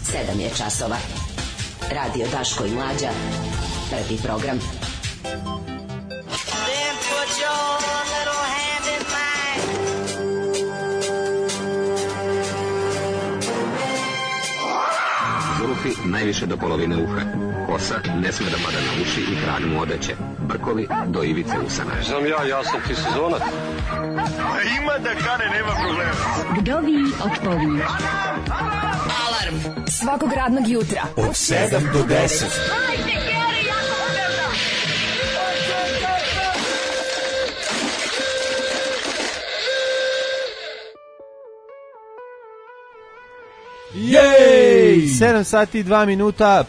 7 je časova. Radio Daško i Mlađa. Prvi program. Then put your little hand in mine. Zulufi najviše do polovine uha. Kosa ne sme da pada na uši i kralj mu odeće. Brkovi do ivice usana. Znam ja sam ti sezonac. Ima da kane, nema problema. Kdo vi otpovi? Alarm Svakog radnog jutra od 7 do 10. Jej! 7 sati i 2 minuta,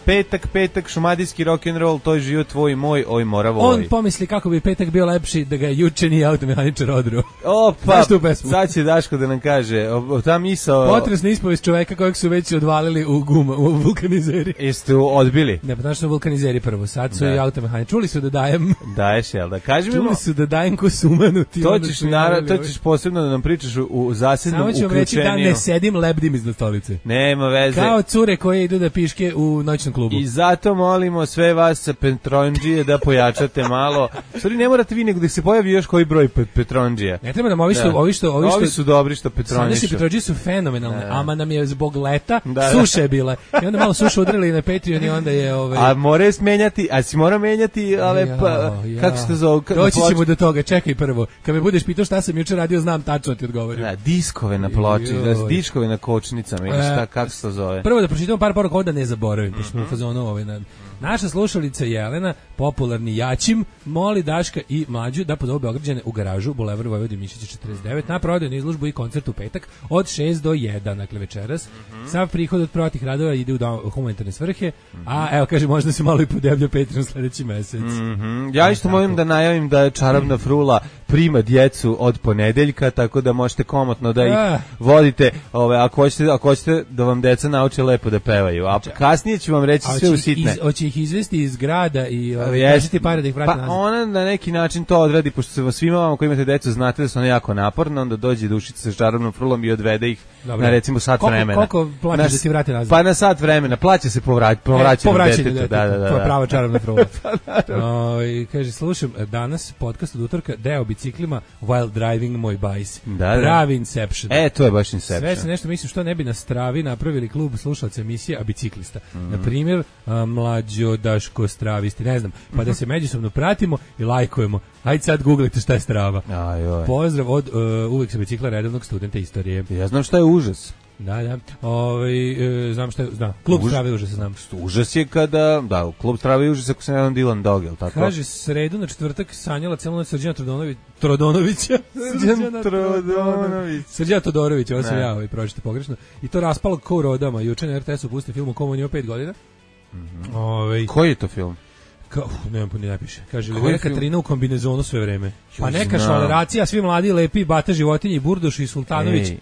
petak, šumadijski rock'n'roll, to je život tvoj i moj, oj mora voj. On pomisli kako bi petak bio lepši da ga juče nije automehaničar odruo. Opa, sad će Daško da nam kaže, ta misao... Potresna ispovest čoveka kojeg su već odvalili u vulkanizeri. Jeste odbili? Ne, pa znaš su vulkanizeri prvo, sad su i automehaničari. Čuli su da dajem... Daješ, jel da? Kaži mi... Čuli su da dajem ko sumanuti. To ćeš posebno da nam pričaš u zasebnom uključenju. Samo ću reći da ne sedim, lebdim iznad stolice. Nema veze. Kao cure koje idu da piške u noćnom klubu. I zato molimo sve vas sa Petronđije da pojačate malo. Sorry, ne morate vi nego da se pojavi još koji broj Petronđija. Ne treba nam ovi su dobri što Petronđišu. Sadašnji Petronđije su fenomenalne, ama nam je zbog leta suše je bila. I onda malo suše udarili na Patreon i onda je... A more smenjati, a si mora menjati, ali kako se to zove? Doći ćemo do toga, čekaj prvo. Kad me budeš pitao šta sam juče radio, znam tačno ti odgovorim. Da, diskove na ploči, diskove na kočnicama ili šta, kako se to zove? Prvo da pročitamo par poruka da ne zaboravim, pošto smo u fazonu naša slušalica Jelena, popularni Jačim, moli Daška i Mlađu da pozovu Beograđane u garažu Bulevar Vojvodin Mišića 49 na prodajnu izložbu i koncert u petak od 6 do 1, dakle večeras. Sav prihod od prodatih radova ide u humanitarne svrhe, a evo kaže možda se malo i podeblja Patreon sledeći mesec. Ja isto molim da najavim da je Čarobna frula prima djecu od ponedeljka, tako da možete komotno da ih vodite, ako hoćete da vam deca nauče lepo da pevaju, a kasnije ću vam reći sve u sitne. Hoće ih izvesti iz grada i tražiti pare da ih vrati nazad. Pa ona na neki način to odradi, pošto svima vama koji imate decu znate da su one jako naporne, onda dođe Dušica sa Čarobnom frulom i odvede ih na recimo sat vremena. Koliko plaćaš da ti vrati nazad? Pa na sat vremena, plaća se povraćanje detetu. Da. Prava Čarobna frula. Kaže, slušam danas podcast od utorka, deo biciklima while driving moj bajs. Pravi Inception. To je baš Inception. Sve se nešto mislim što ne bi na Stravi napravili klub slušalaca emisije, a biciklista. Na primjer, Mlađo, Daško, Stravisti, ne znam, pa da se međusobno pratimo i lajkujemo. Ajde sad googlite šta je Strava. Pozdrav od uvijek sa bicikla redovnog studenta istorije. Ja znam šta je užas. Da. Znam šta je, klub Strave užas, znam. Užas je kada, klub Strave užas ako se ne znam Dylan Dog, jel tako? Kaže, sredu na četvrtak sanjala cijelo noć Srđana Trodonovića. Srđana Todorovića, ovo sam ja pročite pogrešno. I to raspalo ko u rodama. Juče na RTS-u pusti film o kom on je 5 godina. Koji je to film? Ne piše. Kaže, Livera Katarina u kombinezonu sve vreme. Pa neka švaleracija, svi mladi, lepi, Bata Životinji i Burduš i Sultanović.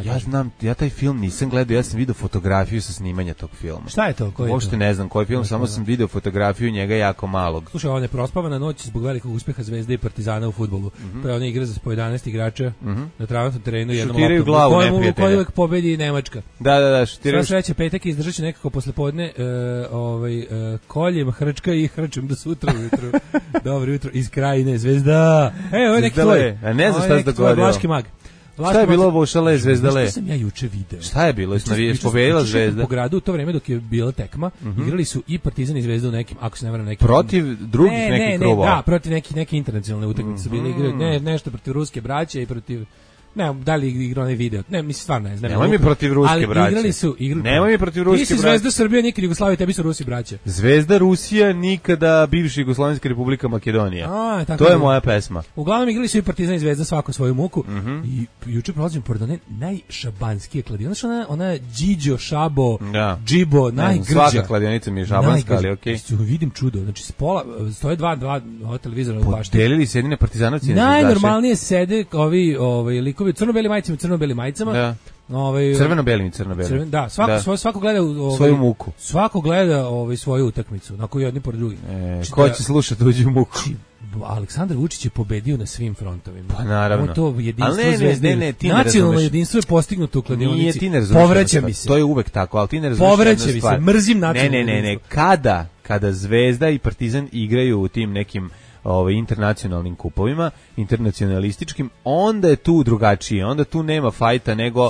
Ja znam, ja taj film nisam gledao, ja sam vidio fotografiju sa snimanja tog filma. Šta je to? Uopšte ne znam koji film, samo sam vidio fotografiju njega jako malog. Slušaj, ona je prospavana noć zbog velikog uspeha Zvezde i Partizana u fudbalu. To je ona igra za po 11 igrača na travnatom terenu. Šutiraju glavu neprijatelja. U kojoj uvek pobedi Nemačka. Da, šutiraju. Sve sreće, petak izdržat će nekako poslepodne koljem, hrčka i hrčem do sutra ujutru. Dobro jutro iz Krajine, Zvezda. Ovo je neki tvoj. A ne znam šta se dogodilo. Vlaški mag. Šta je bilo Vošale, Zvezdale? Što sam ja juče video. Šta je bilo? Pobedila Zvezda. Po gradu u to vreme dok je bila tekma, igrali su i Partizan i Zvezda u nekim, ako se ne varam, nekim protiv drugih nekih klubova. Da, protiv neke internacionalne utakmice bili igrali, nešto protiv ruske braće i protiv ne, da li igrao onaj video? Ne, mislim stvarno ne znam. Nemoj mi protiv ruske braće. Ali igrali su. Nemoj mi protiv ruske braće. Ti si Zvezda Srbija, nikad Jugoslavija, tebi su Rusi braće. Zvezda Rusija, nikada bivša Jugoslovenska republika Makedonija. To je moja pesma. Uglavnom igrali su i Partizan i Zvezda svako svoju muku. I juče prolazim pored one najšabanskije kladionice. Znaš ona Điđo, Šabo, Džibo, najgrđa. Svaka kladionica mi je šabanska, ali okej. Vidim čudo. Znači, stoje dva televizora od bašte. Podelili se jedine partizanovci. Najnormalnije sede ovi likovi u crno-belim majicama, Crveno-belim i crno-belim. Da, svako gleda svoju muku. Svako gleda svoju utakmicu, na koju jedni pored drugih. Ko će slušati tuđu muku? Aleksandar Vučić je pobedio na svim frontovima. Pa naravno. To jedinstvo zvezde. Nacionalno jedinstvo je postignuto u kladionici. Povraća mi se. To je uvek tako, ali ti ne razumiješ. Povraća mi se, mrzim nacionalno jedinstvo. Kada Zvezda i Partizan igraju u tim nekim internacionalnim kupovima, internacionalističkim, onda je tu drugačije, onda tu nema fajta, nego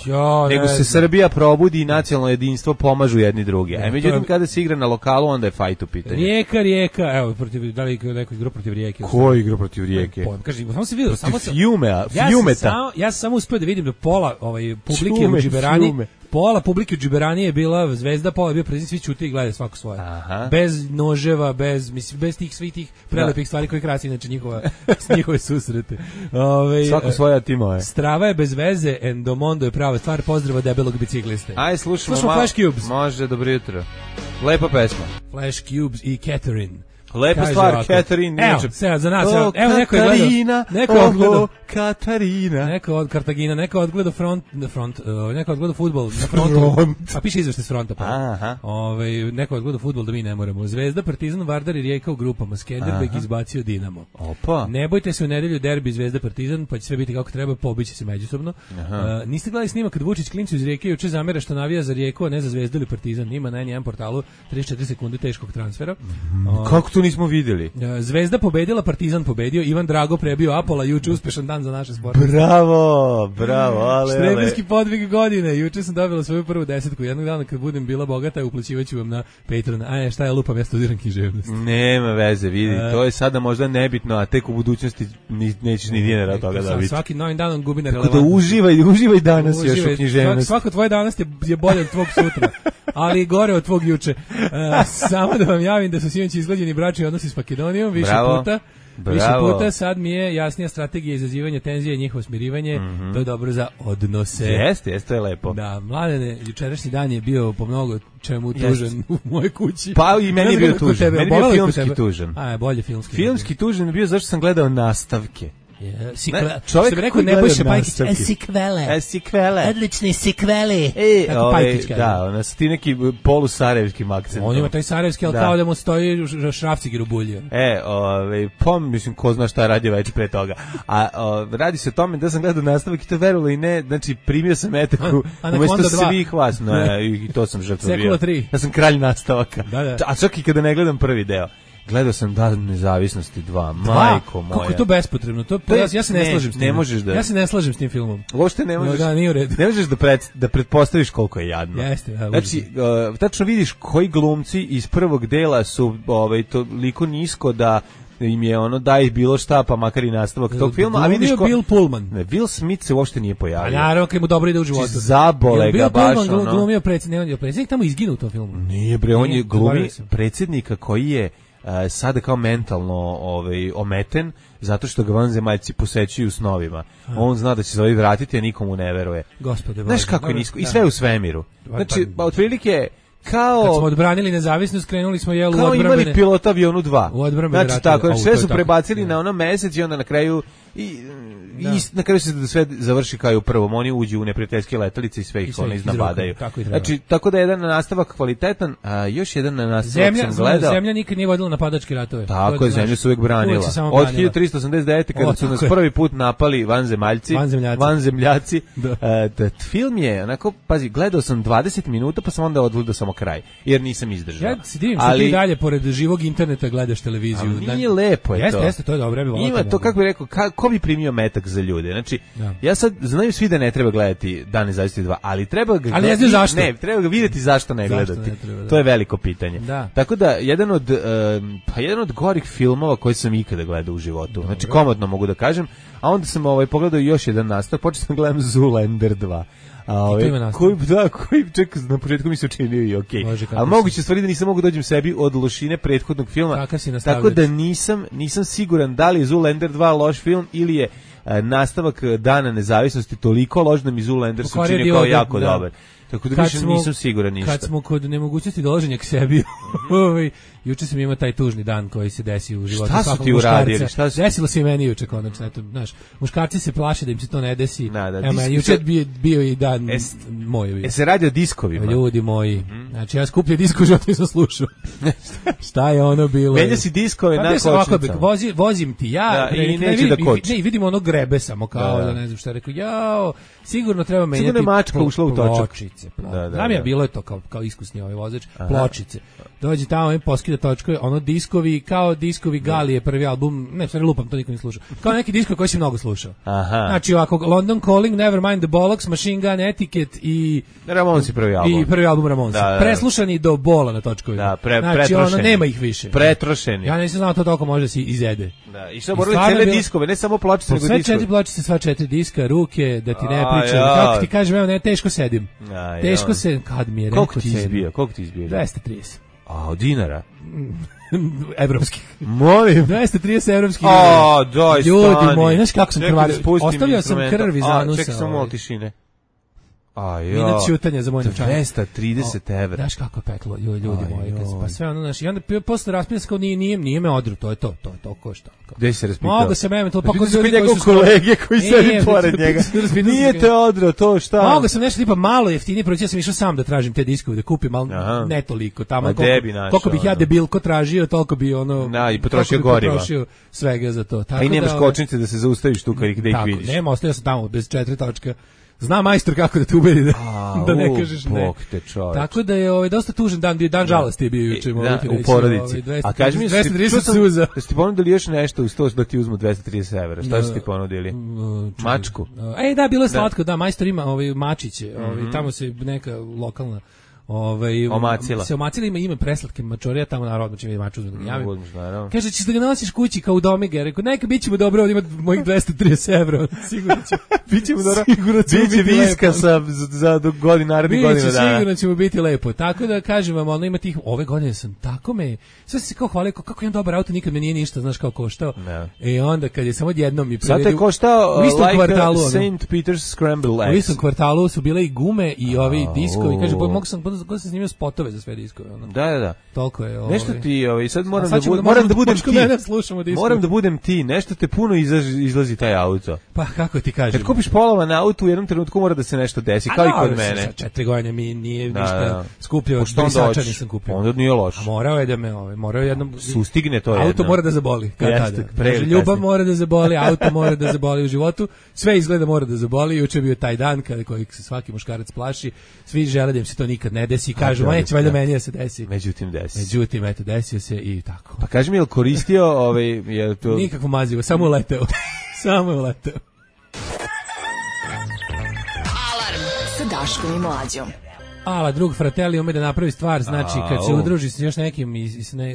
se Srbija probudi i nacionalno jedinstvo pomažu jedni drugi. A međutim, kada se igra na lokalu, onda je fajt u pitanju. Rijeka, evo, da li neko igra protiv Rijeke? Ko igra protiv Rijeke? Kaži, samo se vidio, Fjumeta. Ja sam samo uspio da vidim da pola publike u Džiberani, pola publike u Džiberani je bila Zvezda, pola je bio Partizan, svi ćute i gledaju svako svoje. Aha. Bez noževa, bez tih svih tih prelepih stvari koje krasi inače njihove susrete. Svako svoja timove. Strava je bez veze, Endomondo je prava stvar, pozdrava debelog bicikliste. Aj, slušamo Flash Cubes. Može, dobro jutro. Lepa pesma. Flash Cubes i Catherine. Lepa stvar, Catherine. Evo, za nas, evo neko je gledao. Neko je odgledao Katarina. Neko od Kartagina, neko je odgledao neko je odgledao fudbal na frontu. A piše izveštaj s fronta. Neko je odgledao fudbal da mi ne moramo. Zvezda, Partizan, Vardar i Rijeka u grupama. Skenderbeg izbacio Dinamo. Opa. Ne bojte se u nedelju derbi Zvezda Partizan, pa će sve biti kako treba, pobiće se međusobno. Niste gledali snimak kad Vučić klincu iz Rijeke juče zamera što navija za Rijeku, a ne za Zvezdu ili Partizan. Ima na N1 portalu 34 sekunde teškog transfera. Kako to nismo vidjeli? Zvezda pobedila, Partizan pobedio, Ivan Drago prebio Apola, juče uspešan dan za naše sportiste. Bravo, ale. Štreberski podvig godine, juče sam dobila svoju prvu 10. Jednog dana kad budem bila bogata, uplaćivaću vam na Patreon. Šta ja lupam, ja studiram književnost. Nema veze, vidi, to je sada možda nebitno, a tek u budućnosti nećeš ni dinara od toga dobiti. Svaki novim danom gubi na relevantnosti. Tako da uživaj danas još u književnosti. Svako tvoje danas je bolje od tvog sutra, ali gore od tvog juče. Samo da vam javim da su sinoć izglađeni bračni odnosi s Makedonijom, više puta, sad mi je jasnija strategija izazivanja tenzije i njihovo smirivanje, to je dobro za odnose. Jeste, to je lepo. Da, Mladene, jučerašnji dan je bio po mnogo čemu tužan u mojoj kući. Pa i meni je bio tužan, meni je bio filmski tužan. Bolje filmski. Filmski tužan je bio zašto sam gledao nastavke. Čovjek što bi rekao Nebojša Pajkić, sikvele. Odlični sikveli. Kako Pajkić kaže. Da, ona su ti neki polusarajevskim akcentom. On ima taj sarajevski, ali kao da mu stoji šrafciger u bulju. Mislim, ko zna šta je radio već pre toga. A radi se o tome da sam gledao nastavak i to verovalo i ne, znači primio sam etaku umesto svih vas. I to sam žrtvo bio. Ja sam kralj nastavaka. A čak i kada ne gledam prvi deo. Gledao sam Dan nezavisnosti 2, majko moja. Kako je to bespotrebno? Ja se ne slažem s tim. Ne možeš da. Ja se ne slažem s tim filmom. Uopšte ne možeš. Da, nije u redu. Ne možeš da pretpostaviš koliko je jadno. Jeste, znači, tačno vidiš koji glumci iz prvog dela su toliko nisko da im je daj bilo šta, pa makar i nastavak tog filma, a vidiš Bill Pullman. Ne, Will Smith se uopšte nije pojavio. A naravno, kad mu dobro ide u životu. Zabole ga baš Bill Pullman glumio predsjednik, tamo izginuo u tom filmu. Nije bre, on je glumi predsjednika koji je sada kao mentalno ometen zato što ga vanzemaljci posećuju u snovima. On zna da će se vratiti, a nikomu ne veruje. Gospode, znaš kako je nisko i sve u svemiru. Znači, otprilike kao kad smo odbranili nezavisnost, krenuli smo u odbrambene. Kao imali pilota avionu 2. Znači tako, sve su prebacili na ono mesec i onda na kraju i na kraju se sve završi kao u prvom. Oni uđu u neprijateljske letelice i sve ih iznabadaju. Znači, tako da je jedan nastavak kvalitetan, a još jedan nastavak sam gledao. Zemlja nikad nije vodila napadačke ratove. Tako je, zemlja se uvek branila. Od 1389. kada su nas prvi put napali vanzemljaci. Film je, onako, pazi, gledao sam 20 minuta, pa sam onda odgledao samo kraj, jer nisam izdržao. Ja se divim što ti dalje, pored živog interneta, gledaš televiziju. Nije lepo je to. Jeste, to je dobro. Ima to, kako bih rekao, ko bi primio metak za ljude? Znači, ja sad znaju svi da ne treba gledati Dan nezavisnosti 2, ali treba ga ali ne znam zašto. Ne, treba ga vidjeti zašto ne gledati. To je veliko pitanje. Tako da, jedan od gorih filmova koji sam ikada gledao u životu. Znači, komotno mogu da kažem. A onda sam pogledao još jedan nastavak, počeo sam gledam Zoolander 2. Koji ček na početku mi se učinio i okej. Ali moguće stvari da nisam mogu dođem sebi od lošine prethodnog filma. Tako da nisam siguran da li je Zoolander 2 loš film ili je nastavak Dana nezavisnosti toliko loš da mi Zoolander se čini kao jako dobar. Tako da više nisam siguran ništa. Kad smo kod nemogućnosti dolaženja k sebi, juče sam imao taj tužni dan koji se desi u životu svakog muškarca. Šta su ti uradili? Desilo se i meni juče konačno. Eto, znaš, muškarci se plaše da im se to ne desi. Evo, juče bio i dan moj. Se radi o diskovima. Ljudi moji, znači ja skuplje disko u životu nisam slušao. Šta je ono bilo? Menja si diskove na kočnicama. Vozim ti ja. I neće da koči. Ne, vidimo ono grebe samo kao da ne znam šta rekao. Jao, sigurno treba menjati. Sigurno je mačka ušla u točak. Pločice. Znam ja, bilo je to kao iskusni ovaj vozač. Pločice. Dođe tamo i poskida točkove, ono diskovi, kao diskovi Galije, prvi album, ne, stvari lupam, to niko ne slušao. Kao neki diskovi koji si mnogo slušao. Znači ovako, London Calling, Nevermind the Bollocks, Machine Gun Etiquette i Ramonsi prvi album. I prvi album Ramonsi. Preslušani do bola na točkovima. Da, znači ono, nema ih više. Pretrošeni. Ja nisam znao to toliko može se izede. Da, i što morali cele diskove, ne samo pločice, nego diskove. Sve 4 pločice, sva 4 diska, ruke, da ti ne pričam. Kako ti kažem, evo, ne, teško sedim. Teško se, kad mi je rekao sedim. Koliko ti izbio? 230. A, od dinara? Evropskih. Molim. 230 evropskih. A, doj, ljudi moji, znaš kako sam krvario. Ostavljao sam krv iz anusa. Čekaj samo malo tišine. Minut čutanja za moj novčanik. 230 evra. Znaš kako je peklo, ljudi moji. Pa sve ono, znaš, i onda posle raspinja se kao nije me odru, to je to košta. Gde se raspitao? Mogu se mene, to pokoj ljudi koji su kolege koji sedi pored njega. Nije te odru, to šta? Mogu sam nešto tipa malo jeftinije, proći ja sam išao sam da tražim te diskove, da kupim, ali ne toliko. Tamo koliko bih ja debilko tražio, toliko bi ono... Da, i potrošio goriva. Potrošio svega za to. A i nemaš kočnice da se zaustaviš tu kad ih vidiš. Nema, ostavio sam tamo bez 4 točka. Zna majstor kako da te ubedi da ne kažeš ne. Tako da je dosta tužan dan žalosti je bio juče. U porodici. A kaži mi, 230 suza. Da ste ponudili još nešto uz to da ti uzmu 230 evra. Šta su ti ponudili? Mačku? Da, bilo je slatko. Da, majstor ima mačiće. Tamo se neka lokalna omacila. Se omacila, ima preslatke mačorija, tamo na rodno će mi maču uzme da ga javim. Kaže, ćeš da ga nosiš kući kao u domige. Rekao, neka, bit ćemo dobro, ovdje ima mojih 230 evra. Sigurno će. Bit ćemo dobro. Biće viska za narednih godina dana. Sigurno ćemo biti lepo. Tako da, kažem vam, ono ima tih, ove godine sam tako sve se kao hvalio, kako imam dobar auto, nikad me nije ništa, znaš kao koštao. I onda, kad je samo odjednom mi sad je koštao St. Peter's Scramble Eggs. U istom kvartalu su bile i gume i ovi diskovi. Kaže, mogu sam snimio spotove za sve diskove. Da. Toliko je. Nešto ti, sad moram da budem ti, nešto te puno izlazi taj auto. Pa kako ti kažem? Kad kupiš polovan auto, u jednom trenutku mora da se nešto desi, kao i kod mene. Sa 4 godine mi nije ništa skupljio, brisača nisam kupio. Onda nije loš. A morao je da me, morao jednom... Sustigne to jedno. Auto mora da zaboli. Ljubav mora da zaboli, auto mora da zaboli u životu, sve izgleda mora da zaboli. Juče je bio taj dan kada kojeg se svaki muškarac plaši, svi žele da im se to nikad ne desi, kažu, neće valjda meni da se desi. Međutim, eto, desio se i tako. Pa kaži mi, je li koristio nikakvo mazivo, samo uleteo. Samo je uleteo. Alarm sa Daškom i Mlađom. Drug Fratelli ume da napravi stvar, znači kad se udruži s još nekim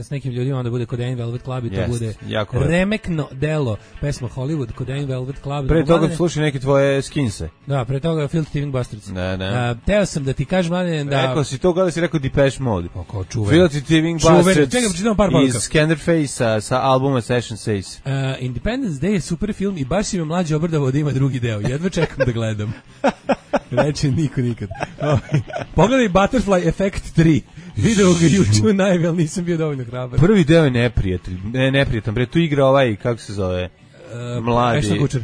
s nekim ljudima, onda bude Codaine Velvet Club i to bude remekno delo. Pesma Hollywood, Codaine Velvet Club. Pre toga slušaj neke tvoje skinse. Da, pre toga Filthy Living Bastards. Teo sam da ti kažem, Mladen, da... Rekao si to kada si rekao Depeche Mode. Kao čuven. Filthy Living Bastards iz Scanderface sa albuma Session Says. Independence Day je super film i baš si me Mlađe obradovao da ima drugi deo. Jedva čekam da gledam. Reći niko nikad. Pogledaj Butterfly Effect 3. Video ga juče najve, ali nisam bio dovoljno hrabar. Prvi deo je neprijatan. Bre, tu igra kako se zove? Mladi. Ashton Kutcher.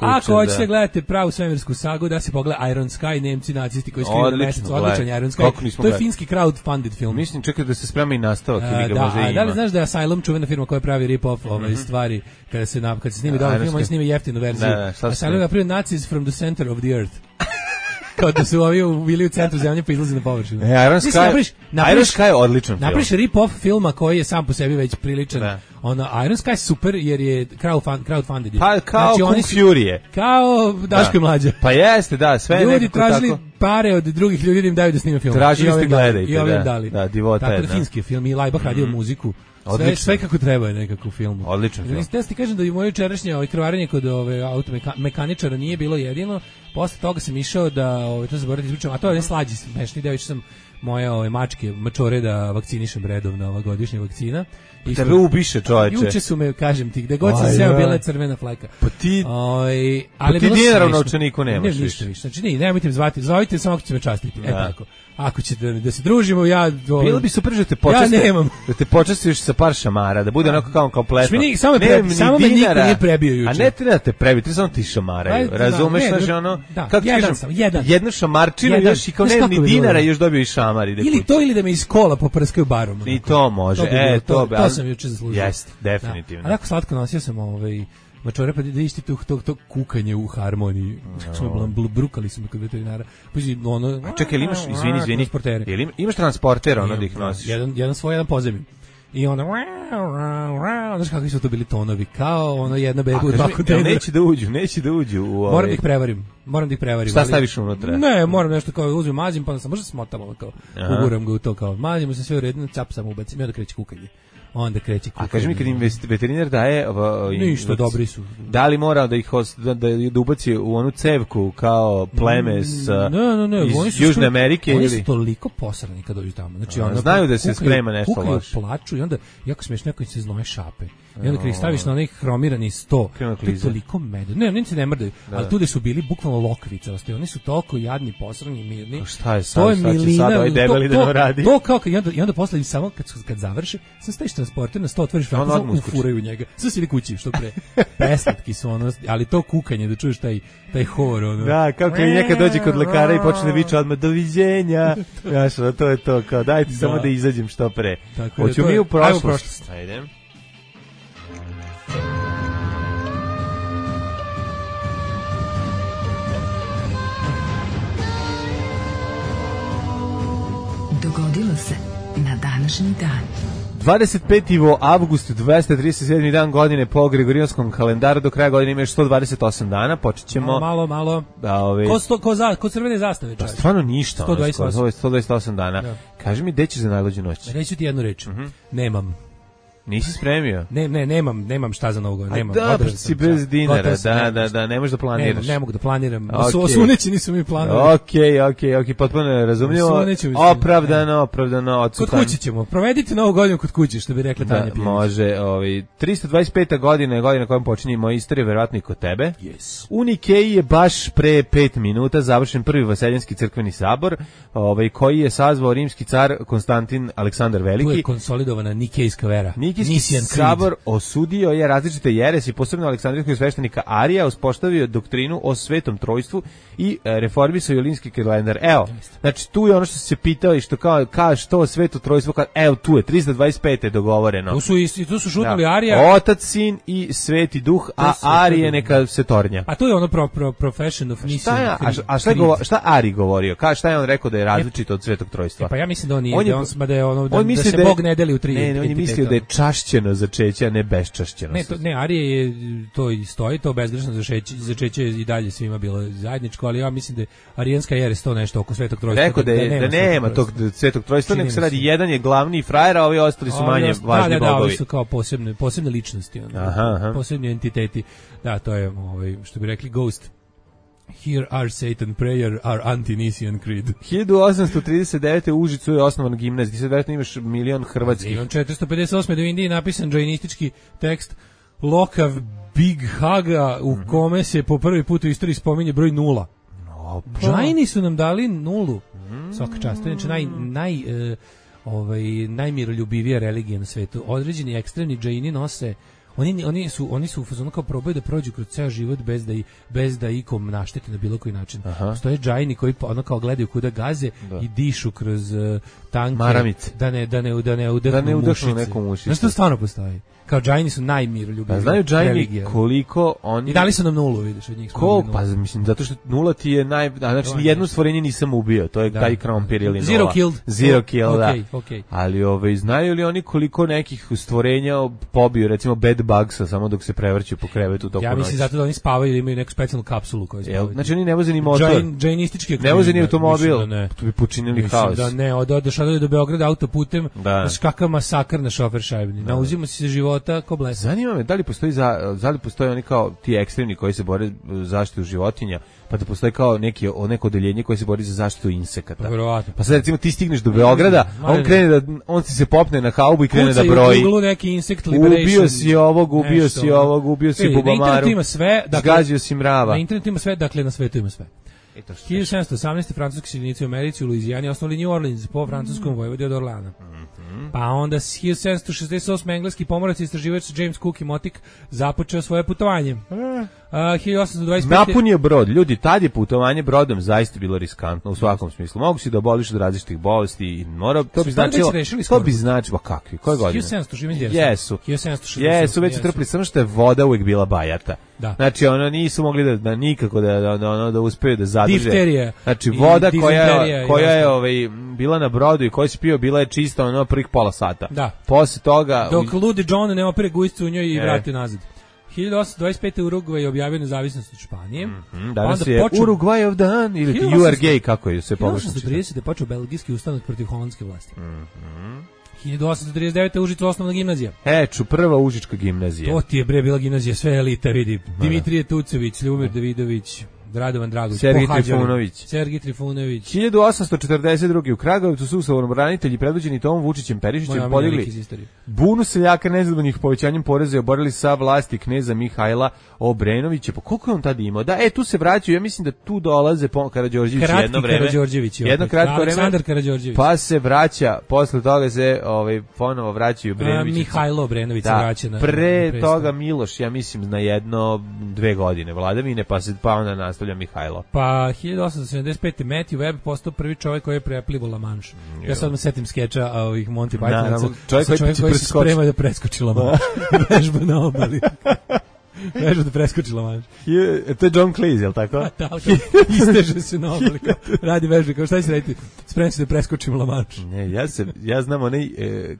Ako hoćete gledate pravu svemirsku sagu, da se pogleda Iron Sky, Nemci nacisti koji skriju mesec, odličan Iron Sky. To je finski crowdfunded film. Mislim, čekaj da se sprema i nastavak. Da li znaš da je Asylum čuvena firma koja pravi rip-off stvari kada se snimi dobar film, oni snime jeftinu verziju. Asylum je napravio Nazis from the center of the earth. Kao da su ovi bili u centru zemlje pa izlazi na površinu. Iron Sky je odličan film. Napriš rip-off filma koji je sam po sebi već priličan. Iron Sky super jer je crowdfunded. Pa kao Kung Fury. Kao Daško i Mlađa. Pa jeste, da, sve je ljudi tražili pare od drugih ljudi da im daju da snime film. Tražili ste gledajte. I ovim dali. Da, divota je. Tako da finski film i Lajbach radio muziku. Sve kako treba je nekako u filmu. Odličan film. Da ti kažem da i moje jučerašnje krvarenje kod automekaničara nije bilo jedino. Posle toga sam išao da to zaboravim izvučem, a to je slađi smešni deo, sam moje mačke, mačore da vakcinišem redovno, ova godišnja vakcina. Tebe ubiše čoveče. Juče su me, kažem ti, gde god sam seo bila je crvena fleka. Pa ti, ali ti dinara u novčaniku nemaš ništa više. Znači, nemojte me zvati, zovite samo ako ćete me častiti. Tako. Ako ćete da se družimo, ja... Bilo bi super da te da te počastiš sa par šamara, da bude onako kao kompletno. Samo me niko nije prebio juče. A ne treba te prebiti, ti samo ti šamaraju. Razumeš, znači ono... Kako kažem, jednu šamarčinu još i kao ne ni dinara još dobio i šamari. Ili to ili da me iz kola poprskaju barom. I to može, to sam juče zaslužio. Jeste, definitivno. A tako slatko nosio sam mačore, pa da isti to kukanje u harmoniji. Brukali su me kod veterinara. Čekaj, ili imaš, izvini, imaš transporter, ono da ih nosiš? Jedan svoj, jedan pozemni. I onda, znaš kakvi su to bili tonovi, kao ono jedna beba u 2 kontejnera. Neće da uđu u ove... Moram da ih prevarim. Šta staviš unutra? Ne, moram nešto kao uzmem, mazim, pa sam možda smotam, kao, uguram ga u to, kao, mazimo se sve u redu, cap sam ubacim, i onda kreće kukanje. Onda kreće kukanje. A kaži mi, kad im veterinar daje... Ništa, dobri su. Da li mora da ih da ubaci u onu cevku kao pleme iz Južne Amerike? Oni su toliko posrani kad dođu tamo. Znači, znaju da se sprema nešto loše. Kukaju, plaču i onda, jako smiješ, neko se znoje šape. I onda kad ih staviš na onaj hromirani sto, to je toliko mede. Ne, oni se ne mrdaju, ali tu gde su bili bukvalno lokvice. Oni su toliko jadni, posrani, mirni. Šta je sad? Šta će sad ovaj debeli da nam radi? To kao, i onda posle samo kad završe, sam staviš transporter na 100, otvoriš vrata, ufuraju u njega. Sve si ili kući, što pre. Preslatki su ono, ali to kukanje, da čuješ taj hor, ono. Da, kao kad nekad dođe kod lekara i počne da viče odmah doviđenja. Znaš, to je to, kao dajte samo da izađem što pre. Hoću mi u prošlost. Ajde. Dogodilo se na današnji dan. 25. avgust, 237. dan godine po Gregorijanskom kalendaru, do kraja godine ima još 128 dana, počet ćemo... Malo. Ko crvene zastave, čovječ? Stvarno ništa, 128 dana. Da. Kaži mi, gde ćeš za najluđu noć? Reću ti jednu reč, nemam. Nisi spremio? Nemam šta za Novu godinu, nemam. Da, si bez dinara, da, ne možeš da planiraš. Ne mogu da planiram, osuneći nisu mi planovi. Okej, potpuno razumljivo, opravdano, kod kuće ćemo, provedite Novu godinu kod kuće, što bi rekla Tanja Pijanić. Može, 325. godina je godina kojom počinje moja istorija, verovatno i kod tebe. Yes. U Nikeji je baš pre 5 minuta završen prvi Vaseljenski crkveni sabor, koji je sazvao rimski car Konstantin Aleksandar Veliki. Tu je konsolidovana Nikejska vera. Nikejski sabor osudio je različite jeresi, posebno Aleksandrijskog sveštenika Arija, uspostavio doktrinu o Svetom Trojstvu i reformisao jolinski kalendar. Evo, znači tu je ono što se pitao i što kao što Sveto Trojstvo, evo tu je 325. dogovoreno. Tu su šutnuli Arija. Otac, Sin i Sveti Duh, a Arije neka se tornja. A to je ono profession of Nicene. Šta Ari govorio? Šta je on rekao da je različito od Svetog Trojstva? Pa ja mislim da on nije, da se Bog ne deli u 3 entiteta. Ne, on je mislio da je čašćeno začeće, a ne beščašćeno. Ne, Arije je to i stoji, to bezgrešno začeće i dalje svima bilo zajedničko, ali ja mislim da je arijanska jeres to nešto oko Svetog Trojstva. Rekao da nema tog Svetog Trojstva, nego se radi jedan je glavni frajer, a ovi ostali su manje važni bogovi. Da, ovi su kao posebne ličnosti, posebni entiteti. Da, to je, što bi rekli, Ghost. Here are Satan prayer, our anti-Nicene creed. 1839. u Užicu je osnovan gimnazij. Ti sad vjerojatno imaš milion hrvatskih. 458. da u Indiji napisan džajnistički tekst Lokav Big Haga, u kome se po prvi put u istoriji spominje broj 0. Džajni su nam dali 0. Svaka čast. To je najmiroljubivija religija na svetu. Određeni ekstremni džajni nose. Oni su u fazonu kao probaju da prođu kroz ceo život bez da ikom naštete na bilo koji način. Stoje džajni koji ono kao gledaju kuda gaze i dišu kroz tanke maramice. Da ne udahnu neku mušicu. Znaš, to stvarno postoji. Kao džajni su najmiroljubiviji. Znaju džajni koliko oni... I dali su nam 0, vidiš, od njih. Pa mislim, zato što 0 ti je znači nijedno stvorenje nisam ubio, to je taj krompir ili 0. Zero kill, da. Okay. Ali znaju li oni koliko nekih stvorenja pobiju, recimo Bad Bugsa, samo dok se prevrću po krevetu toku Ja mislim noći. zato da oni spavaju ili imaju neku specijalnu kapsulu koju spavaju. Znači oni ne voze ni motor, Džajnistički ne voze ni automobil, da ne. tu bi počinili haos. Da ne, odeš do Beograda autoputem, Da. znaš kakav masakr na šofer šajbni. Nauzimo si se života ko blesa. Zanima me da li postoji oni kao ti ekstremni koji se bore za zaštitu životinja, pa da postoji kao neko odeljenje koje se bori za zaštitu insekata. Verovatno. Pa sad recimo ti stigneš do Beograda, a on ti se popne na haubu i krene da Kucaj broji. u Google neki insect liberation. Ubio si ovog, ubio si ovog, ubio si bubamaru. Na internetu ima sve, dakle, zgazio si mrava. Na internetu ima sve, dakle na svetu ima sve. 1718. francuski seljenici u Americi u Luizijani osnovali New Orleans po francuskom vojvodi od Orlana. Pa onda 1768. engleski pomorac i istraživač James Cook i Motik započeo svoje putovanje. 1825. Napunio brod. Ljudi, tad je putovanje brodom zaista bilo riskantno u svakom smislu. Mogu si da oboliš od različitih bolesti i mora, to bi značilo, kakvi, koje godine? 1760. Jesu. 1760. Jesu, već su trpili, samo što je voda uvijek bila bajata. Da. Znači, nisu mogli da nikako da uspeju da zadrže. Difterija. Znači, voda koja je bila na brodu i koja si pio, bila je čista prvih pola sata. Da. Posle toga... Dok ludi John ne opere gujscu u njoj i vrati nazad. 1825. Urugvaj je objavio nezavisnost od Španije. Danas je Urugvajov dan ili You are gay, kako je se pogrešno. 1830. je počeo belgijski ustanak protiv holandske vlasti. 1839. Užicu osnovna gimnazija. Prva užička gimnazija. To ti je bila gimnazija, sve elita, vidi. Dimitrije Tucović, Ljubomir Davidović, Radovan Dragović, Sergij Trifunović. 1842. u Kragujevcu su samoobranitelji predvođeni Tomom Vučićem Perišićem podigli bunu seljaka nezadovoljnih povećanjem poreza i oborili sa vlasti kneza Mihajla Obrenovića. Pa koliko je on tada imao? Tu se vraćaju, ja mislim da tu dolaze Karađorđević jedno vreme. Jedno kratko vreme. Aleksandar Karađorđević. Pa se vraća, posle toga se ponovo vraćaju Obrenović. Mihajlo Obrenović se vraća na pre toga Miloš, ja mislim na 1-2 godine vladavine, pa onda nastavlja Mihajlo. Pa 1875. Matthew Webb postao prvi čovjek koji je preplivao La Manche. Ja sad me setim skeča ovih Monty Pythonaca. Čovjek koji se sprema da preskoči La Manche. Vežba na obali. Vežba da preskoči La Manche. To je John Cleese, jel tako? Isteže se na obali. Radi vežbe, kao šta će raditi? Spremam se da preskočim La Manche. Ne, ja znam onaj,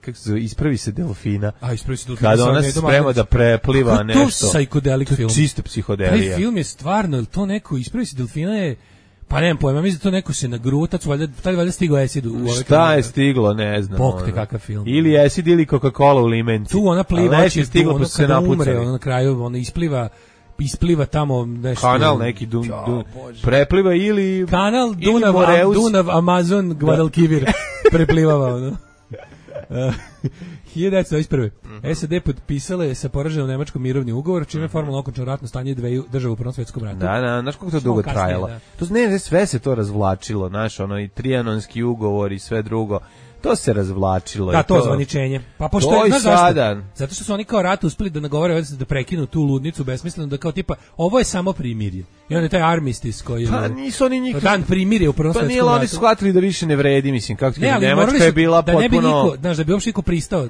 kako se zove, ispravi se delfina. Ispravi se delfina. Kada ona se sprema da prepliva nešto. To je psihodelik film. Čista psihodelija. Taj film je stvarno, ili to neko ispravi se delfina je... Pa nemam pojma, mislim da to neko se na grutac, valjda stigao acid u ove... Šta je stiglo, ne znam. Bog te kakav film. Ili acid ili Coca-Cola u limenci. Tu ona pliva, stiglo, tu kada umre, ona na kraju ona ispliva tamo nešto. Kanal neki prepliva ili... Kanal Dunav, Amazon, Guadalquivir preplivava ono. 1921. SAD potpisale sa poraženom Nemačkom mirovni ugovor, čime je formalno okončano ratno stanje dveju država u Prvom svjetskom ratu. Da, znaš kako to dugo trajalo. To ne, sve se to razvlačilo, znaš, i Trianonski ugovor i sve drugo. To se razvlačilo. Da, to zvaničenje. Pa pošto je, zašto? Zato što su oni kao rat uspeli da nagovore da prekinu tu ludnicu besmisleno, da kao tipa, ovo je samo primirje. I onda je taj armistice koji je... Pa nisu oni nikad... Dan primirje u Prvom svjetskom ratu. Pa nije, oni su shvatili da više ne vredi, mislim, kako ti Nemačka je bila potpuno... Da ne bi niko, znaš, da bi uopšte niko pristao,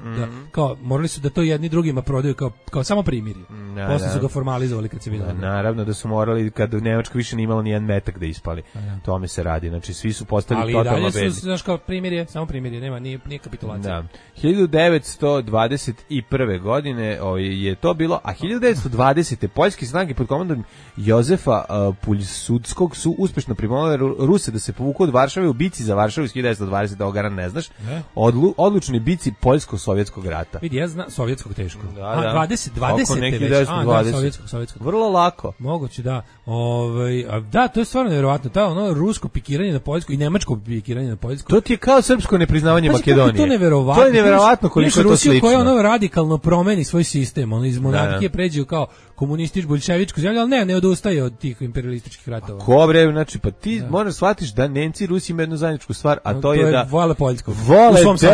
kao, morali su da to jedni drugima prodaju kao samo primirje. Posle su ga formalizovali kad se vidjeli. Naravno da su morali, kad Nemačka više nije imala ni jedan metak da ispali. Tome se radi, znači svi su postali totalno bedni. Ali dalje su, znaš, kao primirje, samo primirje, nema, nije kapitulacija. Da. 1921. godine je to bilo, a 1920. poljske snage pod komandom Jozefa Puljsudskog su uspešno primolile Ruse da se povuku od Varšave u bici za Varšavu iz 1920. Ovoga ne znaš. Odlučni bici Poljsko-sovjetskog rata. Vidi, ja znam sovjetskog teško. Da. 20. već. Sovjetskog. Vrlo lako. Moguće, da. Da, to je stvarno nevjerovatno. Ta rusko pikiranje na Poljsku i nemačko pikiranje na Poljsku. To ti je kao srpsko nepriznavanje Makedonije. To je neverovatno koliko je to slično. Koja radikalno promeni svoj sistem, iz monarhije pređe kao komunističku, bolševičku zemlju, ali ne odustaje od tih imperialističkih ratova. Ko bre, znači, pa ti moraš shvatiš da Nemci i Rusi imaju jednu zajedničku stvar, a to je da... Vole Poljsku. Vole Poljsku.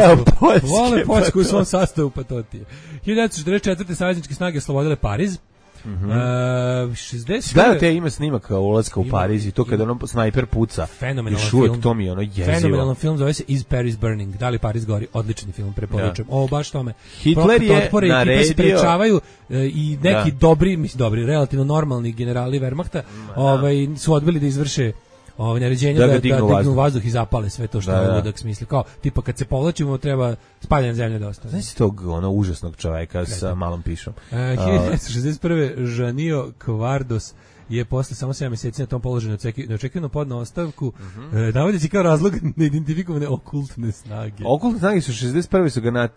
Vole Poljsku u svom sastavu, pa to ti je. 1944. savezničke snage oslobodile Pariz. 60. Gledajte, ima snimak ulaska u Pariz i to kada ono snajper puca. Fenomenalan film. To mi je ono jezivo. Fenomenalan film, zove se Is Paris Burning. Da li Pariz gori? Odlični film, preporučujem. Baš tome. Hitler je naredio... se sprečavaju i neki dobri, relativno normalni generali Wehrmachta su odbili da izvrše naređenja da dignu vazduh i zapale sve to što je ludak smisli. Kao, tipa kad se povlačimo treba spaljena zemlja da ostane. Znaš tog užasnog čoveka sa malom pišom. 1961. Janio Kvardos je posle samo 7 meseci na tom položaju neočekivano podneo ostavku, navodeći kao razlog neidentifikovane okultne snage. Okultne snage su 61. su ga da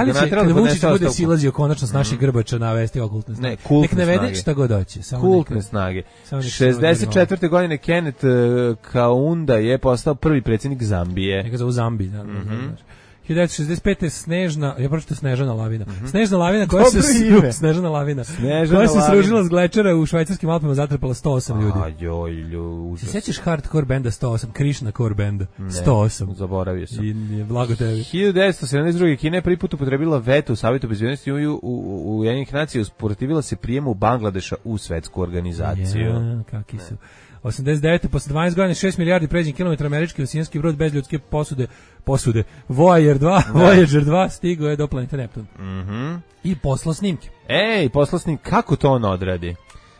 li će kada Vučić bude silazio konačno s naših grbača navesti okultne snage? Nek navede šta god hoće. Kultne snage. 64. godine Kenneth Kaunda je postao prvi predsjednik Zambije. Neka zovu Zambiji, da. 1965. Snežana lavina. Snežna lavina koja se sružila s glečera u švajcarskim Alpima, zatrpala 108 ljudi. Se sećaš hardcore benda 108, Krishna core benda 108? Zaboravio sam. I blago tebi. 1972. Kina je prvi put upotrebila veto u Savjetu bezbednosti u Ujedinjenih nacija, usprotivila se prijemu Bangladeša u svetsku organizaciju. Ja, kakvi su. 89. posle 12 godina 6 milijardi pređenih kilometara američki oceanski brod bez ljudske posude Voyager 2 stigao je do planete Neptun. I poslao snimke. Poslao snimke, kako to on odradi?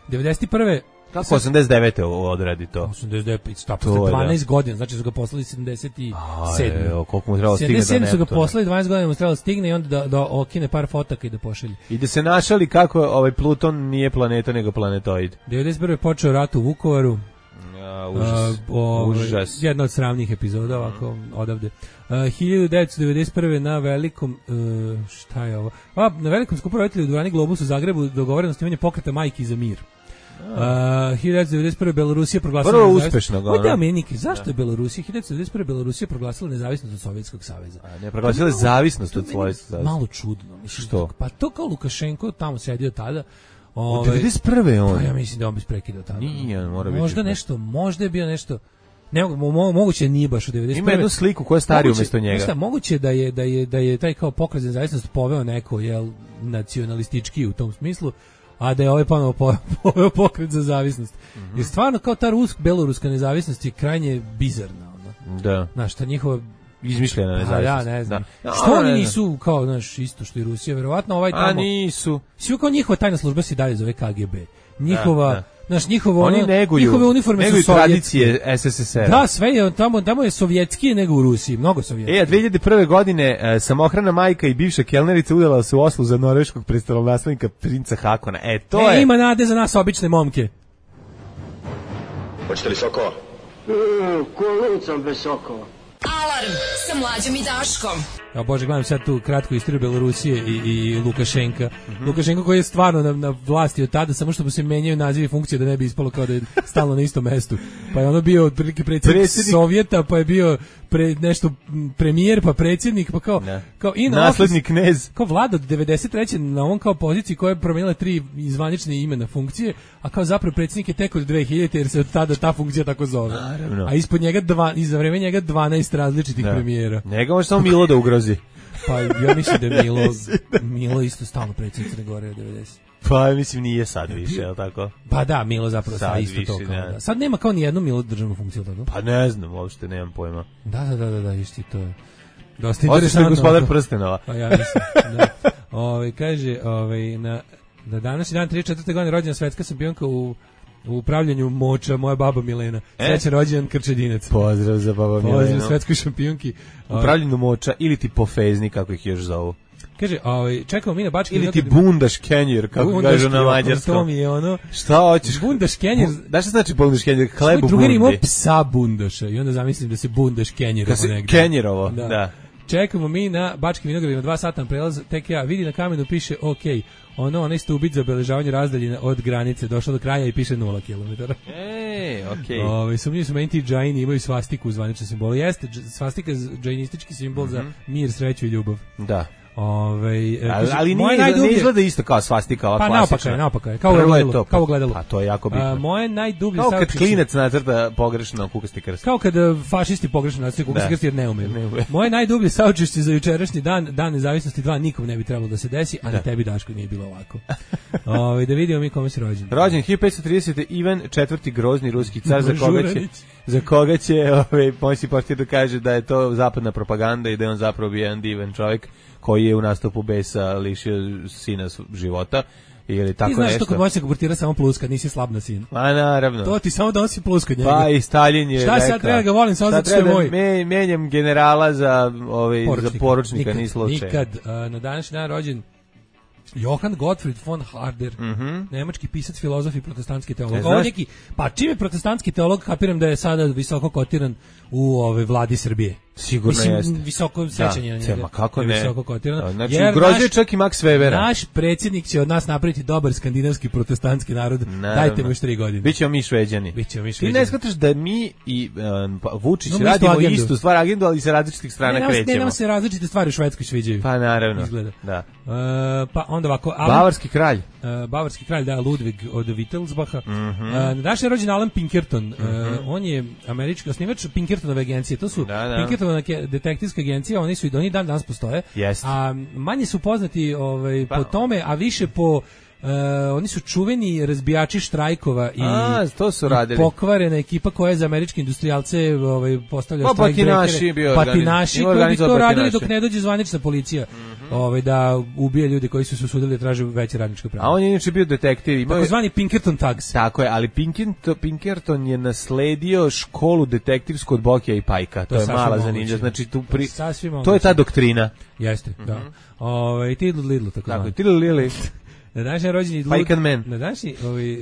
91. Kako 89. odradi to? 89. Posle 12 godina, znači su ga poslali 77. Koliko mu trebalo stigne do Neptuna? 77 su ga poslali, 12 godina mu trebalo stigne i onda da okine par fotaka i da pošalje. I da se našali kako Pluton nije planeta nego planetoid. 91. je počeo rat u Vukovaru. Užas. Jedna od sramnih epizoda ovako odavde. 1991. na velikom šta je ovo? Na velikom skupu roditelja u dvorani Globus u Zagrebu dogovoreno snimanje pokreta Majki za mir. 1991. Belorusija proglasila vrlo uspešno ga. Zašto je Belorusija 1991. Belorusija proglasila nezavisnost od Sovjetskog saveza? Ne, proglasila je zavisnost od Sovjetskog saveza. Malo čudno, mislim. Što? Pa to kao Lukašenko tamo sedio tada. Od 91. on. Pa ja mislim da on bez prekida tada. Nije, mora biti. Možda je bio nešto. Ne, moguće nije baš u 91. Ima jednu sliku koja je starija umjesto njega. Šta, moguće da je taj kao pokret za nezavisnost poveo neko nacionalistički u tom smislu, a da je ovaj ponovo poveo pokret za zavisnost. Jer stvarno kao ta beloruska nezavisnost je krajnje bizarna. Da. Znaš, ta njihova izmišljena nezavisnost. Ja ne znam. Što oni nisu kao, znaš, isto što i Rusija, verovatno ovaj tamo. A nisu. Svi kao njihova tajna služba se dalje zove KGB. Njihova, znaš, oni njihove uniforme su sovjetske. Tradicije SSSR. Da, sve je tamo je sovjetski nego u Rusiji, mnogo sovjetski. 2001. godine samohrana majka i bivša kelnerica udala se u Oslu za norveškog prestolonaslednika princa Hakona. To je. Ima nade za nas obične momke. Hoćete li sokova? Kolucam bez sokova. Alarm sa Mlađom i Daškom. Ja bože, gledam sad tu kratku istoriju Belorusije i Lukašenka. Lukašenko koji je stvarno na vlasti od tada, samo što mu se menjaju nazivi funkcije da ne bi ispalo kao da je stalno na istom mestu. Pa je ono bio otprilike predsjednik Sovjeta, pa je bio nešto premijer, pa predsjednik, pa kao naslednik knez. Kao vlada od 93. na on kao poziciji koja je promijenila 3 zvanične imena funkcije, a kao zapravo predsjednik je tek od 2000 jer se od tada ta funkcija tako zove. Naravno. A ispod njega za vreme njega 12 različitih premijera. Njega može samo Milo da ugrozi. Pa ja mislim da je Milo isto stalno predsjednik Crne Gore od 90. Pa mislim nije sad više, je li tako? Pa da, Milo zapravo sad isto više, to kao da. Sad nema kao ni jednu Milo državnu funkciju, tako? Pa ne znam, uopšte nemam pojma. Da, isti to je. Dosta interesantno. Gospodar prstenova. Pa ja mislim, da. Kaže, na današnji dan 34. godine rođena svetska šampionka u upravljanju moča, moja baba Milena. Srećan rođendan Krčedinac. Pozdrav za baba Milenu. Pozdrav svetskoj šampionki. Upravljanju moča ili ti pofezni, kako ih još zovu. Kaže, čekamo mi na Bački ili ti bundaš kenjer, kako kažu na mađarskom. To mi je ono. Šta hoćeš? Bundaš kenjer. Da šta znači bundaš kenjer? Hleb u bundi. Drugar imao psa bundaša i onda zamislim da se bundaš kenjerovo negdje. Kenjerovo, da. Čekamo mi na Bačkim vinogradima 2 sata prelaz, tek ja vidi na kamenu piše OK. Onaj stubić za obeležavanje razdaljine od granice došao do kraja i piše 0 km. Okej. Sumnjivi su meni ti džajni imaju svastiku u zvaničnom simbolu. Jeste, svastika je džajnistički simbol za mir, sreću i ljubav. Da. Ali ne izgleda isto kao svastika, ova klasična. Pa naopaka je, kao gledalo. A to je jako bitno. Moje najdublje kao kad klinac nacrta pogrešno kukasti krst. Kao kad fašisti pogrešno nacrtaju kukasti krst jer ne umeju. Moje najdublje saučešće za jučerašnji dan nezavisnosti 2 nikom ne bi trebalo da se desi, a na tebi Daško nije bilo ovako. Da vidimo mi kome si rođen. Rođen 1530. Ivan IV. Grozni ruski car za koga će pomoćni portir da kaže da je to zapadna propaganda i da je on zapravo bio jedan divan čovjek koji je u nastupu besa lišio sina života. ili tako ti znaš nešto. to kad možeš abortirati samo plus kad nisi slab na sin. A naravno. To ti samo donosi plus kod njega. Pa i Stalin je Šta rekao. sad treba ga volim samo zato što je moj. Menjam generala za poručnika, nikad, ni slučaj. Nikad. Na današnji dan rođen Johann Gottfried von Harder, nemački pisac, filozof i protestantski teolog. Ovo neki, pa čim je protestantski teolog, kapiram da je sada visoko kotiran u vladi Srbije. Sigurno jeste. Visoko sećanje na njega. Kako ne? Visoko kotiran. Znači, ugrozio čak i Max Webera. Naš predsjednik će od nas napraviti dobar skandinavski protestantski narod. Dajte mu još 3 godine. Bićemo mi Šveđani. Ti ne shvataš da mi i Vučić radimo istu stvar, agendu, ali sa različitih strana krećemo. Ne, nam se različite stvari u Švedskoj sviđaju. Pa naravno. Izgleda. Da. Pa onda ovako. Bavarski kralj. Bavarski kralj, da, Ludwig od Wittelsbacha. Naš je rođen Alan Pinkerton. On je američki osnivač Pinkertonove agencije. To su Pinkertonove detektivske agencije, oni su i do njih dan danas postoje. A manje su poznati po tome, a više po oni su čuveni razbijači štrajkova i to su radili. Pokvarena ekipa koja je za američke industrijalce postavlja štrajkbrekere. Patinaši koji bi to radili dok ne dođe zvanična policija da ubije ljude koji su se usudili da traže veće radničko pravo. A on je inače bio detektiv. Takozvani Pinkerton Tugs. Tako je, ali Pinkerton je nasledio školu detektivsku od Bokija i Pajka. To je mala zanimljiva. Znači, to je ta doktrina. Jeste, da. Tiddle Lidl, tako je. Tiddle Lidl. Na današnji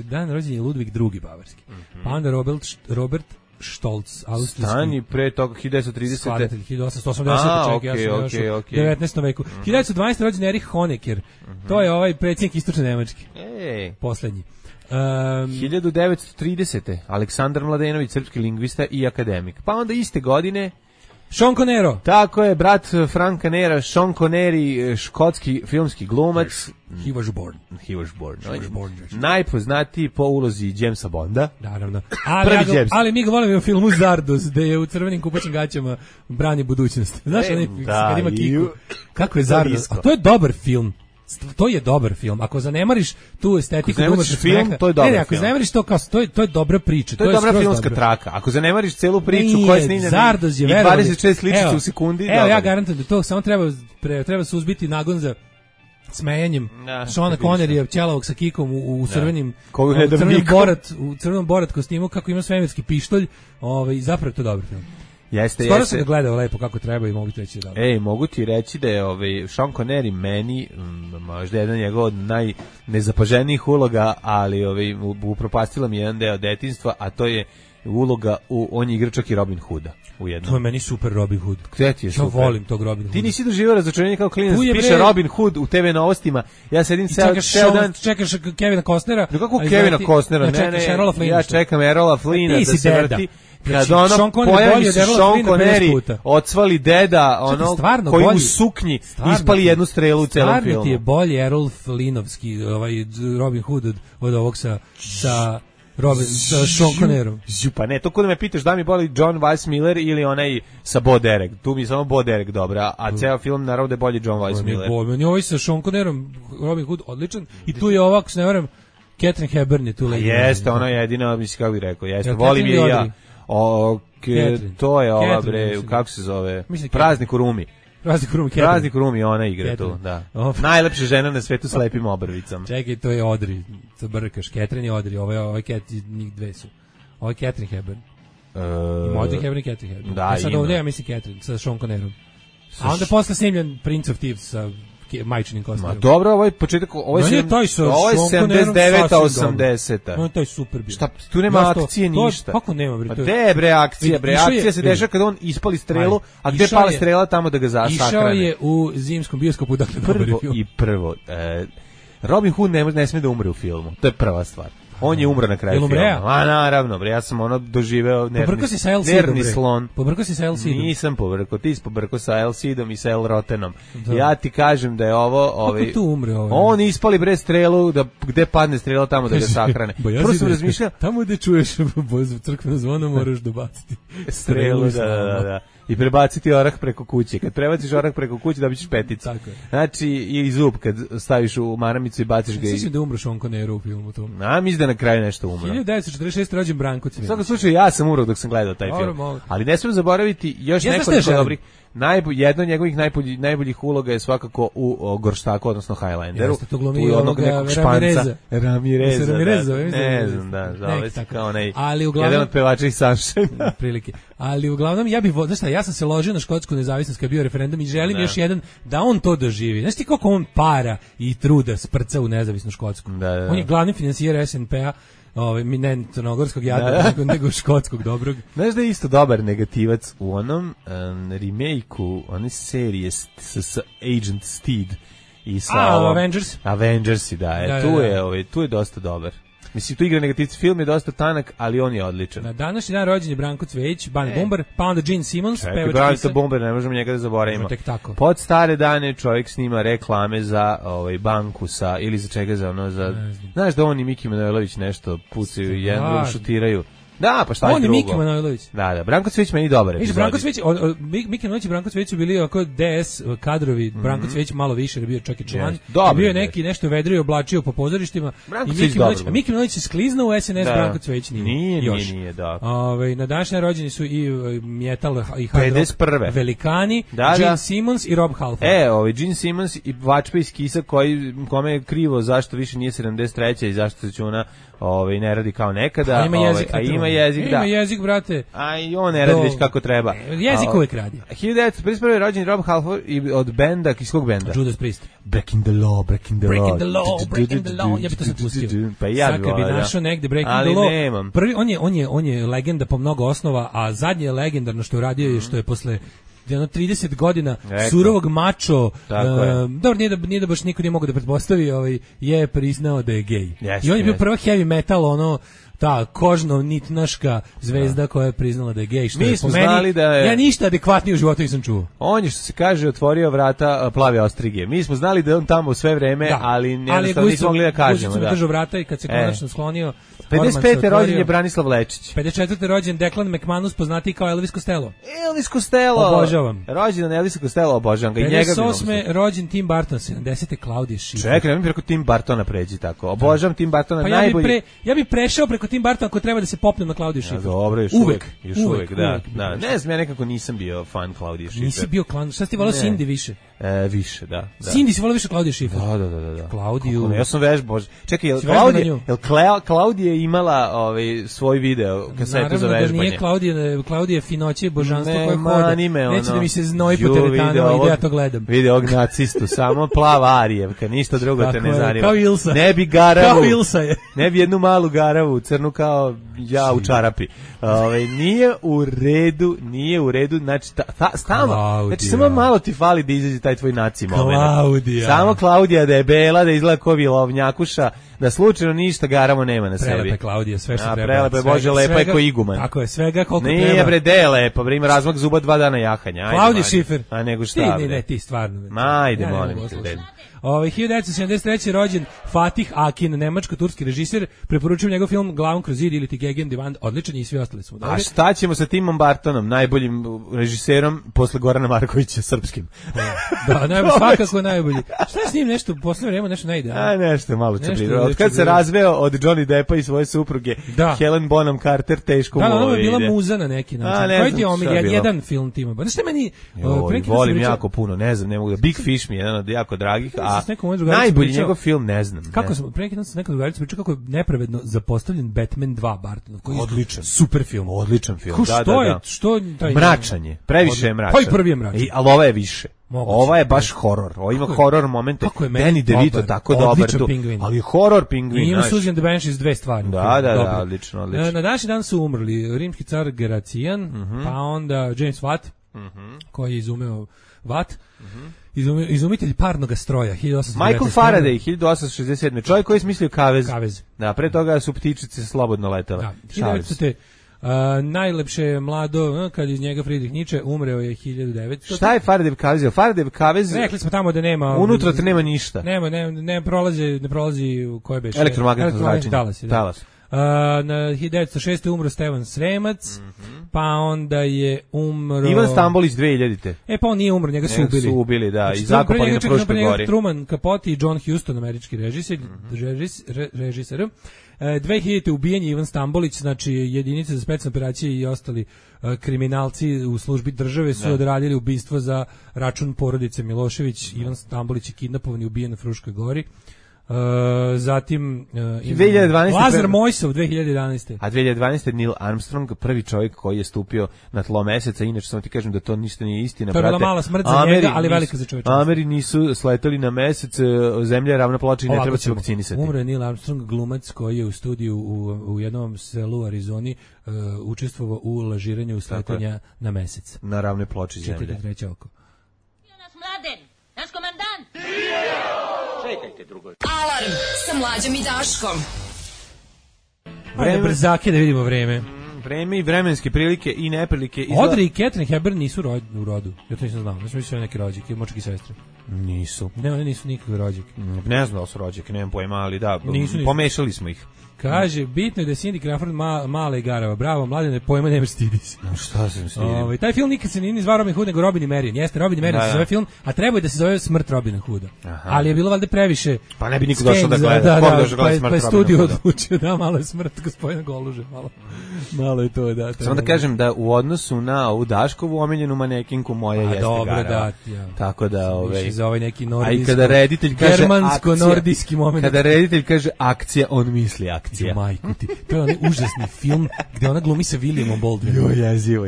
dan rođen je Ludvig II Bavarski. Pa onda Robert Stolz, austrijski. Stani pre toga 1930. 1880. Ja sam još u 19. veku. 1912. rođen Erich Honecker. To je ovaj predsjednik istočne Nemačke. Poslednji. 1930. Aleksandar Mladenović, srpski lingvista i akademik. Pa onda iste godine Sean Connery. Tako je, brat Franka Nera, Sean Connery, škotski filmski glumac. He was born. Najpoznatiji po ulozi Jamesa Bonda. Naravno. Ali mi ga volimo u filmu Zardos, gde je u crvenim kupaćim gaćama brani budućnost. Znaš, kad ima kiku. Kako je Zardos? A to je dobar film. To je dobar film. Ako zanemariš tu estetiku, film, to je dobar film. Ako zanemariš to kao to je dobra priča. To je dobra filmska traka. Ako zanemariš celu priču koja je snimljena i 26 sličica u sekundi, evo ja garantujem da to samo treba suzbiti nagon za smejanjem Seana Conneryja ćelavog sa kikom u crvenim u crvenom borat kostimu kako ima svemirski pištolj, i zapravo to je dobar film. Skoro sam ga gledao lepo kako treba i mogu ti reći da. Mogu ti reći da je Sean Connery meni možda jedan njegov od najnezapaženijih uloga, ali upropastila mi jedan deo detinjstva, a to je uloga on je igra čak i Robin Hooda u jednom. To je meni super Robin Hood. Gde ti je super? Ja volim tog Robin Hooda. Ti nisi doživio razočarenje kao klinac, piše Robin Hood u TV novostima. Ja sedim ceo dan. Čekaš Kevina Costnera. Kako Kevina Costnera? Ne, ja čekam Erola Flynna da se vrti. Kad ono pojavi se Sean Connery, odsvali deda, koji u suknji ispali jednu strelu u celom filmu. Stvarno ti je bolji Errol Flynnovski, Robin Hood od ovog sa Sean Connerom. Pa ne, to kod me pitaš da mi boli John Weissmiller ili onaj sa Bo Derek. Tu mi samo Bo Derek dobra, a ceo film naravno da je bolji John Weissmiller. Meni ovaj sa Sean Connerom, Robin Hood, odličan. I tu je ovako, se ne varam, Catherine Hepburn je tu leđa. Jeste, ona je jedina, mislim kako bih rekao, jeste, volim je i ja. To je ova bre, kako se zove? Praznik u Rumi. Praznik u Rumi, ona igra tu, da. Najlepša žena na svetu s lepim obrvicama. Čekaj, to je Audrey, to brkaš, Catherine i Audrey, ovaj njih dve su. Ovo je Catherine Hepburn. Ima Audrey Hepburn i Catherine Hepburn. Da, sad ovdje ja mislim Catherine, sa Sean Connerom. A onda posle snimljen Prince of Thieves sa majčinim Costnerom. Ma dobro, ovo je početak, ovo je 79-80. No, to je super bio. Šta, tu nema akcije ništa. Kako nema, bre? Pa gde bre akcija, bre? Akcija se dešava kad on ispali strelu, a gde pala strela tamo da ga sakrane. Išao je u zimskom bioskopu, dakle, prvo, Robin Hood ne sme da umre u filmu. To je prva stvar. On je umro na kraju filma. A naravno, bre, ja sam doživeo nervni slon. Pobrkao si sa El Cidom? Nisam pobrkao, ti si pobrkao sa El Cidom i sa El Rotenom. Ja ti kažem da je ovo... Kako tu umre ovo? On ispali bre strelu, gde padne strela tamo da ga sakrane. Prvo sam razmišljao... Tamo gde čuješ crkveno zvono moraš dobaciti strelu. Da. I prebaciti orah preko kuće. Kad prebaciš orah preko kuće, dobićeš peticu. Znači, i zub kad staviš u maramicu i baciš ga. Sviđam da umro Sean Connery u filmu tom. Mislim da na kraju nešto umro. 1946. rođen Branko Cvijanović. U svakom slučaju, ja sam umro dok sam gledao taj film. Ali ne smijem zaboraviti još nekoliko dobrih. jedna od njegovih najboljih uloga je svakako u Gorštaku, odnosno Highlanderu. Jeste, to glumi ovoga Ramireza. Ne znam, da, zove se kao onaj jedan od pevača iz Sunshine. Prilike. Ali uglavnom, ja sam se ložio na škotsku nezavisnost kad je bio referendum i želim još jedan, da on to doživi. Znaš ti koliko on para i truda sprca u nezavisnu Škotsku? On je glavni finansijer SNP-a, ne crnogorskog jada, nego škotskog dobrog. Znaš da je isto dobar negativac u onom remake-u, one serije s Agent Steed i sa Avengersi, da. Tu je dosta dobar. Mislim, tu igra negativci, film je dosta tanak, ali on je odličan. Na današnji dan rođen je Branko Cvejić, Bani Bumbar, pa onda Gene Simmons, pevač Branko Bumbar, ne možemo njega da zaboravimo. Tek tako. Pod stare dane čovjek snima reklame za banku ili za čega znaš da on i Miki Manojlović nešto pucaju i jedno šutiraju. Da, pa šta je drugo? On je Miki Manojlović. Da, Branko Cvejić meni dobar epizod. Branko Cvejić, Miki Manojlović i Branko Cvejić su bili oko DS kadrovi, Branko Cvejić malo više, jer bio čak i član. Bio je neki nešto vedrio, oblačio po pozorištima. Miki Manojlović se skliznuo u SNS, Branko Cvejić nije, da. Na današnje rođeni su i metal i hard rock velikani, Gene Simmons i Rob Halford. Gene Simmons i Vačpa iz Kisa kome je krivo zašto više nije 73. i zašto se ona ne radi kao nekada. Ima jezik, brate. A i on ne radi već kako treba. Jezik uvek radi. 1951. je rođen Rob Halford i od benda, iz kog benda? Judas Priest. Breaking the law. Ja bi to sad pustio. Pa ja bi volao, našao negde Breaking the Law. Ali nemam. Prvi, on je legenda po mnogo osnova, a zadnje je legendarno što je uradio je što je posle 30 godina surovog mačo, dobro, nije da baš niko nije mogao da pretpostavi, je priznao da je gej. I on je bio prva heavy metal, ta kožno-nitnaška zvezda koja je priznala da je gej, što je po meni, ja ništa adekvatnije u životu nisam čuo. On je, što se kaže, otvorio vrata plave ostrige. Mi smo znali da je on tamo sve vreme, ali jednostavno nismo mogli da kažemo. Ali je držao vrata i kad se konačno sklonio... 55. rođen je Branislav Lečić. 54. rođen Declan McManus, poznatiji kao Elvis Costello. Obožavam. Rođen Elvis Costello, obožavam ga. 58. rođen Tim Burton, 70. Claudia Schiffer. Čekaj, mi preko Tim Burtona pređi tako. Obožavam Tim Burtona, najbolji. Ja bih prešao preko Tim Burtona ako treba da se popnem na Claudia Schiffer. Dobro, još uvek, da. Ne znam, ja nekako nisam bio fan Claudia Schiffer. Nisi bio fan, šta si ti volao Cindy više? Više, da. Cindy si volao više Claudia Schiffer? Da. Claudiju. Ja sam vežbao. Čekaj, Claudia je imala svoj video kasetu za vežbanje. Naravno da nije Claudija finoće božanstvo koje hoda. Neće da mi se znoji po teretanama i da ja to gledam. Vidi ovog nacistu, samo plava Arijevka, ništa drugo te ne zanima. Kao Ilsa. Ne bi garavu. Kao Ilsa je. Ne bi jednu malu garavu, crnu kao ja u čarapi. Nije u redu, znači samo malo ti fali da izađe taj tvoj naci moment. Samo Klaudija da je bela, da izgleda ko vilovnjakuša, da slučajno ništa garamo nema na sebi. Prelepa Klaudija, sve što treba. Prelepa je, Bože, lepa je ko iguman. Tako je, svega koliko treba. Nije bre, de je lepa, bre, ima razmak zuba 2 dana jahanja. Claudia Schiffer. A nego šta, bre? Ne, ti stvarno. Ajde, molim te. 1973. rođen Fatih Akin, nemačko-turski režiser, preporučujem njegov film Glavom kroz zid ili ti Gegen Divan, odličan i svi ostali smo dobri. A šta ćemo sa Timom Burtonom, najboljim režiserom posle Gorana Markovića, srpskim? Da, svakako najbolji. Šta je s njim nešto, posle vremena nešto ne ide? Nešto malo čabriro. Od kad se razveo od Johnny Deppa i svoje supruge, Helen Bonham Carter, teško mu ovo ide. Da, ona je bila muza na neki način. Koji ti je omiljen, jedan film Tima? Znaš šta meni... Volim jako puno, ne znam, ne mogu da... Big Fish mi je jedan od jako dragih, a najbolji njegov film, ne znam. Kako sam, pre neki dan sam nekad drugarica pričao kako je nepravedno zapostavljen Batman 2 Bartonov, koji je odličan. Super film. Odličan film, Što taj... Mračan je, previše je mračan. Pa i prvi je mračan. Ali ova je više. Ova je baš horor. Ovo ima horor momente. Danny DeVito tako dobar tu. Ali je horor pingvin. I ima Susan the Banshees 2 stvari. Da, odlično. Na današnji dan su umrli rimski car Grecijan, pa onda James Watt, koji je izumeo Watt, izumitelj parnog stroja, 1897. Michael Faraday, 1867. Čovjek koji je smislio kavez. Da, pre toga su ptičice slobodno letele. Da, 1900. Najlepše mlado, kad iz njega Friedrich Nietzsche, umreo je 1900. Šta je Faraday kavez? Faraday kavez... Rekli smo tamo da nema... Unutra te nema ništa. Ne prolazi u koje beše... Elektromagnetno zračenje. Talas. Na 1906. umro Stevan Sremac, pa onda je umro... Ivan Stambolić 2000-te. Pa on nije umro, njega su ubili. Su ubili, da, Znači, i zakopali na Fruškoj gori. Truman Capote i John Huston, američki režiser. 2000. ubijen je Ivan Stambolić, znači jedinice za specijalne operacije i ostali kriminalci u službi države su odradili ubistvo za račun porodice Milošević. Ivan Stambolić je kidnapovan i ubijen na Fruškoj gori. Zatim 2012. Lazar Mojsov 2011. A 2012. Neil Armstrong, prvi čovjek koji je stupio na tlo meseca, inače samo ti kažem da to ništa nije istina. To je bila mala smrt za njega, ali velika za čovječanstvo. Ameri nisu sletali na mesec, zemlja je ravna ploča i ne treba se vakcinisati. Umro je Neil Armstrong, glumac koji je u studiju u jednom selu u Arizoni učestvovao u lažiranju sletanja na mesec. Na ravnoj ploči zemlje. 43. oko. Mladen, naš komandant! Čekajte, drugo. Alarm sa Mlađom i Daškom. Ajde brzake da vidimo vreme. Vreme i vremenske prilike i neprilike. Audrey i Catherine Hepburn nisu u rodu. Ja to nisam znao. Ja sam mislio neke rođake, močke sestre. Nisu. Ne, one nisu nikakve rođake. Ne znam da su rođake, nemam pojma, ali da, nisu. Pomešali smo ih. Kaže, bitno je da je Cindy Crawford mala i garava. Bravo, Mladene, pojma nemaš, stidi se. Šta sam stidio? Taj film nikad se nije zvao Robin Hood, nego Robin i Marion. Jeste, Robin i Marion se zove film, a treba je da se zove Smrt Robina Hooda. Ali je bilo valjda previše. Pa ne bi niko došao da gleda. Pa je studio odlučio da malo je smrt gospodina Goluže. Malo je to, da. Samo da kažem da u odnosu na ovu Daškovu omiljenu manekinku moja jeste garava. Tako da, za ovaj neki nordijski, kada reditelj kaže germansko-nordijski moment. Kada reditelj kaže akcija, on misli akcija. Majku ti. To je onaj užasni film gde ona glumi sa Williamom Baldwinom. Jezivo.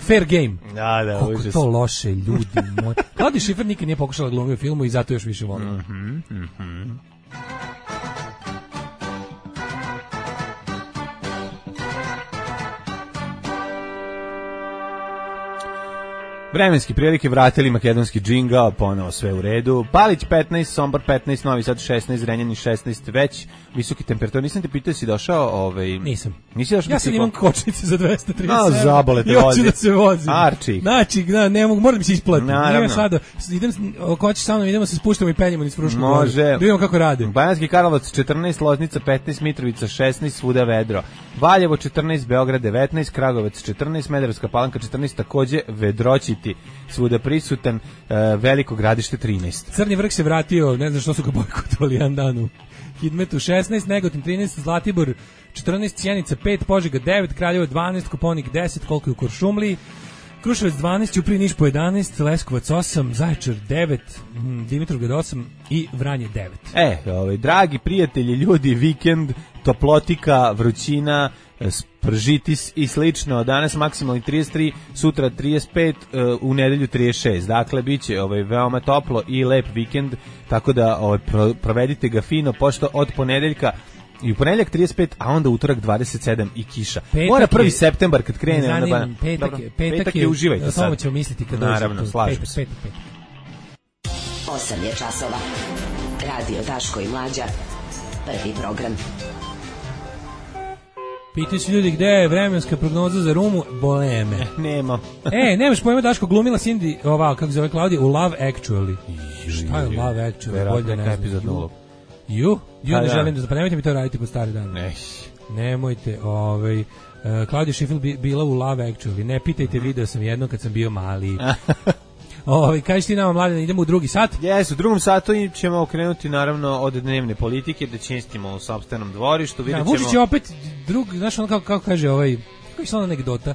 Fair Game. Da, kako užasno. To loše, ljudi moji. Claudia Schiffer nikad nije pokušala glumiti u filmu i zato još više volim. Vremenski prilike, vratili makedonski džingao, ponovo sve u redu. Palić 15, Sombor 15, Novi Sad 16, Zrenjanin 16, već visoki temperatur. Nisam te pitao, si došao? Nisam. Nisi došao? Ja sam imam kočnice za 237. Zabole te vozi. I hoću da se vozim. Arčik. Znači, ne mogu, moram da mi se isplati. Naravno. Sada, ako hoćeš sa mnom, idemo se spuštamo i penjemo niz Frušku goru. Može. Da vidimo kako rade. Banatski Karlovac 14, Loznica 15, Mitrovica 16, svuda vedro. Valjevo 14, Beograd 19, Kragujevac 14, Smederevska Palanka 14, takođe vedroćiti svuda prisutan, Veliko Gradište 13. Crni vrh se vratio, ne znam što su ga bojkotovali jedan dan u Hidmetu 16, Negotin 13, Zlatibor 14, Sjenica 5, Požega 9, Kraljevo 12, Koponik 10, koliko je u Kuršumliji, Kruševac 12, Ćuprija Niš po 11, Leskovac 8, Zaječar 9, Dimitrovgrad 8 i Vranje 9. Dragi prijatelji, ljudi, vikend, toplotika, vrućina, spržitis i slično. Danas maksimalni 33, sutra 35, u nedelju 36. Dakle, biće veoma toplo i lep vikend, tako da provedite ga fino, pošto od ponedeljka i u ponedeljak 35, a onda utorak 27 i kiša. Mora 1. septembar kad krene. Petak je, uživajte sad. Samo ćemo misliti kad dođe. Naravno, slažem se. 8 je časova. Radio Daško i Mlađa. Prvi program. Pitaju se ljudi gde je vremenska prognoza za Rumu, bole me. Nema. Nemaš pojma, Daško, glumila Cindy, kako se zove Klaudija, u Love Actually. Šta je Love Actually? Bolje ne znam. Ne želim da, pa nemojte mi to raditi po stari dan. Nemojte, Claudia Schiffer bila u Love Actually, ne pitajte, video sam jedno kad sam bio mali. Kažeš ti nama, Mladen, idemo u drugi sat? U drugom satu ćemo okrenuti naravno od dnevne politike, da čistimo u sopstvenom dvorištu. Vučić je opet znaš ono kako kaže kako je ona anegdota,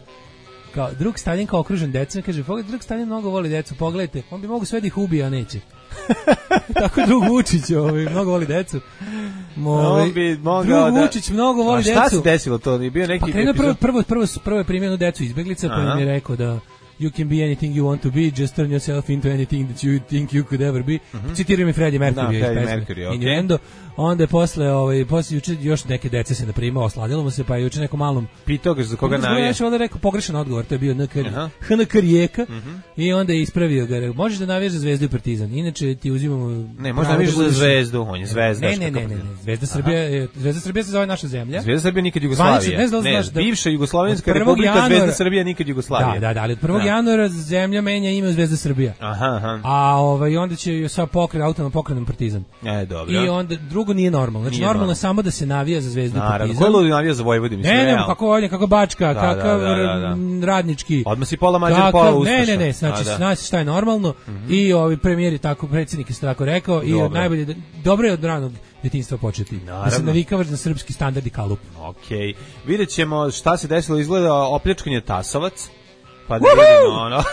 kao drug Stalin kao okružen decom, kaže, drug Stalin mnogo voli decu, pogledajte, on bi mogu sve da ih ubije, a neće. Tako drug Vučić mnogo voli decu. On bi mogao drug Vučić mnogo voli decu. A šta se desilo to? Je bio neki prvo je primjeno decu izbeglica, pa im je rekao da you can be anything you want to be, just turn yourself into anything that you think you could ever be. Citiraju mi Freddie Mercury iz pesme Innuendo. Onda je posle juče još neke dece se naprimao, osladilo mu se, pa je juče neko malom pitao ga za koga navija. Ja sam rekao pogrešan odgovor, to je bio HNK Rijeka, i onda je ispravio ga. Možeš da navijaš za Zvezdu i Partizan, inače ti uzimamo... Ne, možeš da navijaš za Zvezdu, on je Zvezda. Ne, Zvezda Srbija se zove naša zemlja. Zvezda Srbija nikad Jugoslavija. Ne, bivša Jugoslovenska republika, Zvezda Srbija nikad Jugoslavija. Da, ali od 1. januara zemlja menja ime u Zvezda Srbija. Aha. A onda će sa autonomnom pokrenom Partizan. Dobro. I onda drugo nije normalno. Znači normalno je samo da se navija za Zvezdu Partizan. Ko je ludi navija za Vojvodinu? Ne, kako Bačka, kakav radnički. Odmah si pola Mađar, pola Ustaša. Ne, znači šta je normalno. I premijer je tako, predsjednik je tako rekao i najbolje, dobro je od ranog djetinjstva početi. Da se navikavaš na srpski standard i kalup. Okej. Vidjet ćemo šta se desilo, izgleda opljačkanje Tasovac. Pa da vidimo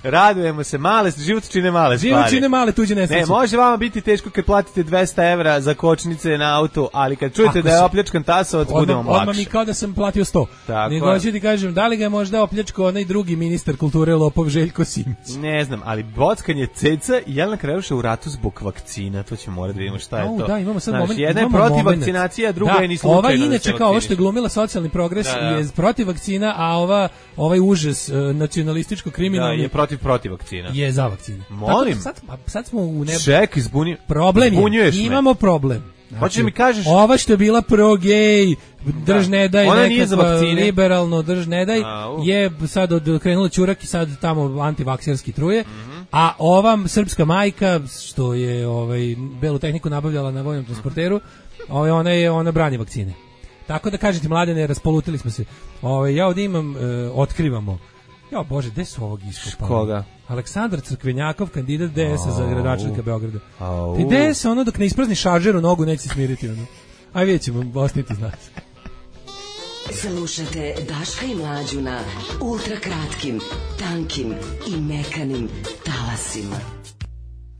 radujemo se, život čine male stvari. Život čine male tuđe nesreće. Ne, može vama biti teško kad platite 200 evra za kočnice na auto, ali kad čujete da je opljačkan Tasovac, bude vam lakše. Odmah mi kao da sam platio 100. Nego ću ti kažem, da li ga je možda opljačkao onaj drugi ministar kulture lopov Željko Simić? Ne znam, ali bockanje ceca i Jelena Krevuša u ratu zbog vakcina, to ćemo morati da vidimo šta je to. Da, imamo sad moment. Jedna je protiv vakcinacije, a druga je ni slučajno. Ova inače kao ovo što je glumila socijalni progres je protiv vakcina, a ovaj užas nacionalističko kriminalni je protiv vakcina. Je za vakcine. Molim. Sad smo u nebu. Ček, problem je. Imamo problem. Hoćeš mi kažeš? Ova što je bila pro-gej, drž ne daj, nekakva liberalno drž ne daj, je sad krenula ćurak i sad tamo antivakserski truje, a ova srpska majka, što je belu tehniku nabavljala na vojnom transporteru, ona brani vakcine. Tako da kažete, mladene, raspolutili smo se. Ja ovdje imam, otkrivamo. Ja bože, gde su ovog iskopali? Koga? Aleksandar Crkvenjakov, kandidat DS-a za gradonačelnika Beograda. Ti DS dok ne isprazni šaržer u nogu neće smiriti Aj vidjet ćemo, ostniti znac. Slušajte Daška i Mlađu na ultrakratkim, tankim i mekanim talasima.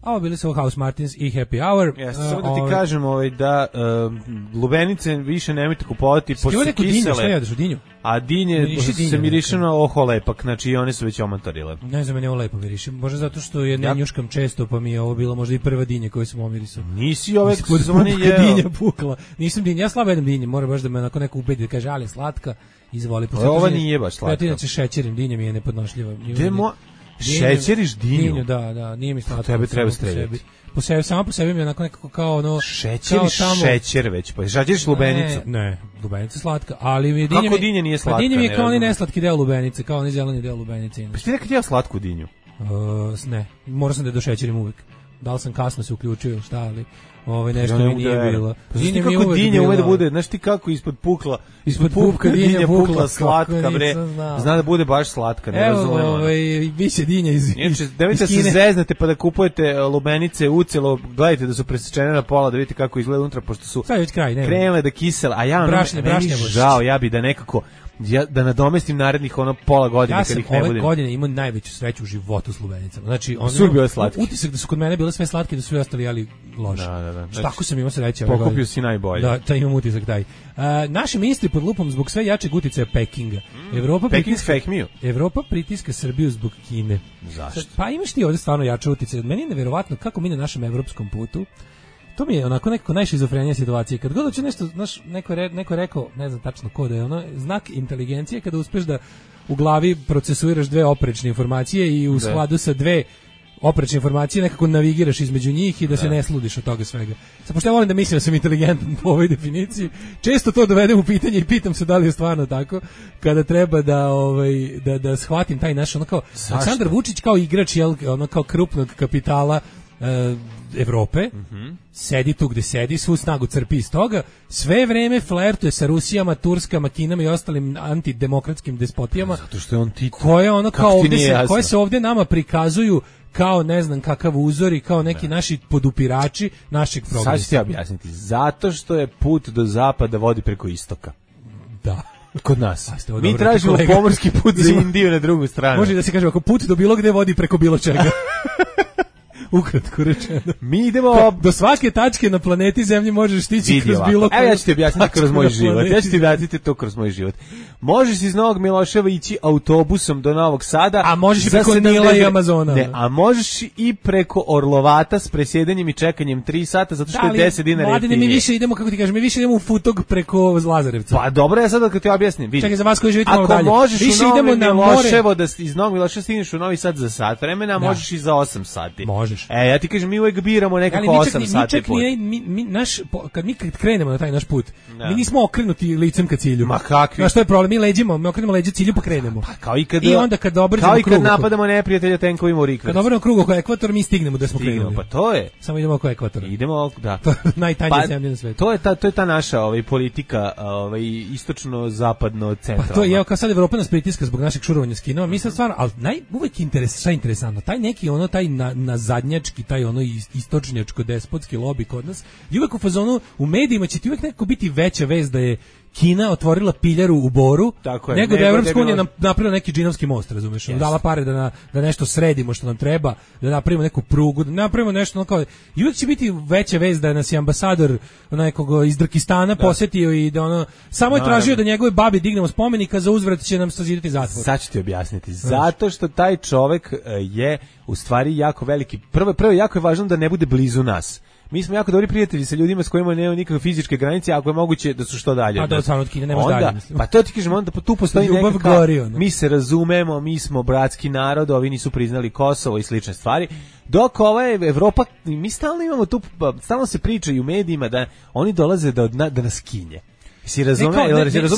A ovo bili su House Martins i Happy Hour. Samo da ti kažem da lubenice više nemojte kupovati pošto su kisele. Šta jedeš u dinju? A dinje se miriše na oho lepak, znači one su već omontarile. Ne znam, meni ovo lepo miriše. Možda zato što je ne njuškam često, pa mi je ovo bilo možda i prva dinja koju sam omirisao. Nisi ove sezone jeo. Dinja pukla. Nisam dinja, ja slabo jedem dinje, mora baš da me onako neko ubedi da kaže, ali slatka, izvoli. Ova nije baš slatka. Ja inače šećerim, dinja mi je nepodnošljiva. Šećeriš dinju? Da, nije mi slatko. Tebe treba streljati. Samo po sebi mi je onako nekako kao šećeriš šećer već, pa šećeriš lubenicu? Ne, lubenica slatka, ali mi dinje... Kako dinje nije slatka? Dinje mi je kao onaj neslatki deo lubenice, kao onaj zeleni deo lubenice. Pa ti nekad jeo slatku dinju? Ne, morao sam da došećerim uvek. Da li sam kasno se uključio, šta ali... nešto mi nije bilo. Dinje mi kako dinje ume da bude, znaš ti kako ispod pupka dinja pukla slatka, bre. Zna da bude baš slatka, ne razumem. Evo, biće dinja iz Kine. Nemojte se zeznete pa da kupujete lubenice ucelo, gledajte da su presečene na pola, da vidite kako izgleda unutra, pošto su krenule da kisele, a ja žao, ja bi da nekako da nadomestim narednih pola godine kad ih ne budem. Ja sam ove godine imao najveću sreću u životu s lubenicama. Znači, utisak da su kod mene bile sve slatke, da su sve ostali jeli loše. Znači, tako sam imao sreće. Pokupio si najbolje. Da, imam utisak taj. Naši ministri pod lupom zbog sve jačeg uticaja Pekinga. Evropa pritiska Srbiju zbog Kine. Zašto? Pa imaš ti ovdje stvarno jače uticaje. Meni je neverovatno kako mi na našem evropskom putu. To mi je onako nekako najšizofrenija situacija. Kad god hoće nešto, znaš, neko rekao, ne znam tačno ko da je znak inteligencije kada uspeš da u glavi procesuiraš dve oprečne informacije i u skladu sa dve oprečne informacije nekako navigiraš između njih i da se ne sludiš od toga svega. Sad, pošto ja volim da mislim da sam inteligentan po ovoj definiciji, često to dovedem u pitanje i pitam se da li je stvarno tako, kada treba da shvatim taj naš, kao Aleksandar Vučić kao igrač, kao krupnog kapitala Evrope, sedi tu gde sedi, svu snagu crpi iz toga, sve vreme flertuje sa Rusijama, Turskama, Kinama i ostalim antidemokratskim despotijama. Zato što je on Tito. Koje se ovdje nama prikazuju kao ne znam kakav uzor i kao neki naši podupirači našeg progresa. Sad ću ti objasniti. Zato što je put do zapada vodi preko istoka. Da. Kod nas. Mi tražimo pomorski put za Indiju na drugu stranu. Može da se kaže ako put do bilo gde vodi preko bilo čega. Ukratko rečeno. Mi idemo do svake tačke na planeti Zemlji možeš stići kroz bilo koju. Evo ja ću ti objasniti kroz moj život. Ja ću ti objasniti to kroz moj život. Možeš iz Novog Miloševa ići autobusom do Novog Sada. A možeš i preko Nila i Amazona. Ne, a možeš i preko Orlovata s presjedanjem i čekanjem 3 sata zato što je 10 dinara jeftinije. Mi više idemo, kako ti kažem, mi više idemo u Futog preko Lazarevca. Pa dobro, ja sad kad ti objasnim. Čekaj, za vas koji živite malo dalje. Ako možeš u Novom Miloševo da iz Novog Miloševa stigneš u Novi Sad za sat vremena, možeš i za 8 sati. Možeš. možeš. Ja ti kažem, mi uvek biramo nekako 8 sati put. Kad krenemo na taj naš put, mi nismo okrenuti licem ka cilju. Ma kakvi? Što je problem? Mi leđimo, mi okrenemo leđe cilju pa krenemo. Pa kao i kad onda kad obrnemo krug. Kao i kad napadamo neprijatelja tenkovima u rikverc. Kad obrnemo krug oko ekvatora, mi stignemo da smo krenuli. Pa to je. Samo idemo oko ekvatora. Idemo, da. Najtanja zemlja na svetu. To je ta naša politika, istočno-zapadno centralna. Pa to je, kao sad Evropa nas pritiska zbog našeg šurovanja s Kinom, mi sad stvarno, ali uvek interesantno, taj neki taj nazadnjački, taj istočnjačko despotski lobby kod nas, i uvek u fazonu, u medijima će ti uvek nekako biti veća vez da je Kina otvorila piljaru u Boru, nego da je Evropska unija napravila neki džinovski most, razumeš? Dala pare da nešto sredimo što nam treba, da napravimo neku prugu, da napravimo nešto kao. I uvek će biti veća vez da nas je ambasador nekog iz Drkistana posetio i da samo je tražio da njegove babi dignemo spomenika, za uzvrat će nam sazidati zatvor. Sad ću ti objasniti. Zato što taj čovek je u stvari jako veliki. Prvo jako je važno da ne bude blizu nas. Mi smo jako dobri prijatelji sa ljudima s kojima nema nikakve fizičke granice, ako je moguće da su što dalje. A da stvarno od Kine nemaš dalje, mislim. Pa to ti kažem, onda tu postoji nekakav, mi se razumemo, mi smo bratski narod, ovi nisu priznali Kosovo i slične stvari. Dok ova je Evropa, mi stalno imamo tu, stalno se priča i u medijima da oni dolaze da nas kinje. Si razumeš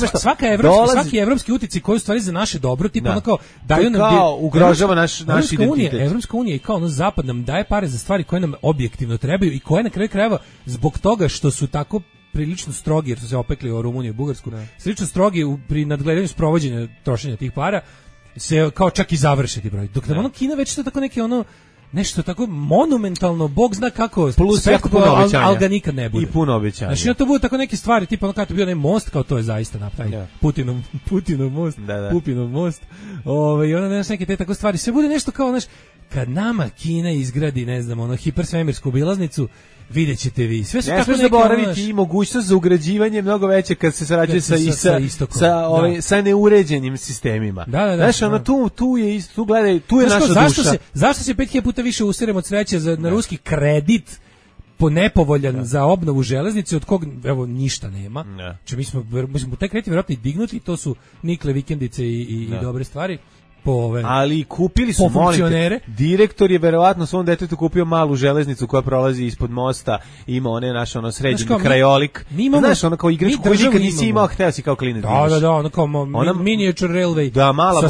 što? Svaki evropski uticaj koji u stvari za naše dobro, tipa ono kao daju nam kao ugrožava naš identitet. Evropska unija i kao zapad nam daje pare za stvari koje nam objektivno trebaju i koje na kraju krajeva zbog toga što su tako prilično strogi, jer su se opekli u Rumuniju i Bugarsku, prilično strogi pri nadgledanju sprovođenja trošenja tih para, se kao čak i završe ti broj. Dok nam Kina već to tako neki nešto tako monumentalno, Bog zna kako, plus jako puno obećanja, ali ga nikad ne bude. I puno obećanja. Znači, to bude tako neke stvari, tipa kada je bio onaj most, kao to je zaista napravio. Putinov most, Pupinov most. I onda neke te tako stvari. Sve bude nešto kao, kad nama Kina izgradi, ne znam, hipersvemirsku obilaznicu, vidjet ćete vi. Sve su tako neke zaboraviti i mogućnost za ugrađivanje mnogo veće kad se sarađuje sa neuređenim sistemima. Znaš, tu je isto, tu gledaj, tu je naša duša. Zašto se 5000 puta više useremo od sreće na ruski kredit nepovoljan za obnovu železnice, od kog evo ništa nema. Znači mi smo taj kredit vjerojatno i dignuti, to su nikle vikendice i dobre stvari. Ali kupili su funkcionere. Direktor je verovatno svom detetu kupio malu železnicu koja prolazi ispod mosta, ima sređeni krajolik. Znaš, kao igračku koju nikad nisi imao, hteo si kao klinac. Da, kao miniature railway. Da, mala.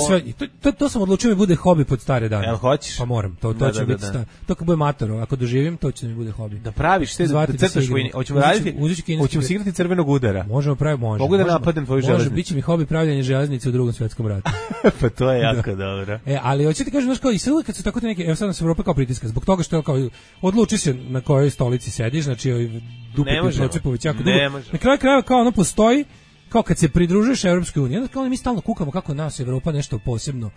To sam odlučio mi bude hobi pod stare dane. Jel hoćeš? Pa moram, to će biti to kad bude mator, ako doživim, to će mi bude hobi. Da praviš, da crtaš vojni. Hoćemo raditi, hoćemo se igrati crvenog udara. Možemo praviti, Mogu da napadnem tvoju železnicu. Može, biće mi hobi pravljanje železnice u Drugom svjetskom ratu. Pa to je jako dobro. Ali hoćete kažem, i sve uvijek kad su tako te neke, evo sad nas Evropa kao pritiska, zbog toga što kao odluči se na kojoj stolici sediš, znači dupiti procepović jako dugo. Na kraju krajeva kao postoji, kao kad se pridružuješ Evropskoj uniji, onda kao mi stalno kukamo kako nas Evropa nešto posebno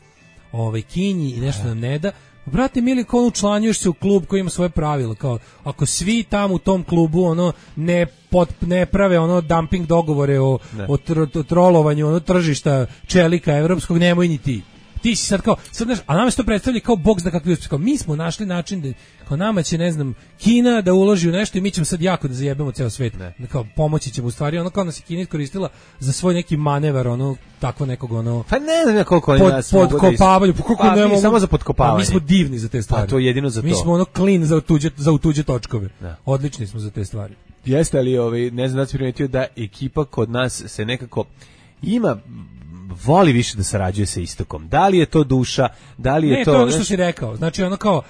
kinji i nešto nam ne da. Brate mili, kao učlanjuješ se u klub koji ima svoje pravila, kao ako svi tamo u tom klubu ne prave dumping dogovore o trolovanju tržišta čelika evropskog, nemoj ni ti. Ti si sad kao, a nama se to predstavlja kao Bog zna kakvi uspjeh. Kao mi smo našli način da, kao nama će, ne znam, Kina da uloži u nešto i mi ćemo sad jako da zajebemo ceo svet. Kao pomoći ćemo u stvari, kao nas je Kina iskoristila za svoj neki manevar, takvo nekog Pa ne znam koliko oni nas podkopavanju, mi samo za podkopavanje. Mi smo divni za te stvari. Pa to je jedino za to. Mi smo clean za tuđe točkove. Odlični smo za te stvari. Jeste, ali ne znam da si primetio da ekipa kod nas se nekako voli više da sarađuje sa istokom. Da li je to duša, da li je to... Ne, to je ono što si rekao. Znači, kao,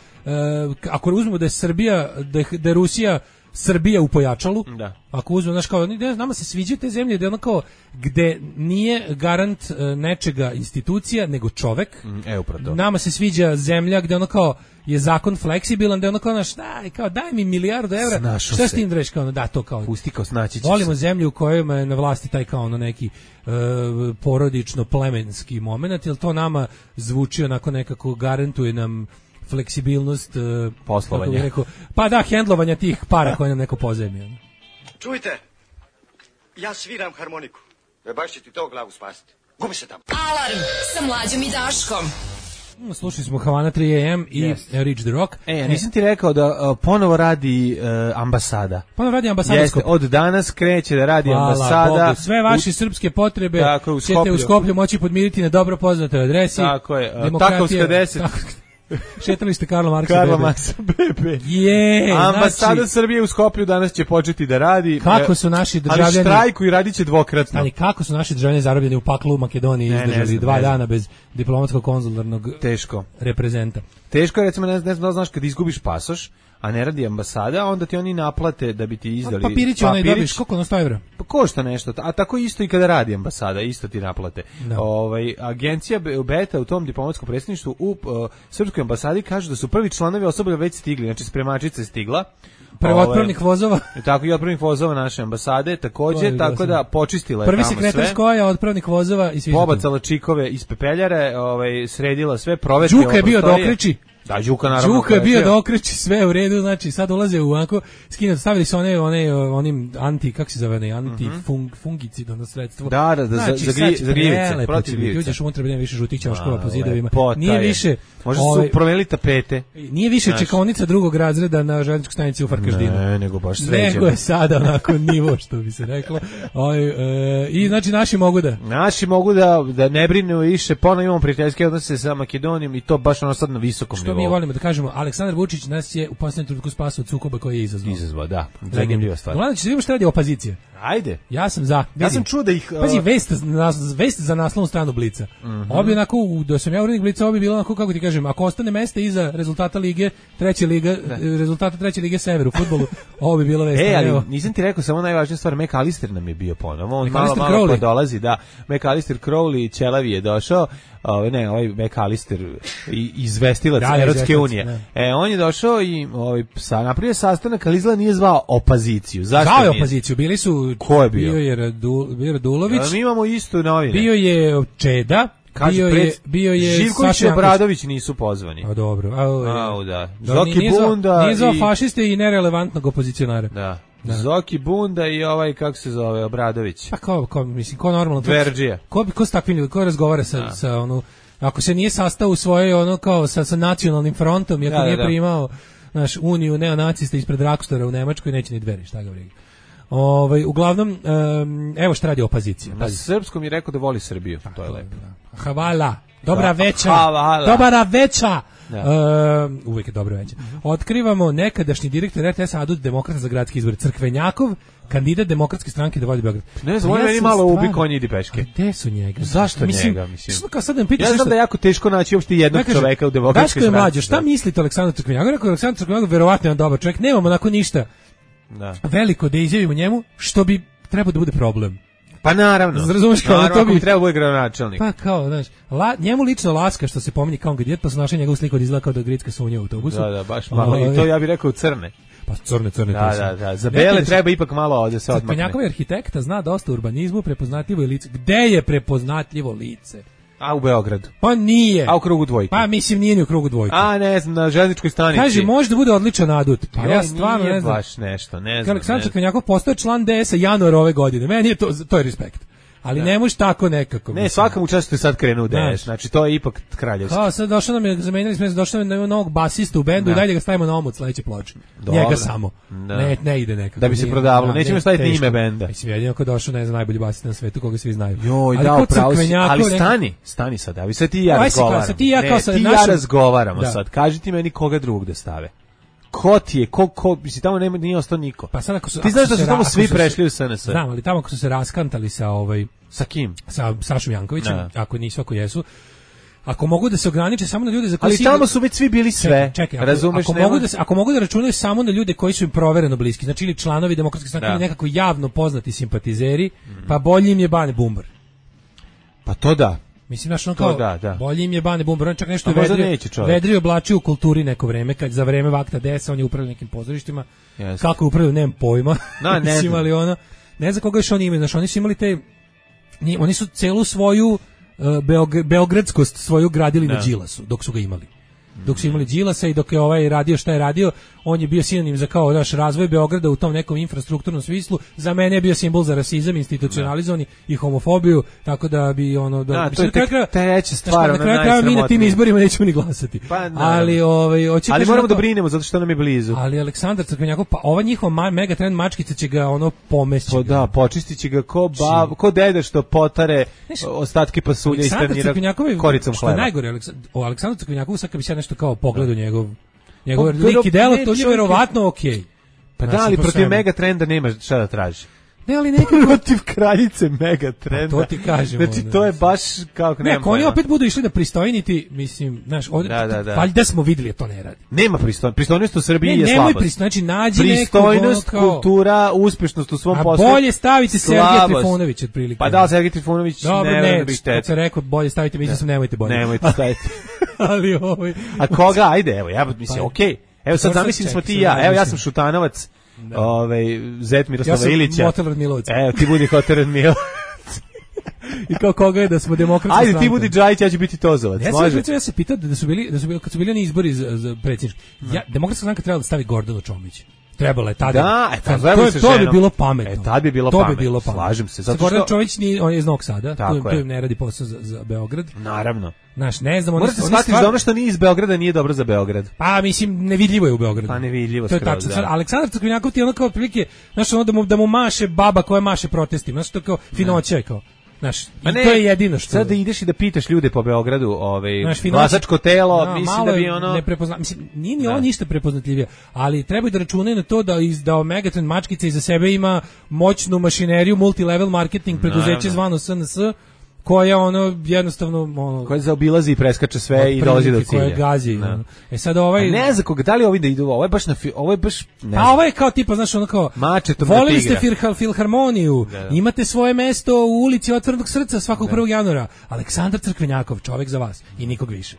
ako uzmemo da je Srbija, da je Rusija Srbija u pojačalu, ako uzmemo, kao, nama se sviđaju te zemlje, da je kao, gde nije garant nečega institucija, nego čovek. Nama se sviđa zemlja gde kao, je zakon fleksibilan, da je kao, daj mi milijardu evra, šta s tim dreš, kao, da, to kao, pusti kao, snaći će volimo zemlju u kojoj je na vlasti taj kao neki porodično plemenski moment, jer to nama zvuči onako nekako, garantuje nam fleksibilnost poslovanja. Pa da, hendlovanja tih para koje nam neko pozajmio. Čujte, ja sviram harmoniku. Baš će ti to glavu spasiti. Gubi se tamo. Alarm sa Mlađom i Daškom. Slušali smo Havana 3 AM i Reach the Rock. Nisam ti rekao da ponovo radi ambasada. Ponovo radi ambasadorsko. Od danas kreće da radi ambasada. Bogu. Sve vaše srpske potrebe ćete u Skoplju moći podmiriti na dobro poznatoj adresi. Tako je. Takovska 10. Šetalište Karla Marksa Karla BB. Marksa BB. Ambasada Znači, Srbije u Skoplju danas će početi da radi. Kako su naši državljani... Ali štrajku i radit će dvokratno. Ali kako su naši državljani zarobljeni u paklu u Makedoniji izdržali 2 dana bez diplomatskog konzularnog reprezenta. Teško je, recimo, ne znam, znaš, kad izgubiš pasoš, a ne radi ambasada, onda ti oni naplate da bi ti izdali papirić. Onaj dobiš, koliko na 100 evra? Pa košta nešto, a tako isto i kada radi ambasada, isto ti naplate. Agencija Beta u tom diplomatskom predstavništvu u srpskoj ambasadi kaže da su prvi članovi osoblja već stigli, znači spremačica je stigla. Otpravnih vozova. Tako i otpravnih vozova naše ambasade, takođe, tako da počistila je prvi tamo sve. Prvi sekretar Skoja otpravnih vozova i svi. Pobacala čikove iz pepeljare, sredila sve, provetrila. Đuka je bio da okreći. Da, Đuka naravno. Đuka je bio da okreći sve u redu, znači sad ulaze u onako, stavili su onim kako se zove, antifungicid, ono sredstvo. Da, za gljivice, protiv gljivice. Uđeš unutra, nema više žutih ćoškova po zidovima. Nije više... Možda su promenili tapete. Nije više čekaonica drugog razreda na željezničkoj stanici u Farkaždinu. Ne, nego baš sređeno. Nego je sada onako nivo, što bi se reklo. I znači naši mogu da ne brinu više, ponovno imamo prijateljske odnose sa Makedonijom i to baš ono sad na visokom nivou. Mi volimo da kažemo, Aleksandar Vučić nas je u posljednjem trenutku spasao od sukoba koji je izazvao. Da. Zanimljiva stvar. Uglavnom će se vidimo šta radi opozicija. Ajde. Ja sam za. Ja sam čuo da ih... Pazi, vest za naslovnu stranu Blica. Ovo bi onako, da sam ja urednik Blica, ovo bi bilo onako, kako ti kažem, ako ostane mesta iza rezultata treće lige Sever u fudbalu, ovo bi bilo vest. Ali nisam ti rekao, samo najvažnija stvar, McAllister nam je bio ponovo. On malo pa dolazi, da. McAllister Crowley, Ćelavi je došao. Ovaj McAllister izvestilac Evropske unije. On je došao i napravio sastanak, ali izgleda nije zvao opoziciju. Zašto zvao je opoziciju, bili su... Ko je bio? Bio je Radulović. Mi imamo isto novine. Bio je Čeda. Bio je Živković i Obradović nisu pozvani. A dobro. Da. Zoki Bunda nije zvao fašiste i nerelevantnog opozicionara. Da. Zoki Bunda i kako se zove, Obradović. Pa ko normalno... Dverđija. Ko s takvim ljudima, ko razgovara sa ako se nije sastao u svojoj kao sa nacionalnim frontom i ako nije primao uniju neonacista ispred Rakstora u Nemačkoj, neće ni Dveri, šta ga briga. Uglavnom, evo šta radi opozicija. Na srpskom je rekao da voli Srbiju, to je lepo. Hvala, dobra veča. Uvijek je dobro večer. Otkrivamo nekadašnji direktor RTS-a Adut Demokrata za gradski izbor Crkvenjakov, kandidat Demokratske stranke da vodi Beograd. Ne znam, on meni malo ubi konji idi peške. Gde su njega? Zašto njega? Ja znam da je jako teško naći uopšte jednog čoveka u Demokratskoj stranci. Mlađo, šta mislite Aleksandar Crkvenjakov? Rekao Aleksandar Crkvenjakov verovatno je on dobar čovjek, nemamo onako ništa veliko da izjavimo njemu, što bi trebao da bude problem. Pa naravno. Razumeš kao to bi trebao bude gradonačelnik. Pa kao, znaš, njemu lično Laska što se pominje kao kandidat, pa su našli njegovu sliku od izgleda kao da Gricka sunja u autobusu. Da, baš malo. I to ja bih rekao crne. Pa crne. Da. Za bele treba ipak malo da se odmakne. Crkvenjakov je arhitekta, zna dosta urbanizmu, prepoznatljivo je lice. Gde je prepoznatljivo lice? A u Beogradu. Pa nije. A u krugu dvojke. Pa mislim nije ni u krugu dvojke. A ne znam, na željezničkoj stanici. Kaže, može da bude odličan adut. Pa ja stvarno ne znam. Baš nešto, ne znam. Aleksandar Crkvenjakov postao član DS-a januara ove godine. Meni je to je respekt. Ali ne možeš tako nekako. Ne, svakam učestvuju sad krenu u DS, znači to je ipak kraljevski. Sad došao nam je, zamenili smo, došao nam je novog basista u bendu i dalje ga stavimo na omot sledeće ploče. Njega samo. Ne ide nekako. Da bi se prodavalo, nećemo staviti ni ime benda. Mislim, jedino ko došao, ne znam, najbolji basista na svetu, koga svi znaju. Joj, da, upravo si, ali stani sad, vi sad ti i ja razgovaramo. Ti i ja razgovaramo sad, kaži ti meni koga drugog da stave. Ko ti je, mislim, tamo nije ostao niko. Pa sad ako ti znaš da su tamo svi prešli u SNS. Znam, ali tamo ako su se raskantali sa Sa kim? Sa Sašom Jankovićem, ako nisu, ako jesu. Ako mogu da se ograniče samo na ljude za koje ali tamo su već svi bili sve. Čekaj, razumeš? Ako mogu da računaju samo na ljude koji su im provereno bliski, znači ili članovi Demokratske stranke ili nekako javno poznati simpatizeri, pa bolji im je Bane Bumbar. Pa to da. Mislim, znaš, ono kao, bolji im je Bane Bumbar, on čak nešto vedrio oblačio u kulturi neko vreme, kad za vreme Vakta DS on je upravljao nekim pozorištima, kako je upravljao, nemam pojma, mislim, ali ono, ne znam koga još oni imaju, znaš, oni su imali oni su celu svoju beogradskost svoju gradili na Đilasu, dok su ga imali. Dok su imali Đilasa i dok je ovaj radio šta je radio, on je bio sinonim za kao razvoj Beograda u tom nekom infrastrukturnom smislu. Za mene je bio simbol za rasizam, institucionalizovani i homofobiju, tako da bi ono to je treća stvar, na kraju krajeva mi na tim izborima nećemo ni glasati. Pa, ali ali moramo da brinemo zato što nam je blizu. Ali Aleksandar Crkvenjakov, pa ova njihova mega trend mačkica će ga pomesti. Pa da, počistiće ga ko deda što potare ostatke pasulja i stanira koricom hleba. Najgore o Aleksandru Crkvenjakovu, sad kad bi se nešto kao pogled u njegov Pa, lik i delo, ne, to je čovjek- verovatno okej. Pa Znači, da, ali po protiv svemu. Megatrenda nema šta da traži. Ne, ali nekako Protiv kraljice Megatrenda. Pa to ti kažem, Znači, onda, to je mislim. baš kao... ne, ako oni opet budu išli da pristojniti, mislim, znaš, ovdje, Da. valjda smo vidjeli, to ne radi. Nema pristojnost u Srbiji je Nemoj slabost. pristojnost, znači nađi nekog Pristojnost, ono kao... kultura, uspešnost u svom A poslu. bolje staviti Sergeja slabost. Trifunovića otprilike. Pa da, Sergej Trifunović Dobro, ne ne, bi kad šteta. sam rekao bolje stavite, mislim sam nemojte bolje. Nemojte staviti. Ali ovaj... A koga? Ajde, evo, ja mislim, Pa- okej. Evo sad Dobro, zamislim smo čekaj, ti i ja. sad Evo ja razmišljam. sam Šutanovac, Zet Miroslava Ja sam Ilića. Motel Radmilovac. Evo, ti budi Hotel Radmilovac. I kao koga je da smo demokratska Ajde, stranka. ti budi Džajić, ja ću biti Tozovac. Ja sam Može? recimo, ja se pitao da su bili kad su bili oni izbori za predsjednički. Demokratska stranka trebala da stavi Gordanu Čomić. Trebala je tada. Da, tad to, zajedno sa to bi ženom. bilo pametno. Tad bi bilo to pametno. bi bilo pametno. Slažem se, Sa zato Gordana što- Čomić on je iz Novog Sada, Tako tu je. ne radi posao za Beograd. Naravno. Znaš, ne znam, Morate shvatiti da ono što nije iz Beograda nije dobro za Beograd. Pa mislim nevidljivo je u Beogradu. Pa nevidljivo To je skroz, tačno. da. Sad, Aleksandar Crkvenjakov ti je ono kao otprilike, znaš, ono da mu maše baba koja maše protestima, znaš, to kao finoća je kao. Znaš, Pa i ne, to je jedino što... Sad da ideš i da pitaš ljude po Beogradu, Znaš, finoća- glasačko telo, Da, mislim malo da bi je ono... mislim, nije ni on ništa prepoznatljivije, ali trebaju da računaju na to da Megatrend mačkica iza sebe ima moćnu mašineriju, multilevel marketing preduzeće Naravno. zvano SNS, koja ono jednostavno ono, Koja zaobilazi i preskače sve i dolazi do cilja. koja gazi. Da. Ono. E sad ovaj... A ne za koga, da li ovi da idu, ovo je baš ovo je baš... Ne Pa znam. ovo je kao tipa, znaš, ono kao, Mačetom na volili ste tigra. filharmoniju, Da. imate svoje mesto u ulici Otvorenog srca svakog 1. januara. Aleksandar Crkvenjakov, čovek za vas i nikog više.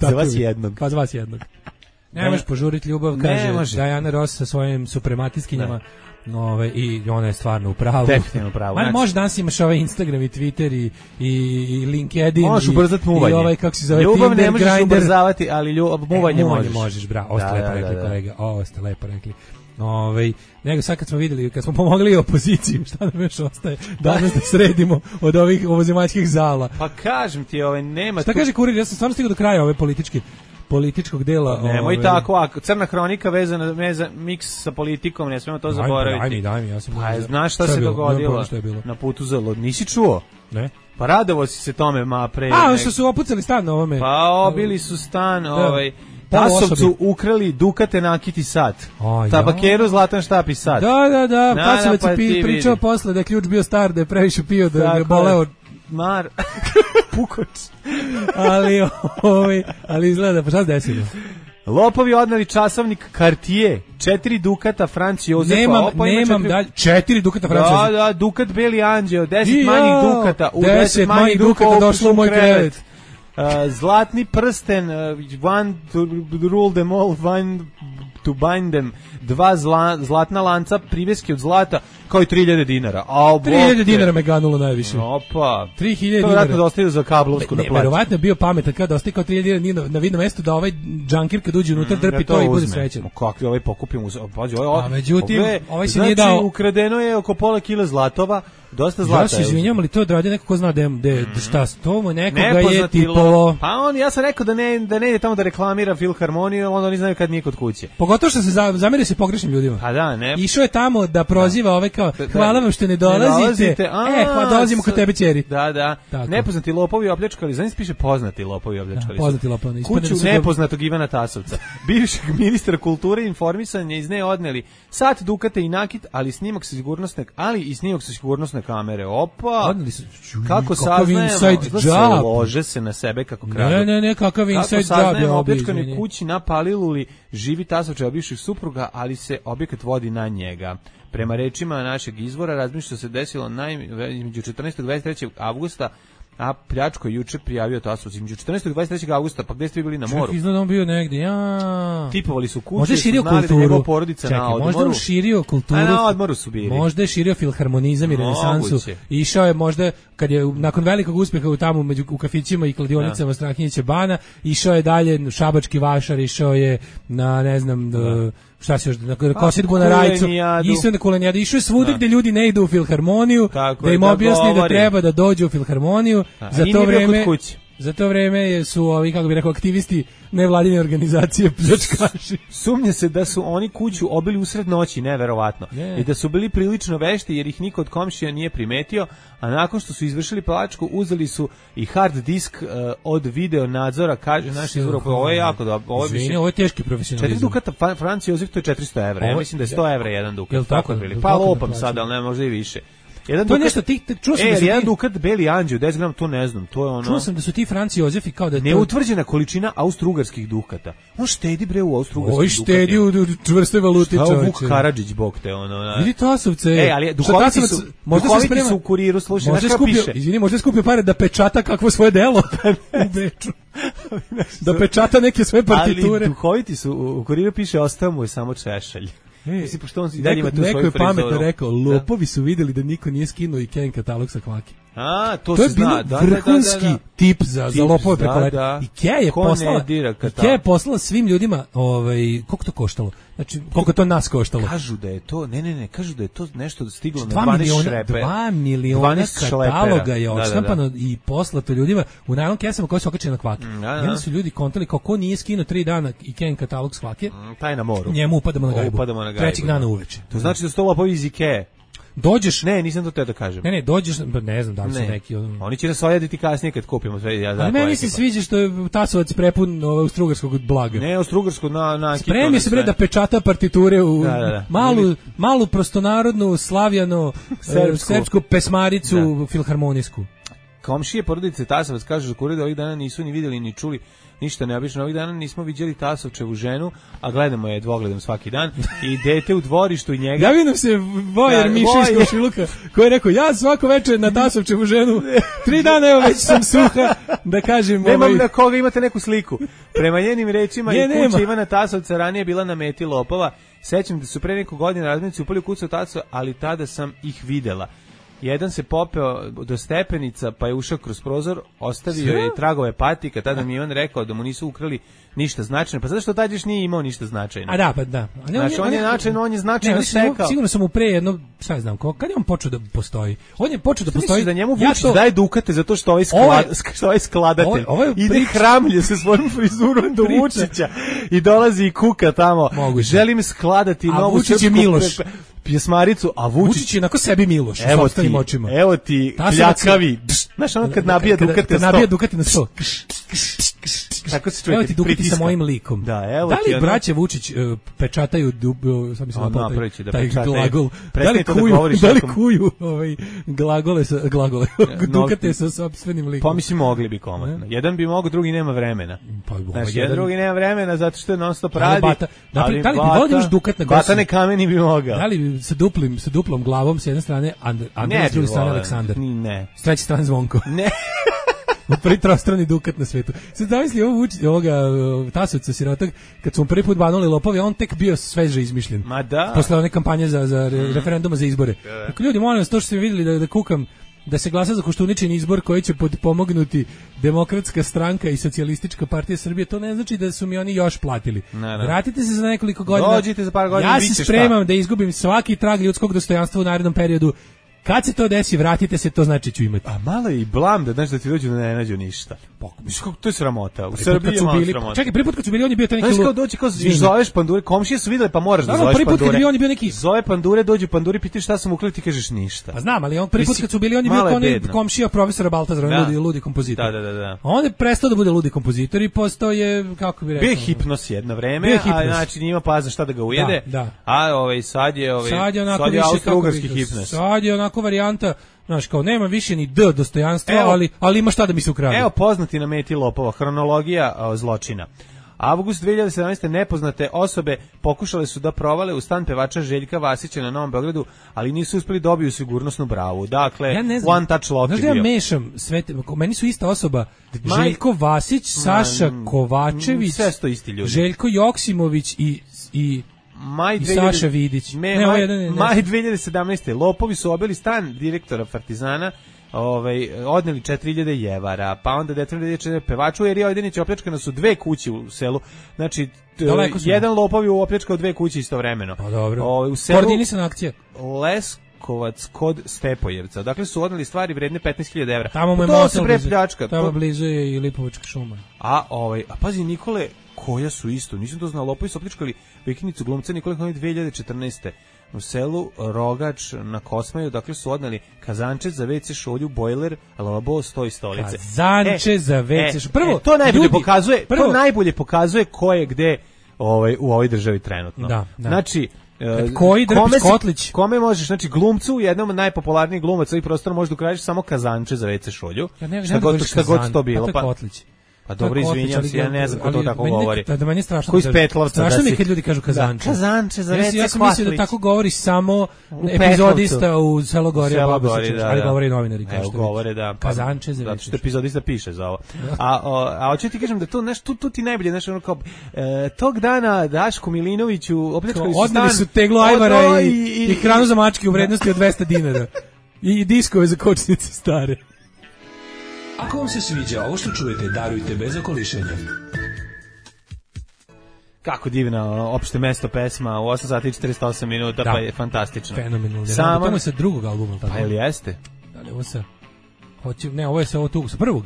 Za vas jednog. Pa za vas jednog. Ne možeš požuriti ljubav, Ne kaže može. Diana Ross sa svojim suprematiskinjama. I ona je stvarno u pravu. Definitivno u pravu. Ma, Znači- može danas imaš ovaj Instagram i Twitter i LinkedIn. Možeš i- ubrzati muvanje. I ovaj, kako se zove, Ljubav Tinder, ne možeš Grindr. ubrzavati, ali muvanje možeš. možeš, bravo. Ovo ste Da, lepo da, rekli, da. kolega. Ovo ste lepo rekli. Nego sad kad smo vidjeli, kad smo pomogli opoziciju, šta nam još ostaje danas da sredimo od ovih ovozemaljskih zala. Pa kažem ti, nema Šta tu... kaže Kurir? Ja sam stvarno stigao do kraja ove političkog dela. Nemoj tako, a crna hronika vezana miks sa politikom, ne smemo to zaboraviti. Daj mi, ja sam... Pa znaš šta je se bilo? dogodilo Nemam šta je bilo. na putu za Lod? Nisi čuo? Ne? Pa radovo si se tome, pre... A, što su opucali stan na ovome. Pa obili su stan, Poluosobi. Tasovcu ukrali Dukate nakiti sat. A, ja. Tabakeru zlatan štap sat. Da, Tasovac pa je ti pričao vidi. posle da je ključ bio star, da je previše pio, da Tako je je. boleo. Pukoč. ali izgleda, pa šta se desilo? Lopovi odneli časovnik Cartier, 4 Dukata Franc Jozefa. Nemam dalje. 4 Dukata Francuza. Da, Dukat Beli Anđeo, 10 Jao, manjih Dukata. 10 manjih Dukata došlo u moj krevet. Zlatni prsten, one to rule them all, one to bind them, 2 zlatna lanca, priveske od zlata, kao i 3000 dinara. 3000 dinara me ganulo najviše. Opa. 3000 To dinara. vjerojatno da ostavio za kablovsku da Ne, plaća. verovatno je bio pametan kada ostaje kao 3000 dinara na vidnom mestu da ovaj džankir kad uđe unutra drpi to i bude srećan. Kakvi ovaj pokupim, pađi, A međutim, ovaj se nije znači, dao. ukradeno je oko pola kila zlatova, dosta zlata. Ja se izvinjam, ali to je odradio neko ko zna da šta s tomu, nekoga je Nepoznati tipovo. Pa ja sam rekao da ne ide tamo da reklamira filharmoniju, onda oni znaju kad nije kod kuće. Pogotovo što se zameri se pogrešnim ljudima. Pa da, ne. Išao je tamo da proziva ove kao, hvala vam što ne dolazite. Hvala, dolazimo kod tebe, ćeri. Da. Tako. Nepoznati lopovi opljačkali, znači piše poznati lopovi opljačkali. Poznati lopovi. Ispadne Kuću da su nepoznatog Ivana Tasovca. Bivšeg ministra kulture i informisanja iz nje odneli sat Dukata i nakit, ali i snimak sa sigurnosne kamere. Opa! Odneli su. Kako saznajemo? Lože se na sebe kako kradu. Ne, kakav inside job je saznajemo obio, opljačkanoj izvini. kući na Paliluli živi Tasovčeva bivših supruga, ali se objekat vodi na njega. Prema rečima našeg izvora, razmišlja se desilo između 14. i 23. avgusta, a pljačko je juče prijavio Tasovac. Između 14. i 23. avgusta, pa gde ste vi bili na moru? Čak izgleda on bio negdje, ja. Tipovali su kuće, Možda je širio su znali da kulturu. njegova porodica na odmoru. Možda on širio kulturu. A na odmoru su bili. Možda je širio filharmonizam i renesansu. Moguće. Išao je možda, kad je nakon velikog uspjeha u kafićima i kladionicama Strahinjića Bana, išao je dalje Šabački vašar, išao je na, ne znam, šta se još, na kosidbu na Rajcu, išao je na Kulenijadu, išao je svuda gdje ljudi ne idu u filharmoniju, Tako da im je, da objasni da govori. treba da dođu u filharmoniju, za i to nije bio vreme... kod kuće. Za to vreme su ovi, kako bih rekao, aktivisti nevladine organizacije pljačkaši. Sumnja se da su oni kuću obili usred noći, neverovatno. I da su bili prilično vešti jer ih niko od komšija nije primetio, a nakon što su izvršili pljačku uzeli su i hard disk od video nadzora, kaže naš izvor. Ovo je jako dobro. Ovo je teški profesionalizam. 4 dukata Franc Jozef, to je 400 evra. Ja mislim da je 100 evra jedan dukat. Jel tako? Pa lopam sad, ali ne, možda i više. Jedan to dukat, je nešto čuo sam da su jedan dukat Beli Anđeo, 10 grama, to ne znam, to je ono. Čuo sam da su ti Franci Jozefi kao da je neutvrđena količina austrougarskih dukata. On štedi bre u austrougarskih dukatima. Štedi u čvrstoj valuti, čoveče. Šta Vuk Karadžić bog te ono. Vidi Tasovce. Ali duhoviti su u Kuriru, slušaj, možda skupio, izvini, možda skupio pare da pečata kakvo svoje delo u Beču. Da pečata neke svoje partiture. Ali duhoviti su, u Kuriru piše ostao mu je samo češalj. Mislim, pošto on i dalje ima tu svoju frizoru. Neko je pametno rekao, lopovi su vidjeli da niko nije skinuo i Ken katalog sa kvake. To je bilo vrhunski tip za lopove preko leta. Ikea je poslala svim ljudima, koliko to koštalo? Znači, koliko to nas koštalo? Kažu da je to, kažu da je to nešto stiglo na 12 šrepe. 2 miliona kataloga je odštampano i poslato ljudima u najlon kesama koje su okačene na kvake. Jedan su ljudi kontali kako nije skinuo 3 dana i Ken katalog s kvake. Taj na moru. Njemu upadamo na gajbu. Trećeg dana uveče. To znači da su to lopovi iz Ikee. Dođeš, nisam to te da kažem. Dođeš, ne znam da li su neki. Oni će nas ojaditi kasnije kad kupimo sve. Ali meni se sviđa što je Tasovac prepun austrougarskog blaga. Ne, austrougarskog na spremi se bre da pečata partiture u malu prostonarodnu, slavjano, srpsku pesmaricu filharmonijsku. Komšije porodice Tasovac kažu za Kurir da ovih dana nisu ni vidjeli ni čuli ništa neobično. Ovih dana nismo viđeli Tasovčevu ženu, a gledamo je dvogledom svaki dan i dete u dvorištu i njega. Javio nam se Vojer Mišiško Šiluka koji je rekao, ja svako večer na Tasovčevu ženu 3 dana, evo već sam suha, da kažem. Nemam na koga, imate neku sliku. Prema njenim rečima i kuća Ivana Tasovca ranije bila na meti lopova. Sećam da su pre neko godina razmenici upali u kuću Tasova, ali tada sam ih videla. Jedan se popeo do stepenica, pa je ušao kroz prozor, ostavio je tragove patika, tada mi je on rekao da mu nisu ukrali ništa značajno. Pa zato što tad još nije imao ništa značajno. Da. Znači, on je značajno stekao. Sigurno sam mu pre jedno, šta znam, kad je on počeo da postoji? On je počeo da postoji. Da njemu Vučić daje dukate zato što ovaj skladatelj ide hramlje sa svojom frizurom do Vučića i dolazi i kuka tamo. Želim skladati novu srpsku pjesmaricu, a Vučić je onako sebi Miloš u sopstvenim očima. Evo ti pljakavi. Znaš ono kad nabija dukate na sto. Tako se čuje. Evo ti dukati sa mojim likom. Da li braća Vučić pečataju, sad mislim taj glagol, da li kuju glagole, dukate sa sopstvenim likom? Pa mislim mogli bi komotno. Jedan bi mogao, drugi nema vremena. Znači, jedan drugi nema vremena zato što je non stop radi. Da li bi volio da imaš dukat na gosu? Batane kameni bi mogao. Da li sa duplom glavom s jedne strane Andrej, s druge strane Aleksandar? Ne. S treće strane Zvonko. Ne. Prvi trostrani dukat na svetu. Sad zamisli ovoga Tasovca sirotog, kad su mu prvi put banuli lopovi, on tek bio sveže izmišljen. Ma da. Posle one kampanje za referenduma za izbore. Dakle, ljudi, molim vas, to što ste vidjeli da kukam, da se glasa za Koštuničin izbor koji će pomognuti Demokratska stranka i Socijalistička partija Srbije, to ne znači da su mi oni još platili. Vratite se za nekoliko godina. Dođite za par godina. Ja se spremam da izgubim svaki trag ljudskog dostojanstva u narednom periodu. Kad se to desi, vratite se, to znači ću imati. A malo je i blam da znaš da ti dođu da ne nađu ništa. To je sramota. U Srbiji je malo sramota. Čekaj, prvi put kad su bili, on je bio taj neki... Znaš kao dođi, kao zoveš pandure, komšije su vidjeli, pa moraš da zoveš pandure. Prvi put kad je bio, on je bio neki... Zove pandure, dođu panduri, pitaš šta sam ukleti, kažeš ništa. Pa znam, ali on prvi put kad su bili, on je bio kao onaj komšija profesora Baltazara, ludi kompozitor. Da. On je prestao da bude ludi kompozitor i postao je, kako bi rekao... Bio hipnos jedno vreme, a znači njima pazna šta da ga ujede. A sad je austrougarski hipnos. Sad je onako varijanta. Znaš, kao nema više ni D dostojanstva, ali ima šta da mi se ukrade. Evo poznati na meti lopova, hronologija zločina. Avgust 2017. nepoznate osobe pokušale su da provale u stan pevača Željka Vasića na Novom Beogradu, ali nisu uspeli dobiju sigurnosnu bravu. Dakle, one touch lock je bio. Znaš da ja mešam sve, meni su ista osoba, Željko Vasić, Saša Kovačević, sve sto isti ljudi. Željko Joksimović i Saša Vidić. Maj 2017. Lopovi su obili stan direktora Partizana, odneli 4.000 jevara, pa onda 4.000 pevaču, jer je Ojdenić opljačkano su 2 kuće u selu. Znači, jedan lopov je opljačkao 2 kuće istovremeno. Pa dobro. U selu koordinisana akcija. Markovac kod Stepojevca. Dakle su odneli stvari vredne 15.000 evra. Tamo mu je to se prepljačka. Tamo blizu je i Lipovačka šuma. A pazi Nikole, koja su isto, nisam to znao, lopovi su opljačkali vikendicu glumca Nikole Konović 2014. U selu Rogač na Kosmaju, dakle su odneli kazanče za WC šolju, bojler, lavabo, sto i stolice. Kazanče za WC šolju. Prvo, to najbolje pokazuje ko je gde u ovoj državi trenutno. Da. Znači, koji Drpić Kotlić? Kome možeš, znači glumcu, jednom od najpopularnijih glumaca ovih prostora možeš da ukradiš samo kazanče za WC šolju. Šta god to bilo. Kotlić. Pa dobro, izvinjam se, ja ne znam ko to tako govori. Da meni je strašno. Ko iz Petlovca. Strašno mi kad ljudi kažu kazanče. Kazanče za WC. Ja sam mislio da tako govori samo epizodista u Selogorija Babušića, ali govore i novinari. Evo govore da. Kazanče za WC. Zato što epizodista piše za ovo. A hoću ti kažem da to nešto, tu ti najbolje, nešto ono kao, tog dana Daško Milinoviću opljačkali su stan. Odneli su teglu ajvara i hranu za mačke u vrednosti od 200 dinara. I diskove za kočnice stare. Ako vam se sviđa ovo što čujete, darujte bez okolišenja. Kako divna opšte mesto pesma u 8 sati i 48 minuta, pa je fantastično. Fenomenalno. Samo to je sa drugog albuma. Pa ili jeste? Da li ovo sa... Ne, ovo je sa ovo tu, sa prvog.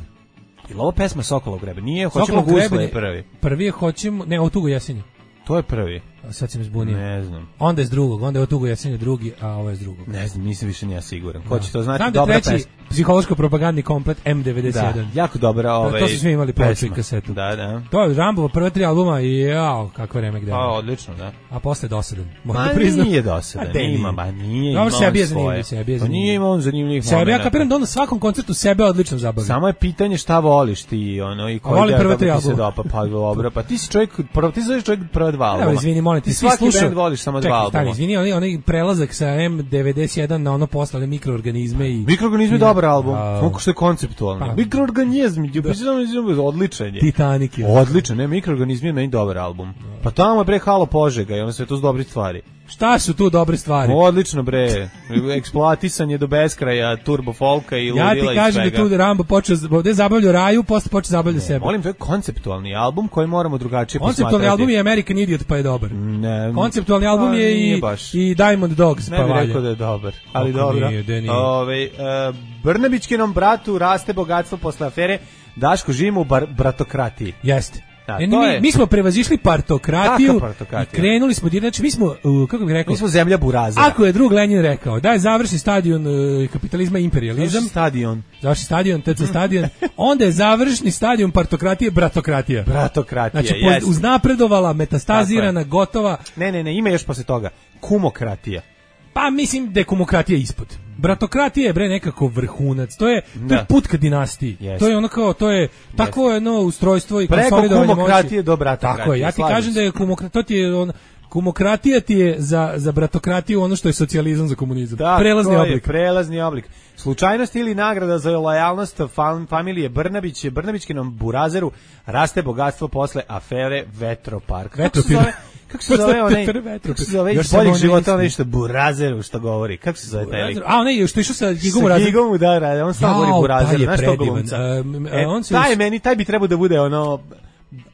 Ili ovo pesma Sokolov grebe? Nije, Hoćemo gusle je prvi. Prvi je Hoćemo... Ne, ovo Tugo jesenje. To je prvi. Sad si me zbunio. Ne znam. Onda je s drugog, onda je ovo Tugo jesenje drugi, a ovo je s drugog. Ne znam, nisam više nija siguran. Ko će to znati? Znam da je treći psihološko-propagandni komplet M91. Da, jako dobra to su svi imali ploču i kasetu. Da. To je Rambovo prve 3 albuma i jao, kako vreme gde. Pa, odlično, da. A posle dosadan. Nije dosadan, nije dobro, sebi je zanimljiv. Pa nije imao on zanimljivih momenta. Sebi, ja kapiram da on na svakom koncertu sebe odlično zabavlja. Samo je pitanje šta voliš ti i koji da se dopa. Pa dobro, pa ti si čovjek, ti zoveš čovjek prva 2 albuma. Izvini, molim, ti svi slušao. Voliš samo 2 albuma. Čekaj, izvini, onaj prelazak sa M91 na ono posle mikroorganizme i... Mikroorganizmi je dobar album, kako što je konceptualno. Mikroorganizmi, odličan je. Titanic je. Odličan, ne, Mikroorganizmi je meni dobar album. Pa tamo je bre Halo Požega i ono sve to su dobre stvari. Šta su tu dobre stvari? Odlično bre, eksploatisanje do beskraja, turbo folka i ludila i svega. Ja ti kažem da tu Rambo počeo, ovdje zabavljao raju, posle počeo zabavljao sebe. Molim, to je konceptualni album koji moramo drugačije posmatrati. Konceptualni album je American Idiot, pa je dobar. Ne. Konceptualni album je i Diamond Dogs, pa valja. Ne bih rekao da je dobar, ali dobro. Brnabićkinom bratu raste bogatstvo posle afere, Daško živimo u bratokratiji. Jeste. Da, mi smo prevazišli partokratiju i krenuli smo, znači mi smo, kako bih rekao, mi smo zemlja burazera. Ako je drug Lenin rekao da je završni stadion kapitalizma imperializam, završni stadion, TC stadion, onda je završni stadion partokratije bratokratija. Znači, uznapredovala, metastazirana, gotova. Ne, ima još posle toga, kumokratija. Pa mislim da je kumokratija ispod. Bratokratija je bre nekako vrhunac. To je put ka dinastiji. To je ono kao, to je tako jedno ustrojstvo i konsolidovanje moći. Preko kumokratije do bratokratije. Tako je, ja ti kažem da je kumokratija ti je za bratokratiju ono što je socijalizam za komunizam. Da, prelazni oblik. Slučajnost ili nagrada za lojalnost familije Brnabić, Brnabićkinom burazeru raste bogatstvo posle afere Vetropark. Kako se zove onaj? Kako se zove iz boljeg života onaj što burazeru što govori? Kako se zove taj lik? A onaj što išao sa Gigom Burazeru. Sa Gigom, da, on stalno govori burazeru. Znaš to glumca? Taj bi trebao da bude ono...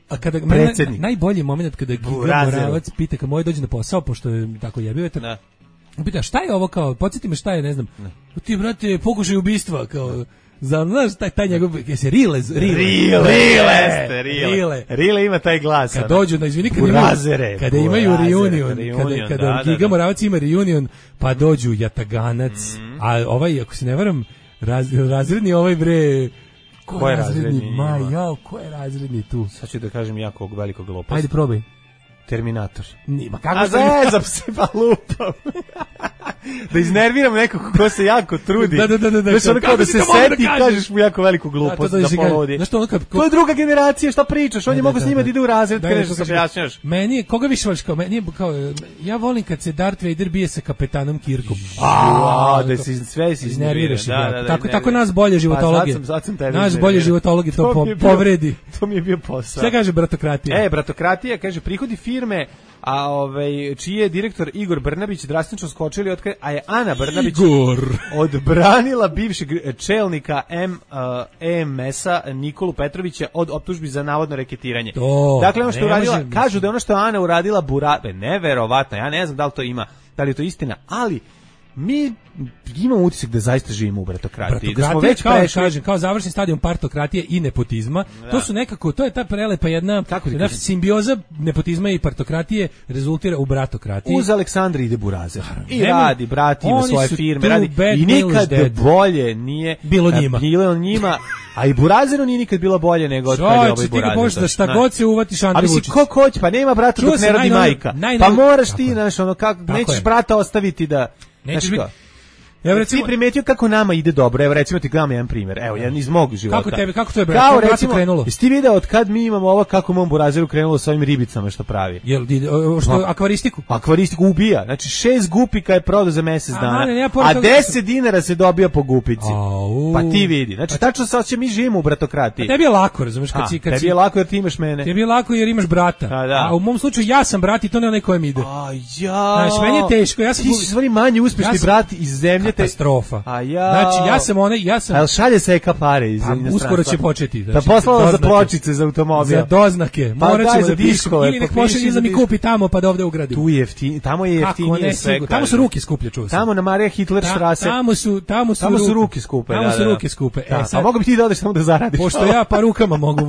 A kada najbolji moment kada Giga Moravac pita kad moj dođe na posao, pošto je tako jebio vetar, pita šta je ovo kao, podsjeti me šta je, ne znam, ti brate pokušaj ubistva, kao, znaš taj njegov, jesi Rile ima taj glas. Kad dođu, izvini, kada imaju reunion, kada Giga Moravac ima reunion, pa dođu Jataganac, a ovaj, ako se ne varam, razredni ovaj bre... Ko je razredni? Ko je razredni tu? Sad ću da kažem jako velikog gluposti. Ajde, probaj. Terminator. A zezam se pa lupam. Da iznerviram nekog ko se jako trudi. Znaš ono kao da se seti i kažeš mu jako veliku glupost da poludi. To je druga generacija, šta pričaš? On je mogo s njima da ide u razred kad nešto se objašnjaš. Meni je, koga više voliš kao? Meni je kao, ja volim kad se Darth Vader bije sa kapetanom Kirkom. Da si sve si iznerviraš. Tako nas bolje životologije. Naš bolje životologije to povredi. To mi je bio posao. Šta kaže bratokratija? Bratokratija kaže prihodi firme, a čiji je direktor Igor Brnabić drastično skočili a je Ana Brnabić odbranila bivšeg čelnika EMS-a Nikolu Petrovića od optužbi za navodno reketiranje. Dakle, ono što uradila, kažu da ono što Ana uradila neverovatno, ja ne znam da li to ima, da li je to istina, ali mi imamo utisak da zaista živimo u bratokratiji. Da smo Bratokratija, već kao, prešli... kažem, kao završni stadion partokratije i nepotizma. To su nekako, to je ta prelepa jedna simbioza nepotizma i partokratije rezultira u bratokratiji. Uz Aleksandra ide Burazer. I Nema- radi, brat ima oni svoje su firme, tu radi. bad I news nikad dead. bolje nije Bilo njima. Bilo njima, a i Burazeru nije nikad bilo bolje nego od kad je ovaj Čovječe, ti ga Burazer. možeš da šta došao. god se uvatiš Andrej A mislim, Vučić. ko hoće, pa nema brata Čuo dok sam ne rodi najnoviju- majka. najnoviju- Pa moraš Tako ti, je. znaš, ono, Tako nećeš je. brata ostaviti da... Nećeš znaš biti- kao, Evo recimo, ti primetio kako nama ide dobro. Evo recimo ti gledam jedan primjer. Evo jedan iz mog života. kako to je, brate? Kao Kako bratu recimo, krenulo? jesi ti video od kad mi imamo ovo kako mom Burazeru krenulo sa ovim ribicama što pravi? Jel što akvaristiku? Akvaristiku ubija. Znači 6 gupika je prodao za mjesec dana. mane, nema A pored toga- 10 dinara se dobija po gupici. Au. Pa ti vidi. Znači tačno sad će mi živimo u bratokratiji. Tebi je lako, razumeš, kad si Tebi je lako jer ti imaš mene. Tebi je lako jer imaš brata. Da. A u mom slučaju ja sam brat i to ne onaj kojem ide. Znaš, meni je teško, ja sam... Ti si stvari manje uspješni Ja sam- brat iz zemlje. Katastrofa. A ja... Znači, ja sam... A jel šalje se eka pare iz inostranstva? Uskoro će početi. Da Znači, poslala za doznake. pločice za automobil. Za doznake. Pa Morat daj ćemo za da pišemo. diskove, Ili nek popiši pošalje za da mi diskove. kupi tamo pa da ovde ugradim. Tu je jeftinije, tamo je jeftinije sve. Sigurno. Tamo su kažem. ruke skuplje, čuo sam. Tamo na Marija Hitler štrase. Tamo su ruke skupe. Tamo su ruke skupe. Da, sad, a mogu bi ti da odeš tamo da zaradiš. pošto ja pa rukama mogu,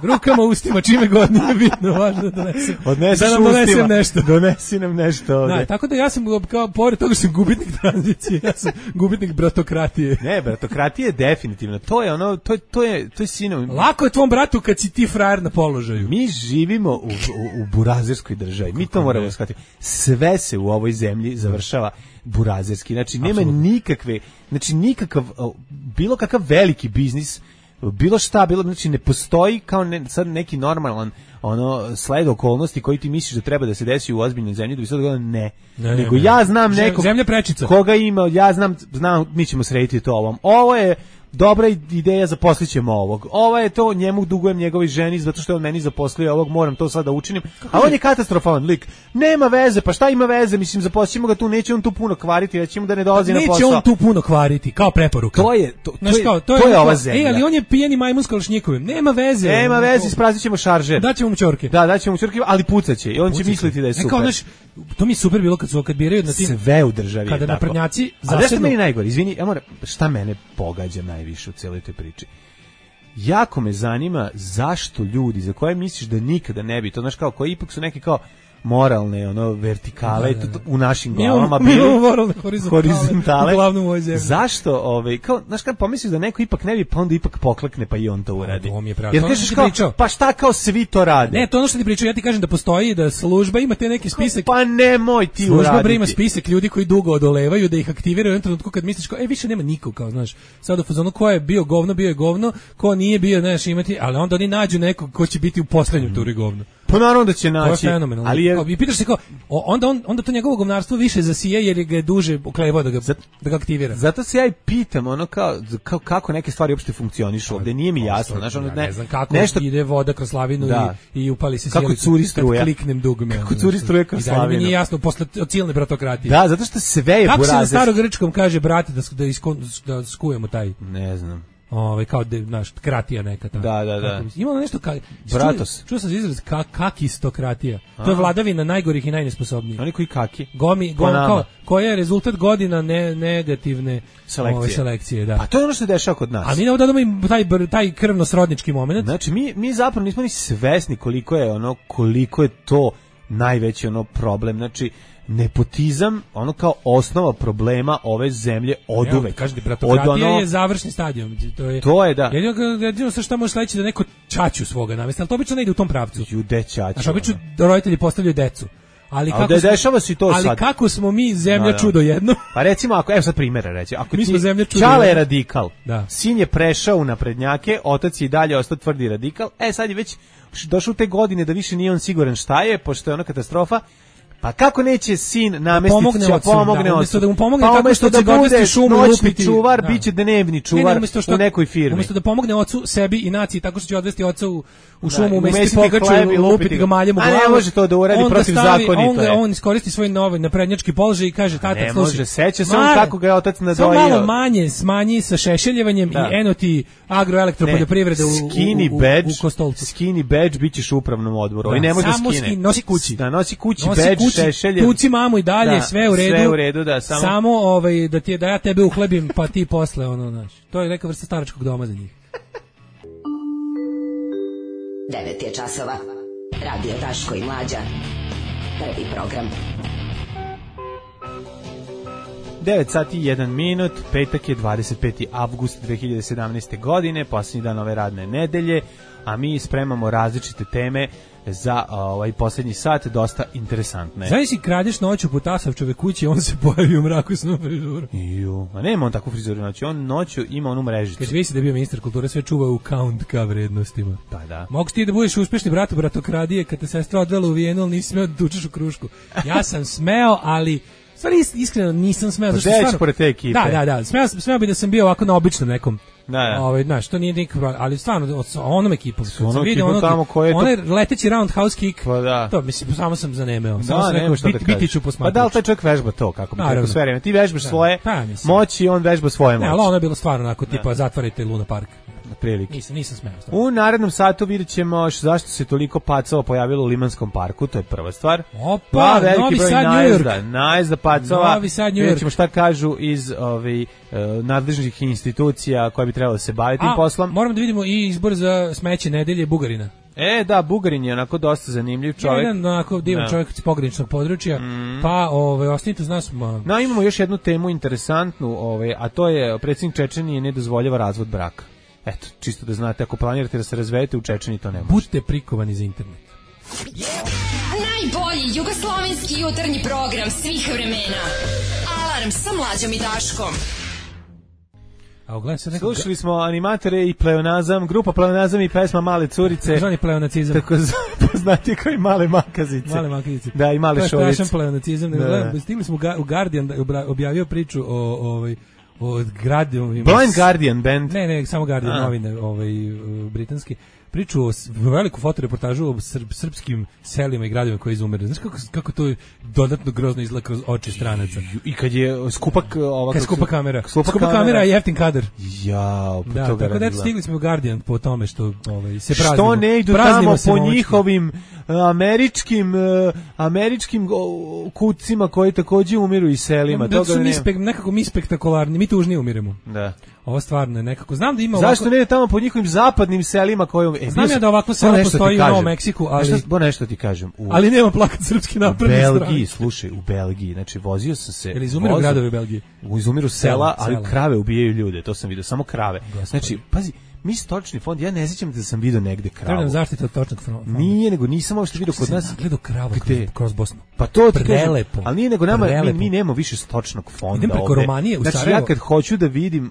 rukama, ustima, čime god nije bitno, važno da donesem. Odneseš da nam donesem ustima. nešto. Donesi nam nešto ovde. Da, tako da ja sam, kao pored toga što sam gubitnik tranzicije, ja sam gubitnik bratokratije. Ne, bratokratija je definitivno. To je ono, to je sinonim. Lako je tvom bratu kad si ti frajer na položaju. Mi živimo u burazerskoj državi. Mi to moramo shvatiti. Sve se u ovoj zemlji završava burazerski. Znači, nema nikakve, znači nikakav, bilo kakav veliki biznis, bilo šta, znači ne postoji kao sad neki normalan sled okolnosti koji ti misliš da treba da se desi u ozbiljnoj zemlji, da bi se dogodilo nego ja znam nekog zemlja prečica. Koga ima, ja znam, mi ćemo srediti to ovom. Ovo je dobra ideja, zaposlit ćemo ovog. Ovo je to, njemu dugujem njegovoj ženi zato što je on meni zaposlio ovog, moram to sad da učinim. A on je katastrofalan lik. Nema veze, pa šta ima veze? Mislim, zaposlimo ga tu, neće on tu puno kvariti, rećemo da ne dolazi na posao. Neće on tu puno kvariti, kao preporuka. To je ova zemlja. Ali on je pijeni majmun s kalašnjikovim. Nema veze. Nema veze, ispraznit ćemo šaržer. Daćemo mu ćorke. Da, daćemo mu ćorke, ali pucaće i on će misliti da je super. Kao, znaš, to mi je super bilo kad biraju na tim... Sve u državi. Kada naprednjaci zasednu... A nešto meni najgore, izvini, šta mene pogađa najviše u cijeloj toj priči? Jako me zanima zašto ljudi za koje misliš da nikada ne bi, to znaš kao, koji ipak su neki kao moralne, vertikale u našim glavama bili moralne horizontale. Uglavnom u ovoj zemlji. Zašto, kao, znaš kad pomisliš da neko ipak ne bi, pa onda ipak poklekne pa i on to uradi. To mi je pravo. Jer kažeš kao, pa šta kao svi to rade? Ne, to ono što ti pričao, ja ti kažem da postoji, da služba ima te neki spisak. Pa nemoj ti uraditi. Služba ima spisak ljudi koji dugo odolevaju, da ih aktiviraju u jednom trenutku kad misliš kao, više nema nikog, kao, znaš, sad u fazonu ko je bio govno, ko nije bio, znaš, imati, ali onda oni nađu nekog ko će biti u poslednjem turi govno. Pa naravno da će naći. To je fenomenalno. I pitaš se kao, onda to njegovo govnarstvo više zasije jer ga je duže uklevao da ga aktivira. Zato se ja i pitam, kako neke stvari uopšte funkcionišu ovde, nije mi jasno. Znaš, ne znam kako ide voda kroz slavinu i upali se kako curi struja. Kad kliknem dugme. Kako curi struja kroz slavinu. I dalje mi nije jasno posle od silne bratokratije. Da, zato što sve je kako burazerski. Kako se na starogrčkom kaže, brate, da skujemo taj... Ne znam. Kao naš kratija neka ta. Da. Ima nešto Bratos. Čuo sam izraz kakistokratija. To je vladavina najgorih i najnesposobnijih. Oni koji kaki. Koja je rezultat godina negativne selekcije, da. A to je ono što se dešava kod nas. A mi ne odadamo taj krvno-srodnički moment. Znači mi zapravo nismo ni svesni koliko je to najveći problem. Znači nepotizam, kao osnova problema ove zemlje oduvek. Kažete, bratokratija je završni stadion. To je, da. Jedino sa šta može sledeći da neko ćaću svoga navesti, ali to obično ne ide u tom pravcu. Jude ćaću. Znači, obično roditelji postavljaju decu. Ali kako smo mi zemlja čudo jedno? Pa recimo, evo sad primjera reći. Ako mi smo zemlja čudo Čale je radikal, sin je prešao u naprednjake, otac je i dalje ostao tvrdi radikal, sad je već došao te godine da više nije on siguran šta je, pošto je ona katastrofa. Pa kako neće sin namestiti pomogne ocu? Da mu pomogne pa tako što će ga odvesti šumu noćni čuvar, biće dnevni čuvar u nekoj firmi. Umjesto da pomogne ocu, sebi i naciji tako što će odvesti oca u šumu, umestiti pogaču, lupiti ga maljem u glavu. A ne može to da uradi protivzakonito. On iskoristi svoj novi naprednjački položaj i kaže, tata, slušaj. Ne može, seća se on kako ga je otac nadojio. Samo malo manje smanji sa šešeljevanjem i eno ti agroelektropoljoprivrede u Kostolcu. Skinny badge bićeš u upravnom odboru. I ne može da skine. Nosi kući. Da, nosi kući badge tuci mamu i dalje, da, sve u redu. Sve u redu, da, samo da ja tebe uhlebim, pa ti posle ono, znaš. To je neka vrsta staračkog doma za njih. 9 je časova. Radio Daško i Mlađa. Prvi program. 9 sati i 1 minut, petak je 25. avgust 2017. godine, posljednji dan ove radne nedelje, a mi spremamo različite teme za ovaj posljednji sat, dosta interesantne. Znaš si kradeš noću po Tasavčeve kući, on se pojavi u mraku s novom frizurom. A nema on takvu frizuru noću, on noću ima onu mrežicu. Kad visi da je bio ministar kulture, sve čuva u count ka vrednostima. Pa da. Mogu ti da budeš uspešni bratokradije kad te sestra odvela u Vijenu, ali nisi smeo da tučeš u krušku. Ja sam smeo, ali stvari iskreno nisam smeo. Zašto stvarno? Pored te ekipe. Da. Smeo bi da sam bio ovako na običnom nekom. Da. Znaš, to nije nikakav problem, ali stvarno onom ekipom. Onom ekipom tamo koje je onaj leteći roundhouse kick. Pa da. To mislim samo sam zanemeo. Samo sam rekao biti ću posmatrač. Pa da li taj čovjek vežba to kako bi rekao sve vreme? Ti vežbaš svoje moći, on vežba svoje moći. Ne, ali ono je bilo stvarno onako tipa zatvarajte Luna Park. Prilike. Nisam smeo. U narednom satu vidjet ćemo zašto se toliko pacova pojavilo u Limanskom parku, to je prva stvar. Opa, Novi Sad, New York. Najezda pacova. Novi Sad, New York. Vidjet ćemo šta kažu iz nadležnih institucija koje bi trebalo se baviti tim poslom. Moram da vidimo i izbor za smeće nedelje Bugarina. Da, Bugarin je onako dosta zanimljiv čovjek. Jedan onako divan čovjek iz pograničnog područja, pa ostanite uz nas. Imamo još jednu temu interesantnu, a to je predsjednik Čečenije ne dozvoljava razvod braka. Eto, čisto da znate, ako planirate da se razvedete u Čečeni, to ne može. Budite prikovani za internet. Najbolji jugoslovenski jutarnji program svih vremena. Alarm sa Mlađom i Daškom. Slušali smo animatore i pleonazam, grupa pleonazam i pesma Male curice. Zvani pleonacizam. Tako poznati kao i Male makazice. Male makazice. Da, i Male šolice. To je strašan pleonacizam. Stigli smo u Guardian, objavio priču o Blind Guardian band. Ne, samo Guardian novine, britanski. Priču o veliku fotoreportažu o srpskim selima i gradovima koji izumiru. Znaš kako to dodatno grozno izgleda kroz oči stranaca. I kad je skupa kamera. Skupa kamera i jeftin kadar. Jao, da, tako da stigli smo u Guardian po tome što se praznimo. Što ne idu tamo po njihovim američkim kucima koji također umiru i selima. Da su nekako mi spektakularni, mi tužnije umiremo. Da. Ovo stvarno je nekako. Znam da ima ovako. Zašto ne ide tamo po njihovim zapadnim selima koji znam ja da ovako selo postoji u Novom Meksiku, ali nešto ti kažem. Ali nema plakat srpski napredne strane. U Belgiji, slušaj, u Belgiji, znači vozio sam se. Ili izumiru gradovi u Belgiji. Izumiru sela, ali krave ubijaju ljude, to sam vidio, samo krave. Znači, pazi, mi stočni fond, ja ne sjećam da sam vidio negde kravu. Treba nam zaštita od stočnog fonda. Nije, nego nisam uopšte vidio kod nas. Gledao kravu kroz Bosnu. Pa to ti prelepo. Kažem, ali nije nego nama, mi nemamo više stočnog fonda. Idem preko Romanije u Sarajevo. Znači ja kad hoću da vidim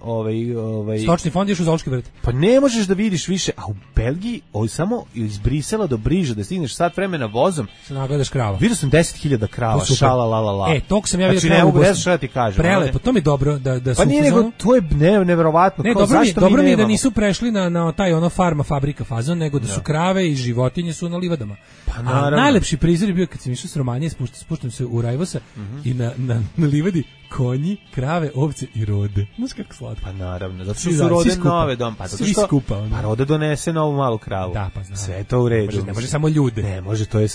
stočni fond ješ u Zoološki vrt. Pa ne možeš da vidiš više, a u Belgiji samo iz Brisela do Briža da stigneš sat vremena vozom. Se nagledaš krava. Vidio sam 10.000 krava, šala la la la. Tog sam ja vidio kravu. Znači ne mogu da šta ti kažem. Prelepo, to mi je dobro da su. Pa nije nego to je neverovatno. Ne, dobro mi je da nisu prešli na taj farma fabrika fazon, nego da su krave i životinje su na livadama. Pa naravno. A najlepši prizor je bio kad sam išao s Romanije, spuštam se u Rajvosa i na livadi konji, krave, ovce i rode. Znaš kako slatko. Pa naravno, zato što su rode nove dom. Pa svi skupa. Pa roda donese novu malu kravu. Da, pa znam. Sve to u redu. Ne može samo ljude. Ne može, to je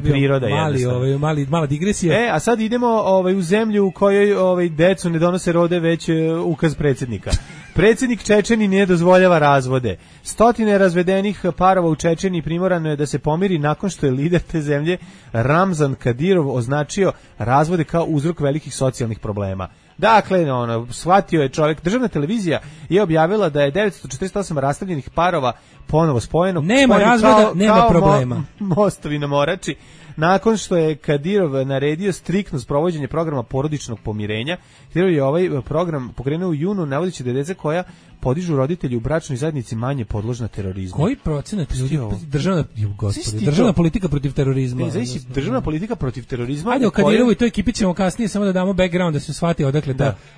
priroda jednostavno. Mala digresija. A sad idemo u zemlju u kojoj decu ne donose rode, već ukaz predsjednika. Predsjednik Čečeni ne dozvoljava razvode. Stotine razvedenih parova u Čečeni primorano je da se pomiri nakon što je lider te zemlje Ramzan Kadirov označio razvode kao uzrok velikih socijalnih problema. Dakle, shvatio je čovjek. Državna televizija je objavila da je 948 rastavljenih parova ponovo spojeno. Nema razvoda, nema problema. Mostovi na Morači. Nakon što je Kadirov naredio striktno sprovođenje programa porodičnog pomirenja, Kadirov je ovaj program pokrenuo u junu, navodeći da deca koja podižu roditelji u bračnoj zajednici manje podložna terorizmu. Koji procenat ljudi državna politika protiv terorizma? Državna politika protiv terorizma. Ajde, o Kadirovu i toj ekipi ćemo kasnije samo da damo background da se shvati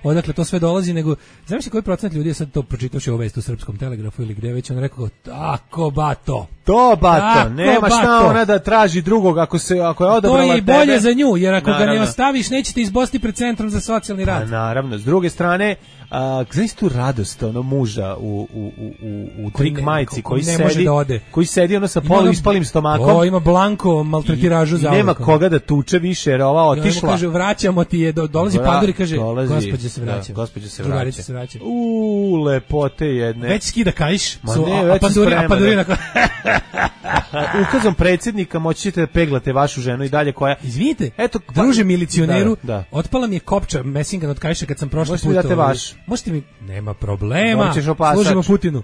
odakle to sve dolazi, nego znaš koji procenat ljudi je sad to pročitaoši ovu vest u Srpskom telegrafu ili gde već on rekao tako bato. To bato, nema šta ona da traži drugog ako je odabrala tebe. To je i bolje za nju, jer ako ga ne ostaviš nećete izbosti pred centrom za socijalni rad. Naravno, s druge strane, znaš tu radost, muža u trik majici koji ne može da ode. Koji sedi ono sa polu ispalim stomakom. Ima blanko maltretiražu za. Nema koga da tuče više jer ova otišla. Kaže vraćamo ti je, dolazi Pandur i kaže gospođa se vraća. Gospođa se vraća. Lepote jedne. Već skida kaiš. A Pandurina. Ukazom predsjednika moći ćete da peglate vašu ženu i dalje koja... Izvinite, druže milicioneru, otpala mi je kopča mesingan od kaiša kad sam prošli put. Možete mi date vaš. Možete mi... Nema problema. Služimo Putinu.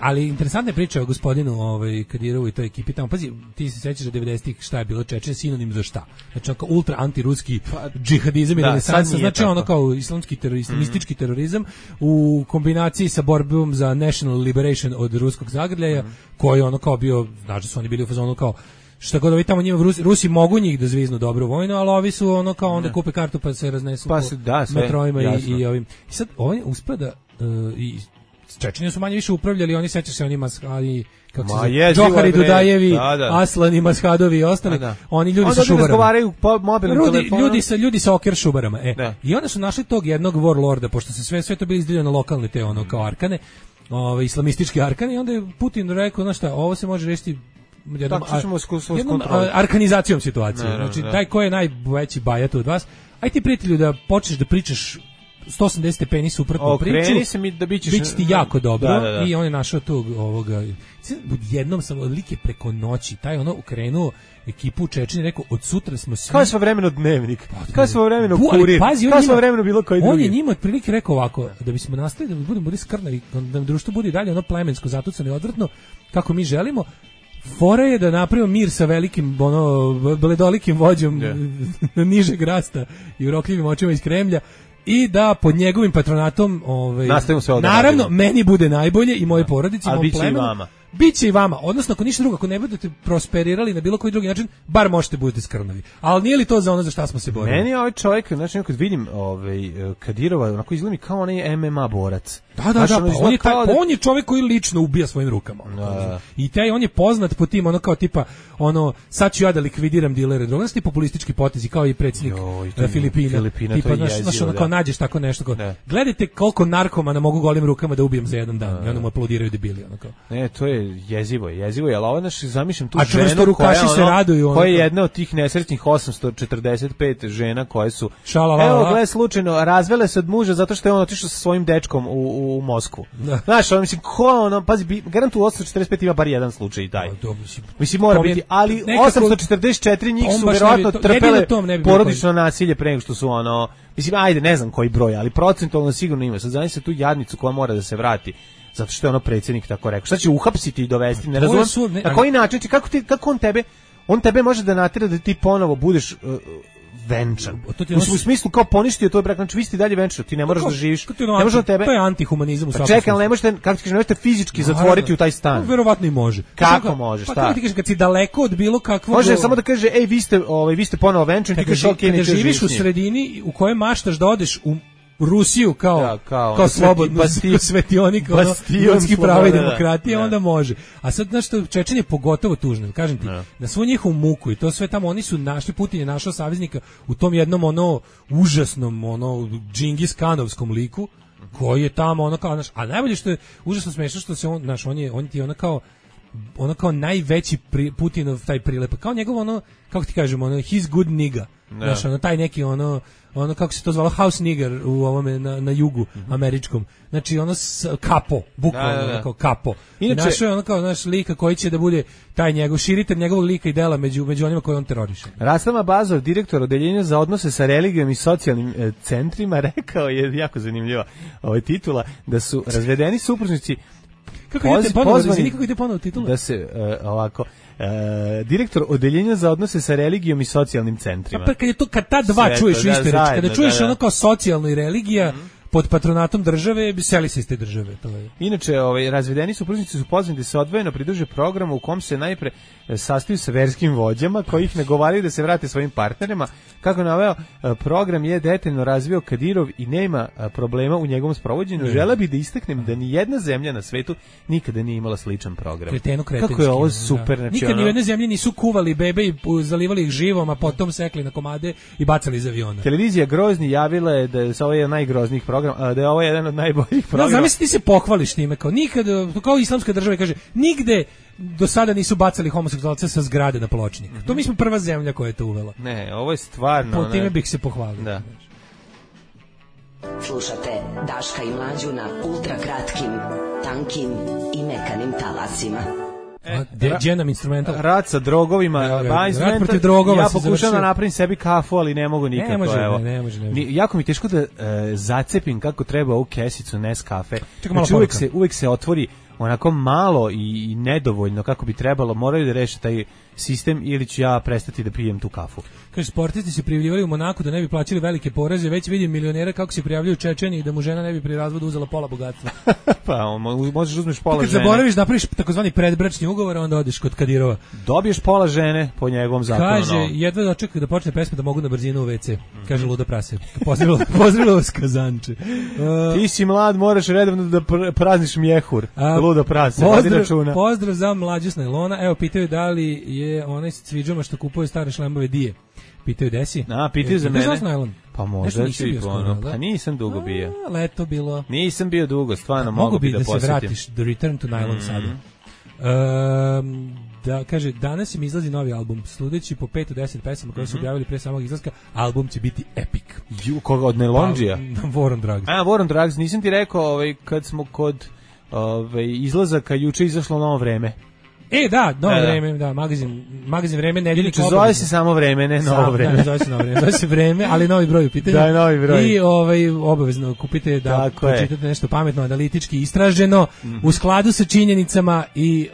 Ali interesantna je priča o gospodinu Kadirovu i toj ekipi tamo. Pazi, ti se sećaš da 90-ih šta je bilo Čečen sinonim za šta? Znači kao ultra antiruski džihadizam i renesansa, znači ono kao islamski islamistički terorizam u kombinaciji sa borbom za national liberation od ruskog zagrljaja, koji ono kao bio, znači su oni bili u fazonu kao šta god ovi tamo njima Rusi mogu njih da zviznu dobro vojno, ali ovi su ono kao onda kupe kartu pa se raznesu po metrojima i ovim. I sad ovaj uspeo da i Čečeni su manje više upravljali, oni sećaju se onima kako se zove, Džohari Dudajevi, Aslani Mashadovi i ostali, oni ljudi sa šubarama. Razgovaraju po mobilnim telefonom. Ljudi sa okir šubarama. I onda su našli tog jednog warlorda, pošto se sve to bili izdeljeno lokalne te ono kao arkane, islamistički arkane, i onda je Putin rekao, znaš šta, ovo se može rešiti jednom arkanizacijom situacije. Znači, taj ko je najveći bajat od vas, aj ti prijatelju da počneš da pričaš 180 stepeni suprotnu priču. Okreni se mi da bićeš... Biće ti jako dobro. I on je našao tog ovoga... Jednom sam odlike preko noći, taj ono ukrenuo ekipu u Čečeni, rekao, od sutra smo svi... Kao sve vremeno Dnevnik, kao sve vremeno Kurir, kao sve vremeno bilo koji drugi. On je njima otprilike rekao ovako, da bismo nastavili, da budemo skrnavi, da društvo bude dalje ono plemensko, zatucano i odvrtno, kako mi želimo, fora je da napravimo mir sa velikim, bledolikim vođom nižeg rasta i urokljivim očima iz Kremlja, i da pod njegovim patronatom naravno meni bude najbolje i moje porodici, mom plemenu. Biće i vama, odnosno ako ništa drugo, ako ne budete prosperirali na bilo koji drugi način, bar možete budete skrnavi. Ali nije li to za ono za šta smo se borili? Meni je ovaj čovjek, znači kad vidim Kadirova, onako izgleda mi kao onaj MMA borac. Da, on je čovjek koji lično ubija svojim rukama. I on je poznat po tim, ono kao tipa, ono, sad ću ja da likvidiram dilere droga, znači populistički potezi, kao i predsjednik Filipina. Tipa, znaš, ono kao nađeš tako nešto, kao, gledajte koliko narkomana mogu golim rukama da ubijem za jedan dan, i onda mu aplodiraju debili, ono kao. Ne, to je jezivo, ali ovo naš zamišljam tu ženu koja je jedna od tih nesrećnih 845 žena koje su, evo gled slučajno, razvele se od muža zato što je on otišao sa svojim dečkom u Moskvu. Znaš, ono, mislim, ko ono, pazi, garantu 845 ima bar jedan slučaj i taj. Mislim, mora biti, ali 844 njih su verovatno trpele porodično nasilje pre nego što su ono, mislim, ajde, ne znam koji broj, ali procentualno sigurno ima. Sad zamisli tu jadnicu koja mora da se vrati zato što je ono predsjednik tako rekao. Šta će uhapsiti i dovesti? Ne razumem. Na koji način? Kako on tebe može da natera da ti ponovo budeš venčan. U smislu kao poništio to brak, znači vi ste dalje venčan, ti ne moraš da živiš. Ne može tebe. To je antihumanizam u svakom. Čekaj, ali ne možete, kako ti kažeš, ne možete fizički zatvoriti u taj stan. Verovatno i može. Kako može? Šta? Pa ti kažeš kad si daleko od bilo kakvog. Može samo da kaže, ej, vi ste ponovo venčan, ti kažeš okej, nećeš živjeti. Živiš u sredini u kojoj maštaš da odeš u Rusiju kao slobodnu svetionik, ljudski prava i demokratije, onda može. A sad, znaš što, Čečen je pogotovo tužno, kažem ti, na svu njihovu muku i to sve tamo, oni su našli, Putin je našao saveznika u tom jednom užasnom, Džingis Kanovskom liku, koji je tamo, kao, a najbolje što je užasno smešno što se on ti je kao najveći Putinov taj prilep, kao njegov kako ti kažemo, his good nigga, znaš, taj neki kako se to zvalo, house nigger u ovome na jugu američkom. Znači kapo, bukvalno kao kapo. Našao je kao naš lika koji će da bude taj njegov širitelj njegovog lika i dela među onima koje on teroriše. Rastama Bazov, direktor odeljenja za odnose sa religijom i socijalnim centrima, rekao je, jako zanimljiva titula, da su razvedeni supružnici kako ide ponovo titula? Da se ovako direktor odeljenja za odnose sa religijom i socijalnim centrima. Pa kad ta dva čuješ u istoj reči, kada čuješ ono kao socijalno i religija pod patronatom države, seli se iz te države. To je. Inače, razvedeni supružnici su pozvani da se odvojeno pridruže programu u kom se najpre sastaju sa verskim vođama koji ih nagovaraju da se vrate svojim partnerima. Kako naveo, program je detaljno razvio Kadirov i nema problema u njegovom sprovođenju. Žele bi da istaknem da ni jedna zemlja na svetu nikada nije imala sličan program. Kako je ovo super. Znači, nikad ni u jednoj zemlji nisu kuvali bebe i zalivali ih živom, a potom sekli na komade i bacali iz aviona. Televizija Grozni javila je da je ovo jedan najgroznijih programa program, da je ovo jedan od najboljih programa. Da, zamisli ti se pohvališ time, kao nikad, kao islamska država kaže, nigde do sada nisu bacali homoseksualce sa zgrade na pločnik. To mi smo prva zemlja koja je to uvela. Ne, ovo je stvarno... Po time bih se pohvalio. Da. Slušate Daška i Mlađu na ultrakratkim, tankim i mekanim talasima. Dženam instrumental. Rat sa drogovima, rat protiv drogova. Ja pokušavam da napravim sebi kafu, ali ne mogu nikako. Ne može. Jako mi teško da zacepim kako treba ovu kesicu Nescafe. Znači, uvek se otvori onako malo i nedovoljno kako bi trebalo. Moraju da reše taj sistem ili ću ja prestati da pijem tu kafu. Kaže, sportisti se prijavljivali u Monaku da ne bi plaćali velike poreze, već vidim milionera kako se prijavljuju Čečeni i da mu žena ne bi pri razvodu uzela pola bogatstva. Pa, možeš uzmeš pola žene. Kad zaboraviš da napraviš takozvani predbračni ugovor, onda odeš kod Kadirova. Dobiješ pola žene po njegovom zakonu. Kaže, jedva da očekaj da počne pesma da mogu na brzinu u WC. Kaže luda prase. Pozdravilo vas Kazanče. Ti si mlad, moraš redovno da prazniš mjehur. Luda prase. Pozdrav za Mlađu s najlona. Evo, pitaju da li je onaj s cviđama što kupuje stare šlemove dije. Pitaju desi. Pitaju za mene. Pa možda ću i ono. Pa nisam dugo bio. Leto bilo. Nisam bio dugo, stvarno mogu bi da posjetim. Se vratiš, The Return to Nylon sada. Da, kaže, danas im izlazi novi album. Sludeći po 5 do 10 pesama koje su objavili pre samog izlaska, album će biti epic. Koga od Nelonđija? War on Drugs. War on Drugs, nisam ti rekao kad smo kod izlazaka juče izašlo Novo vreme. Da, novo vreme, da, magazin vreme, nedeljnik obavezno. Zove se samo vreme, ne novo vreme. Da, zove se novo vreme, zove se vreme, ali novi broj u pitanju. Da, novi broj. I obavezno kupite da pročitate nešto pametno, analitički istraženo, u skladu sa činjenicama i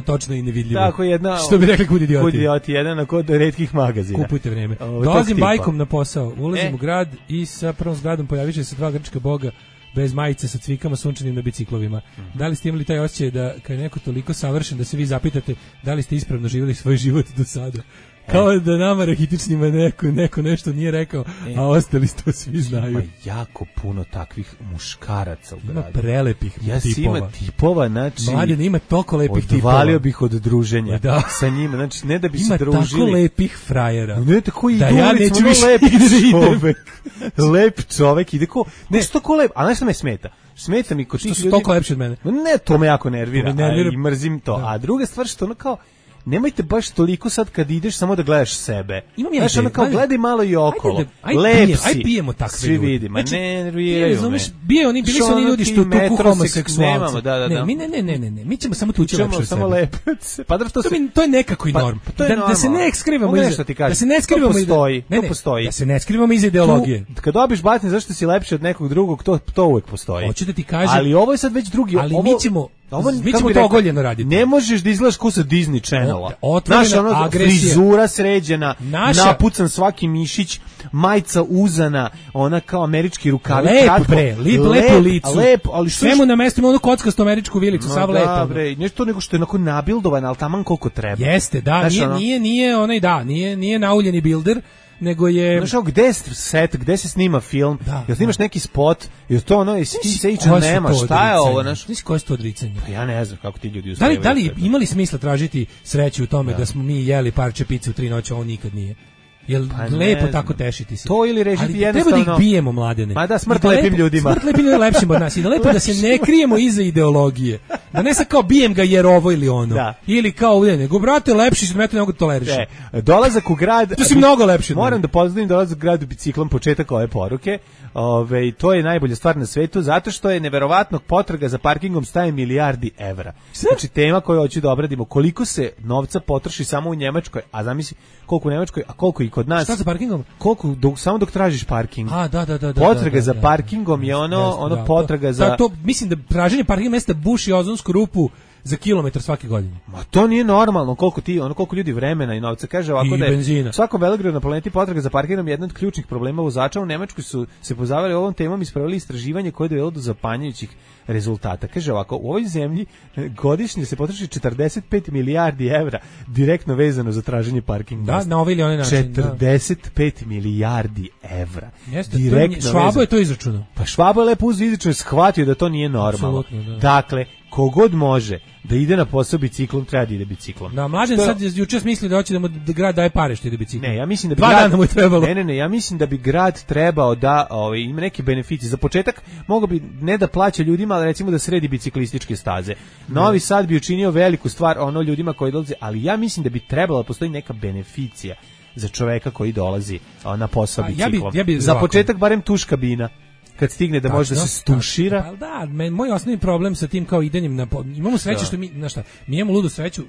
točno i nevidljivo. Tako jedna, što bi rekli kud idioti. Jedan kod retkih magazina. Kupujte vreme. Dolazim bajkom na posao, ulazim u grad i sa prvom zgradom pojavit će se dva grčka boga bez majice sa cvikama sunčanim na biciklovima. Da li ste imali taj osjećaj da kad je neko toliko savršen da se vi zapitate da li ste ispravno živjeli svoj život do sada? Kao da nama rahitičnima neko nešto nije rekao, a ostali to svi znaju. Ima jako puno takvih muškaraca u gradu. Ima prelepih tipova. Ima tipova, znači... Mladen, ima toliko lepih tipova. Odvalio bih od druženja sa njima, znači ne da bi se družili. Ima tako lepih frajera. Ne tako i da ja neću više lep čovek ide ko... Ne, što ko lep, a nešto me smeta. Smeta mi ko tih ljudi... Što su toliko lepši od mene. Ne, to me jako nervira i mrzim to. A druga stvar što ono kao... Nemojte baš toliko sad kad ideš samo da gledaš sebe. Znaš, ono kao gledaj malo i okolo. Lep si. Aj pijemo takve svi ljudi. Vidi, ma ne nerviraju me. Bili su oni ljudi što tuku homoseksualce. Da. Ne, mi ćemo samo tući lepše od samo sebe. Lepce. Pa to je nekako i norm. Da se ne skrivamo iza. Da se ne skrivamo iza. To postoji. Da se ne skrivamo iza ideologije. Kad dobiš batine zašto si lepši od nekog drugog, to uvek postoji. Hoću da ti kažem. Ali ovo je sad već drugi. Ali mi ćemo to ogoljeno raditi. Ne možeš da izgledaš kao sa Disney Channela. Naša frizura sređena, napucan svaki mišić, majica uzana, ona kao američki rukavi. Lepo licu. Ali sve mu namestimo onu kockastu američku vilicu, sav lepo. Da, bre, nešto nego što je onako nabildovan, ali taman koliko treba. Jeste, da, nije nauljeni bilder, nego je... Znaš, gde se snima film? Jel snimaš neki spot? Jel to ono, jesi ti se ičan nema? Šta je ovo? Znaš, koje su to odricanje? Pa ja ne znam kako ti ljudi uspevaju. Da li imali smisla tražiti sreću u tome da smo mi jeli parče pice u 3 noći, a on nikad nije? Jel lepo tako tešiti se? To ili režiti jednostavno... Treba da ih bijemo, Mladene. Ma da, smrt lepim ljudima. Smrt lepim ljudima lepšim od nas. I da lepo da se ne krijemo iza ideologije. Da ne sad kao bijem ga jer ovo ili ono. Da. Ili kao nego, brate, lepši što me to ne mogu tolerišiti. Dolazak u grad... To si mnogo lepši. Moram da pozdravim dolazak u grad biciklom, početak ove poruke. To je najbolja stvar na svetu, zato što je neverovatnog potraga za parkingom staje milijardi evra. Znači, tema koju hoću da obradimo, koliko se novca potroši samo u Njemačkoj, a zamisli koliko u Njemačkoj, a koliko i kod nas. Šta za parkingom? Koliko, samo dok tražiš parking. Da. Potraga za parkingom je ono potraga za... Mislim da traženje parking mesta buši ozonsku rupu za kilometar svake godine. Ma to nije normalno, koliko ljudi vremena i novca. Kaže ovako da je svakom velegradu na planeti potraga za parkingom je jedan od ključnih problema vozača. U Nemačkoj su se pozabavili ovom temom i spravili istraživanje koje je dovelo do zapanjujućih rezultata. Kaže ovako, u ovoj zemlji godišnje se potroši 45 milijardi evra direktno vezano za traženje parkinga. Da, na ovaj ili onaj način. 45 milijardi evra. Jeste, Švabo je to izračunao. Pa Švabo je lepo uzeo izračunao, shvatio da to nije normalno. Dakle, kogod može da ide na posao biciklom, treba da ide biciklom. Da, Mlađan sad juče smisli da hoće da mu grad daje pare što ide biciklom. Ne, ja mislim da bi 2 dana mu je trebalo. Ne, ja mislim da bi grad trebao da ima neke beneficije. Za početak mogao bi ne da plaća ljudima, ali recimo da sredi biciklističke staze. Novi Sad bi učinio veliku stvar ljudima koji dolaze, ali ja mislim da bi trebala da postoji neka beneficija za čoveka koji dolazi na posao biciklom. Za početak barem tuš kabina. Kad stigne da može da se stušira. Pa da, moj osnovni problem sa tim kao idenjem imamo sreću što mi, znaš šta, mi imamo ludu sreću,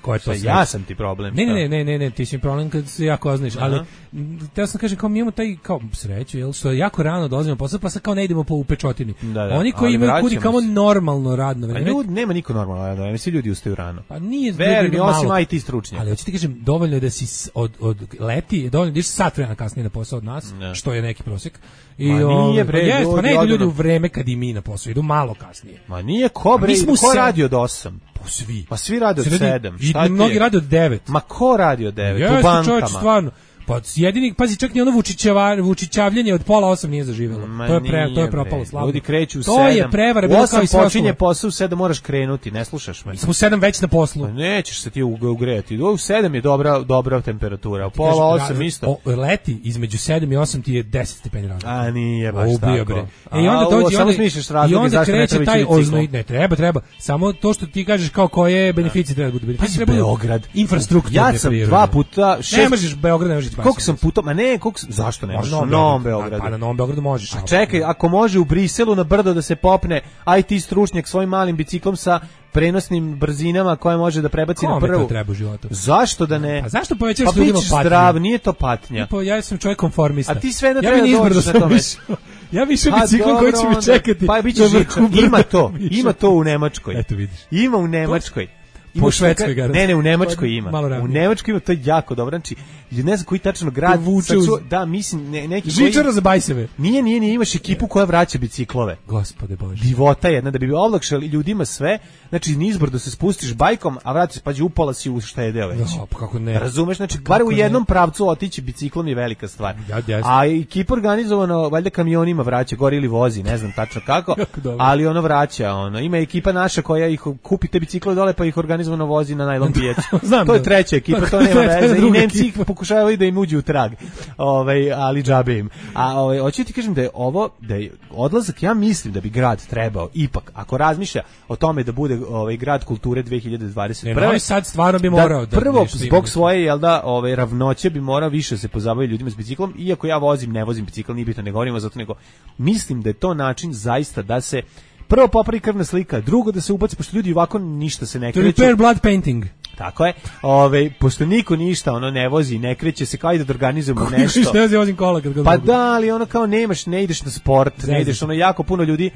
koja je to sreća? Ja sam ti problem. Ne, ti si mi problem kad se jako oznaš, ali teo sam kažem kao mi imamo taj kao sreću, jel, što jako rano dolazimo posao, pa sad kao ne idemo po upečotini. Oni koji imaju kudi kao normalno radno vreme. Nema niko normalno radno vreme, svi ljudi ustaju rano. Pa nije verni, osim IT stručnjaka. Ali hoću ti kažem, dovoljno je da si od leti, dovoljno da ideš sat vremena kasnije na posao od nas, što je neki prosjek. I pa ne idu ljudi u vreme kad i mi na posao, idu malo kasnije. Ma nije ko radi od 8? Svi. Pa svi rade od 7. I mnogi rade od 9. Ma ko radi od 9? U bankama. Čovječ, stvarno. Pa jedini, pazi, čak ni ono vučićavljanje od 7:30 nije zaživelo. To je propalo slavno. Ljudi kreću u 7. To je prevara, bilo kao i sve. 8 počinje posao, u 7 moraš krenuti, ne slušaš me. Smo u 7 već na poslu. Pa nećeš se ti ugrejati. U 7 je dobra temperatura, u 7:30 isto. Leti između 7 i 8 ti je 10 stepeni razlike. A nije baš tako. I onda dođe, samo smišljaš razloge zašto ne treba ići biciklom. Ne, treba. Samo to što ti kažeš kao koje beneficije treba da budu. Beneficije Beograd. Infrastrukturne prirode. Ja sam 2 puta, ne možeš Beograd, ne možeš. Koliko sam puta, zašto ne možeš? Na Novom Beogradu. Pa na Novom Beogradu možeš. A čekaj, ako može u Briselu na brdo da se popne IT stručnjak svojim malim biciklom sa prenosnim brzinama koje može da prebaci na prvu. Kome to treba u životu? Zašto da ne? Pa zašto povećaš ljudima patnju? Pa zdrav, nije to patnja. Ja sam čovjek konformista. A ti sve ne treba doći na tome. Ja više biciklom koji će mi čekati. Pa biće žiča. Ima to u Nemačkoj. Eto vidiš. Ima u Nemačkoj. Po Švedskoj garanciji. Ne, u Nemačkoj ima. U Nemačkoj ima, to je jako dobro. Znači, ne znam koji tačno grad. Da, mislim, neki koji... Žičara za bajseve. Nije, imaš ekipu koja vraća biciklove. Gospode Bože. Divota jedna, da bi olakšali ljudima sve. Znači, nizbrdo se spustiš bajkom, a vratiš, pa upola si uštedeo već. Pa kako ne. Razumeš? Znači, bar u jednom pravcu otići biciklom je velika stvar. A ekipa organizovano, valjda kamionima vraća, gori ili vozi, ne znam tačno kako, ali ono vraća. Ima ekipa naša koja ih kupi te bicikle dole, pa ih organizovano vozi na najlon pijecu. To je treća ekipa, to nema veze. I Nemci ih pokušavaju da im uđu u trag. Ali džabe im. A hoću ti kažem da je odlazak, ja mislim da bi grad trebao ipak, ako razmišlja o tome da bude grad kulture 2021. Novi Sad stvarno bi morao da prvo zbog svoje ravnoće bi morao više se pozabaviti ljudima s biciklom, iako ja ne vozim bicikl, nije bitno, ne govorimo zato, nego mislim da je to način zaista da se prvo popravi krvna slika, drugo da se ubaci, pošto ljudi ovako ništa se ne kreću. To repair blood painting. Tako je. Pošto niko ništa ne vozi, ne kreće se, kao i da organizujemo nešto. Ne vozim kola kad ga pa da, ali kao ne ideš na sport, ne ideš, jako puno ljudi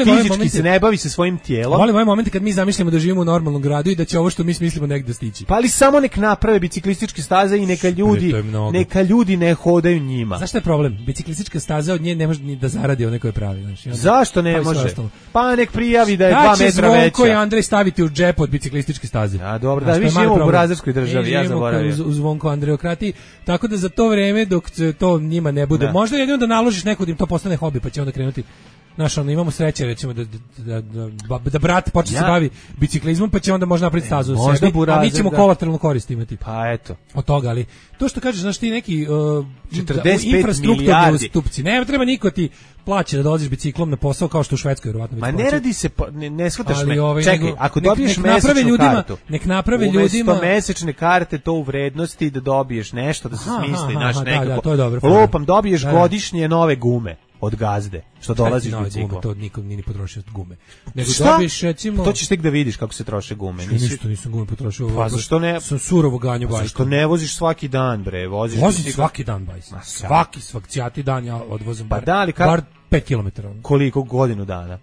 fizički se ne bavi se svojim tijelom. Volim ovaj moment kad mi zamišljamo da živimo u normalnom gradu i da će ovo što mi mislimo negde stići. Pa ali samo nek naprave biciklističke staze i neka ljudi ne hodaju njima. Zašto je problem? Biciklistička staza od nje ne može ni da zaradi one koje pravi. Zašto ne može? Pa nek prijavi da je 2 metra veća. Da će Zvonko i Andrej staviti u džep od biciklističke staze. A dobro, da vi živimo u burazerskoj državi, ja zaboravim. U Zvonko Andreokrati, tako da za to vreme dok to njima ne bude, možda jedino da naložiš neko da im to postane hobi, pa će onda krenuti. Znaš, imamo sreće, recimo, da brat počne se bavi biciklizmom, pa će onda možda napraviti stazu u sebi, a mi ćemo kolateralnu korist imati. Pa eto. Od toga, ali to što kažeš, znaš, ti neki 45 milijardi ustupci, ne treba niko ti plaće da dolaziš biciklom na posao kao što u Švedskoj vjerovatno. Ma ne radi se, ne shvataš me. Čekaj, ako dobiješ mesečnu kartu, nek naprave ljudima umesto mesečne karte to u vrednosti da dobiješ nešto, da se smisli, znaš, nekako. Lupam, dobiješ godišnje nove gume od Gazde, što dolaziš biciklom. To nikom nije potrošio gume. Nego dobiš, recimo... To ćeš tek da vidiš kako se troše gume. Nisam gume potrošio. Pa zašto ne? Sam surovo ganju bajku. Zašto ne voziš svaki dan, bre? Vozim svaki dan bajs. Svaki dan ja odvozim bar 5 km. Koliko godinu dana?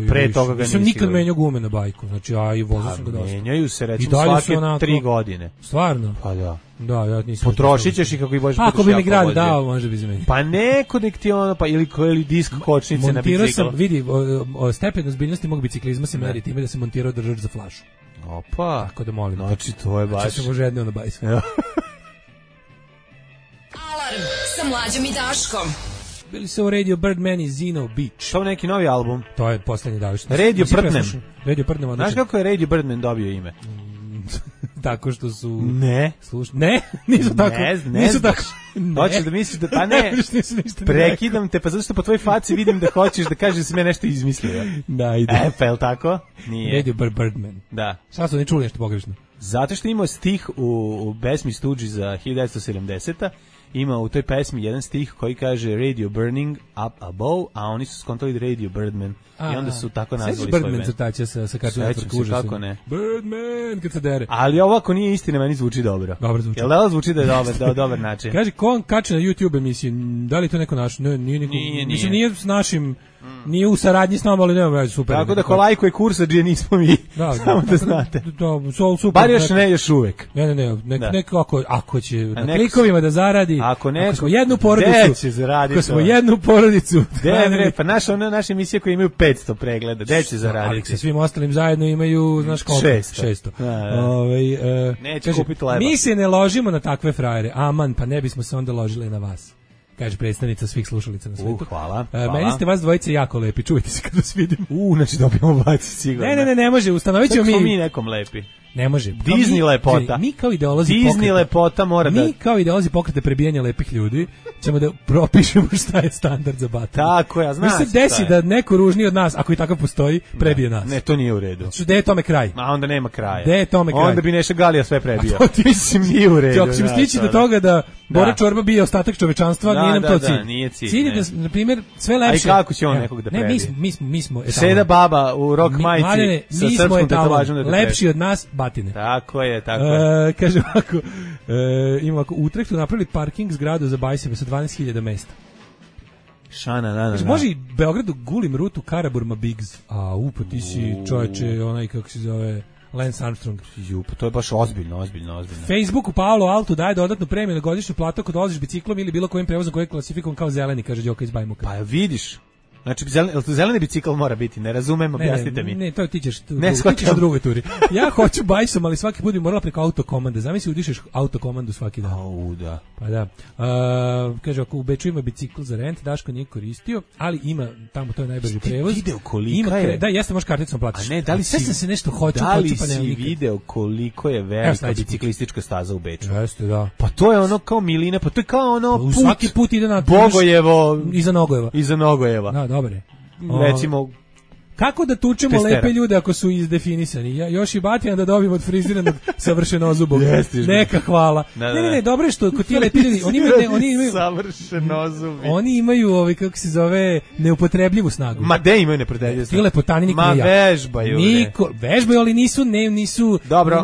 Pre toga ga nisam nikad menjao gume na bajku, znači i vozio sam ga dosta. Menjaju se recimo svake 3 godine. Stvarno? Pa da. Da, ja nisam. Potrošit ćeš i kako i boš budeš. Ako bi mi grad dao, može bi zamenio. Pa neko nek ti pa ili disk kočnice na biciklu. Montirao sam, vidi, stepen ozbiljnosti mog biciklizma se meri time da sam montirao držač za flašu. Opa. Tako da molim. Znači to je baš. Znači se može jedno na bajs. Alarm sa Mlađom i Daškom. Bili su u Radio Birdman i Zeno Beach. To je neki novi album. To je poslednji daviš. Radio Birdman. Radio Birdman odličan. Znaš kako je Radio Birdman dobio ime? Tako što su... Ne. Ne, nisu tako. Nisu tako. Hoćeš da misliš da... Pa ne, prekidam te, pa zato što po tvojoj faci vidim da hoćeš da kažeš da si me nešto izmislio. Da, ide. Pa je li tako? Nije. Radio Birdman. Da. Šta su ne čuli nešto pogrešno? Zato što imao stih u pesmi Stooges za 1970-a, ima u toj pesmi jedan stih koji kaže Radio Burning Up Above, a oni su skontali Radio Birdman i onda su tako nazvali svoj band. Birdman crtaća sa Cartoon Network, užasno. Kako ne? Birdman, kad se dere. Ali ovo ako nije istina, meni zvuči dobro. Dobro zvuči. Jel da zvuči da je dobar način? Kaže, ko on kače na YouTube emisiju, da li to neko naš? Ne, nije. Mislim, nije s našim, nije u saradnji s nama, ali nema već super. Tako da ko lajkuje kursadžije nismo mi, samo da znate. Super. Bar još uvek. Ne, neko ako će na klikovima da zaradi, ako smo jednu porodicu, pa naša emisija koja imaju 500 pregleda, gde će zaraditi? Ali sa svim ostalim zajedno imaju, znaš koliko? 600. Neće kupiti leba. Mi se ne ložimo na takve frajere, aman, pa ne bismo se onda ložili na vas. Kaže predstavnica svih slušalica na svetu. Hvala. Meni ste vas dvojice jako lepi, čujte se kad vas vidim. Znači dobijamo baci sigurno. Ne može, ustanovit ćemo mi. Mi nekom lepi. Ne može. Disney lepota. Mi kao ideolozi Disney lepota mora da... Mi kao ideolozi pokrete prebijanja lepih ljudi ćemo da propišemo šta je standard za batanje. Tako ja, znaš. Mi se desi da neko ružniji od nas, ako i takav postoji, prebije nas. Ne, to nije u redu. Gde je tome kraj? A onda nema kraja. Gde je tome kraj? Onda bi Neša Galija sve prebio. Mislim, nije u redu. Ako ćemo stići do toga da Bora Čorba bije ostatak čovečanstva, nije nam to cilj. Da, nije cilj. Cilj je da, na primjer, sve lepše... A i kako će on nekog da prebije? Ne, mi smo... Seda baba u rock majici sa srpskom tetovažom da te prebije. Lepši od nas, batine. Tako je. Kaže ovako, u Utrechtu napravili parking zgradu za bajseve sa 12.000 mesta. Može i Beogradu gulim rutu Karaburma Biggs. Pa ti si čoveče, onaj kako se zove... Lance Armstrong. Pa to je baš ozbiljno. Facebooku Paolo Altu daje dodatnu premiju na godišnju platu ako dolaziš biciklom ili bilo kojim prevozom koji je klasifikovan kao zeleni, kaže Đoka iz Bajmuka. Pa vidiš. Znači, zeleni bicikl mora biti, ne razumem, objasnite mi. Ne, to ti ćeš u drugoj turi. Ja hoću bajsom, ali svaki put bi morala preko autokomande. Zamisli udišeš autokomandu svaki dan. Da. Pa da. Kaže, ako u Beču ima bicikl za rent, Daško nije koristio, ali ima, tamo to je najbrži prevoz. Video kolika je? Da, jeste, možeš karticom platiš. A ne, da li se nešto hoću, pa si video koliko je velika biciklistička staza u Beču? Jeste, da. Pa to je ono kao milina, pa to je kao ono put. Svaki put ide na Bogojevo. Iza Nogojeva. Da, dobre. Recimo, kako da tučemo lepe ljude ako su izdefinisani? Još i Batija da dobijemo od friziranog savršeno zubog. Neka hvala. Ne, dobro je što kod ti lepi ljudi, oni imaju savršeno zubi. Oni imaju kako se zove, neupotrebljivu snagu. Ma de imaju neupotrebljivu snagu. Ti lepotani niko ne vežbaju. Vežbaju, ali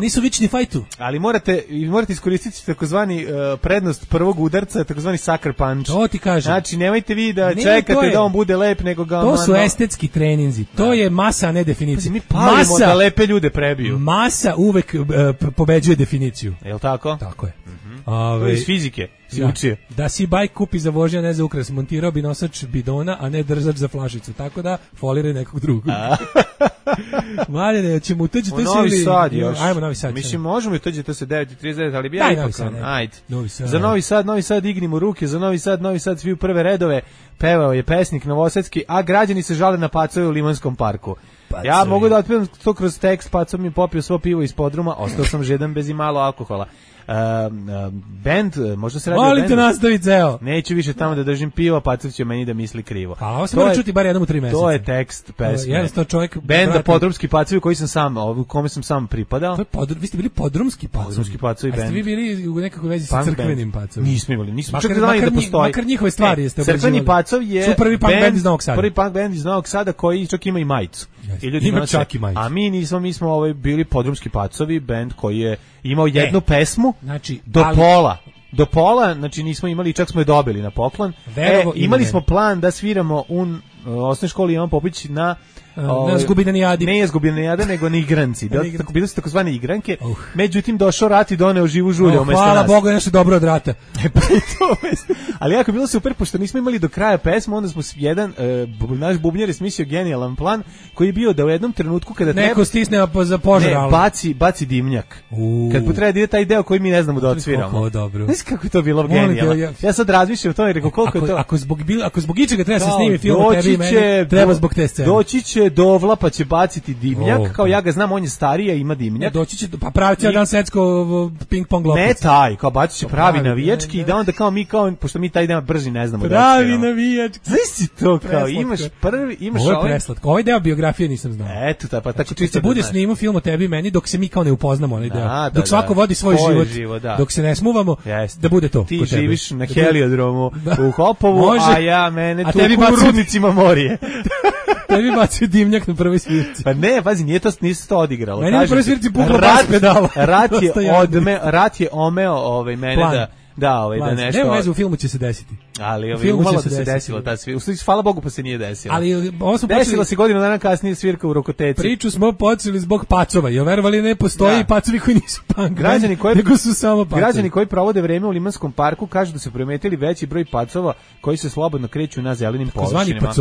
nisu vični fajtu. Ali morate iskoristiti takozvani prednost prvog udarca, takozvani sucker punch. To ti kažem. Znači, nemojte vi da čekate da on bude lep, nego ga... To su estetski treninzi. To je masa, a ne definicija. Mi palimo da lepe ljude prebiju. Masa uvek pobeđuje definiciju. Je li tako? Tako je. Iz fizike si učio. Da si bajk kupi za vožnje, a ne za ukras. Montirao bi nosač bidona, a ne držač za flašicu. Tako da foliraj nekog drugog. Mladine, ćemo uteđi to Novi Sad još. Ajmo Novi Sad. Mislim, možemo uteđi to se 9:39, ali bi ja ipak. Ajde. Za Novi Sad dignimo ruke, za Novi Sad svi u prve redove. Pevao je pesnik novosadski, a građani se žale na pacove u Limanskom parku. Ja mogu da otpevam to kroz tekst, Pacov mi popio svo pivo iz podruma, ostao sam žedan bez imalo alkohola. Band, možda se radi o bendu. Molite nastaviti, ceo. Neću više tamo da držim pivo, Pacov će meni da misli krivo. A ovo se mora čuti bar jednom u 3 meseca. To je tekst pesme. Benda Podrumski Pacovi koji sam u kome sam sam pripadao. Vi ste bili Podrumski Pacovi? Podrumski Pacovi band. A ste vi bili u nekakvoj vezi sa crkvenim Pacovima? Nismo imali, čak znali da postoji. Makar njihove stvari jeste obrađivali. Crkveni Pacov je prvi punk band iz Novog Sada. Prvi punk band iz Novog Sada koji čak ima i majicu. Ima čak i majicu. A mi smo bili Podrumski Pacovi, band koji je imao jednu pesmu, znači do pola, znači nismo imali, čak smo je dobili na poklon. Imali smo plan da sviramo osnovnoj školi Ivan Popović na Zgubidanijadi. Ne je Zgubidanijada, nego na igranci. Bili su takozvane igranke. Međutim, došao rat i doneo živu žulju umesto nas. Hvala Bogu, je nešto dobro od rata. Ali jako je bilo super, pošto nismo imali do kraja pesmu, onda smo naš bubnjar je smislio genijalan plan, koji je bio da u jednom trenutku kada neko stisne za požar, baci dimnjak. Kad potreba da ide taj deo koji mi ne znamo da odsviramo. Znaš kako je to bilo genijalno? Ja sad razmišljam o tome i rekao koliko je to... Ako zbog ičega treba se snimi film o tebi i meni, treba zbog te scene. Doći će Dovla pa će baciti dimnjak, kao ja ga znam, on je stariji, a ima dimnjak. Doći će, pa pravi cijel dan secko ping-pong loptice. Ne taj, kao bacit će pravi navijački i da onda kao mi, pošto mi taj dan brži ne znamo pravi navijački. Znaš si to, kao imaš prvi, imaš ovo je preslatko, ovaj deo biografije nisam znao. Eto, pa tako čisto bude snimao film o tebi i meni dok se mi kao ne upoznamo onaj deo. Dok svako vodi svoj život, dok se ne smuvamo, da bude to. Ti živiš na heliodromu u Hopovu, a ja mene tu u Rudnicima Morije. Tebi bacio dimnjak na prvoj svirci. Pa ne, pazi, nisu to odigralo. Meni na prvoj svirci pukla bas pedala. Rat je omeo mene da nešto... Nema veze, u filmu će se desiti. Ali umalo da se desilo ta svirka. Hvala Bogu pa se nije desilo. Ali desilo se godinu dana kasnije svirka u Rokoteci. Priču smo počeli zbog pacova. Ja verovali ne postoji pacovi koji nisu punk. Nego su samo pacovi. Građani koji provode vreme u Limanskom parku kažu da su primetili veći broj pacova koji se slobodno kreću na zelenim površinama.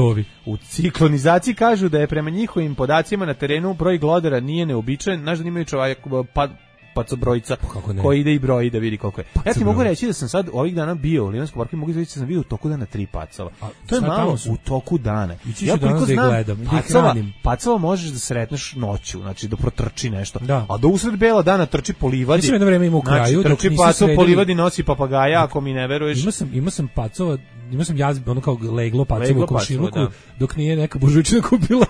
U ciklonizaciji kažu da je prema njihovim podacima na terenu broj glodara nije neobičajen. Znaš da imaju čovjek pacobrojica koji ide i broji da vidi koliko je. Ja ti mogu reći da sam sad ovih dana bio u Limanskom parku i mogu reći da sam vidio u toku dana 3 pacova. To je malo u toku dana. Ja koliko znam, pacova možeš da sretneš noću, znači da protrči nešto. A da usred bela dana trči po livadi. Jedno vreme ima u kraju. Trči pacov po livadi, nosi papagaja, ako mi ne veruješ. Imao sam pacova, imao sam ono kao leglo pacova u komšiluku, dok nije neka buržučina kupila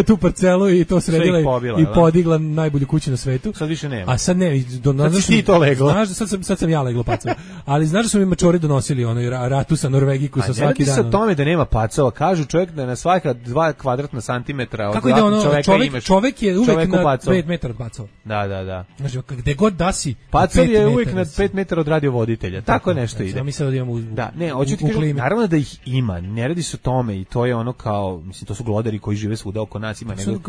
tu parcelu i to sredila i podigla najbolju kuću na svetu. Sad više nema. A sad ne, sad ti to leglo. Znaš, sad sam ja leglo pacova. Ali znaš da su mi mačori donosili ratusa Norvegiku sa svaki dan. A ne radi se o tome da nema pacova. Kažu čovjek da je na svaka 2 kvadratna santimetra od čovjek je uvek na 5 metara od pacova. Da. Znači, gde god da si, pacov je uvek na 5 metara od radiovoditelja. Tako nešto ide. Mi sad odijemo naravno da ih ima. Ne radi se o tome i to je ono kao, mislim, to su glodari koji žive svuda oko nas.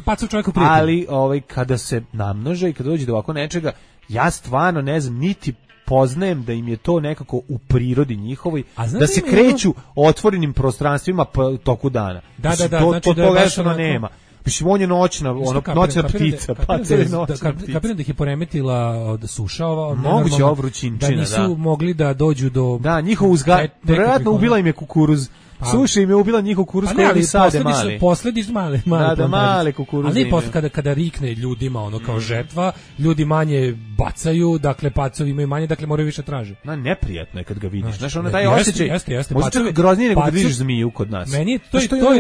Pacov čovjeku prijatelj. Ali kada se namnože i kada dođe do ovako nečega, ja stvarno ne znam, niti poznajem da im je to nekako u prirodi njihovoj, da se kreću otvorenim prostranstvima toku dana. Da, znači da je baš onako... nema. Mislim, on je noćna ptica. Kapiram da ih je poremetila suša ova. Moguće ovo vrućinčina, da. nisu mogli da dođu do... Da, njihov vjerojatno ubila im je kukuruz. Suša im je ubila njihov kukuruz koji oni sade mali. Posledično male kukuruze. Ali posle kada rikne ljudima ono kao žetva, ljudi manje bacaju, dakle pacovi imaju manje, dakle moraju više traže. Neprijatno je kad ga vidiš. Znaš, ono taj osjećaj. Možda čak groznije nego kad vidiš zmiju kod nas. Meni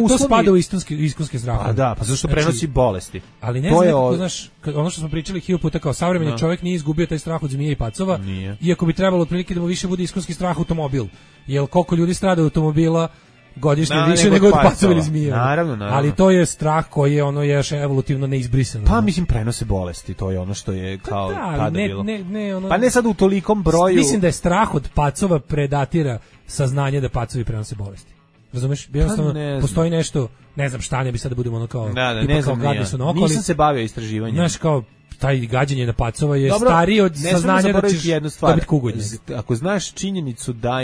to spada u iskonske strahove. Pa da, pa zašto prenosi bolesti. Ali ne znam kako, znaš, ono što smo pričali 1000 puta kao savremeni čovjek nije izgubio taj strah od zmije i pacova, iako bi trebalo otprilike da mu više bude iskonski strah automobil. Jel koliko ljudi strada automobila godišnje više nego od pacova ili zmija. Naravno. Ali to je strah koji je ono još evolutivno neizbrisano. Pa mislim prenose bolesti, to je ono što je kao tada bilo. Ono, pa ne sad u tolikom broju. Mislim da je strah od pacova predatira saznanje da pacovi prenose bolesti. Razumeš? Jednostavno postoji nešto, ne znam šta, ne bi sad da budemo ono kao ne znam, nisam se bavio istraživanjem. Znaš, kao taj gađanje na pacova je stariji od saznanja da ćeš dobiti kugonje. Ako znaš činjenicu da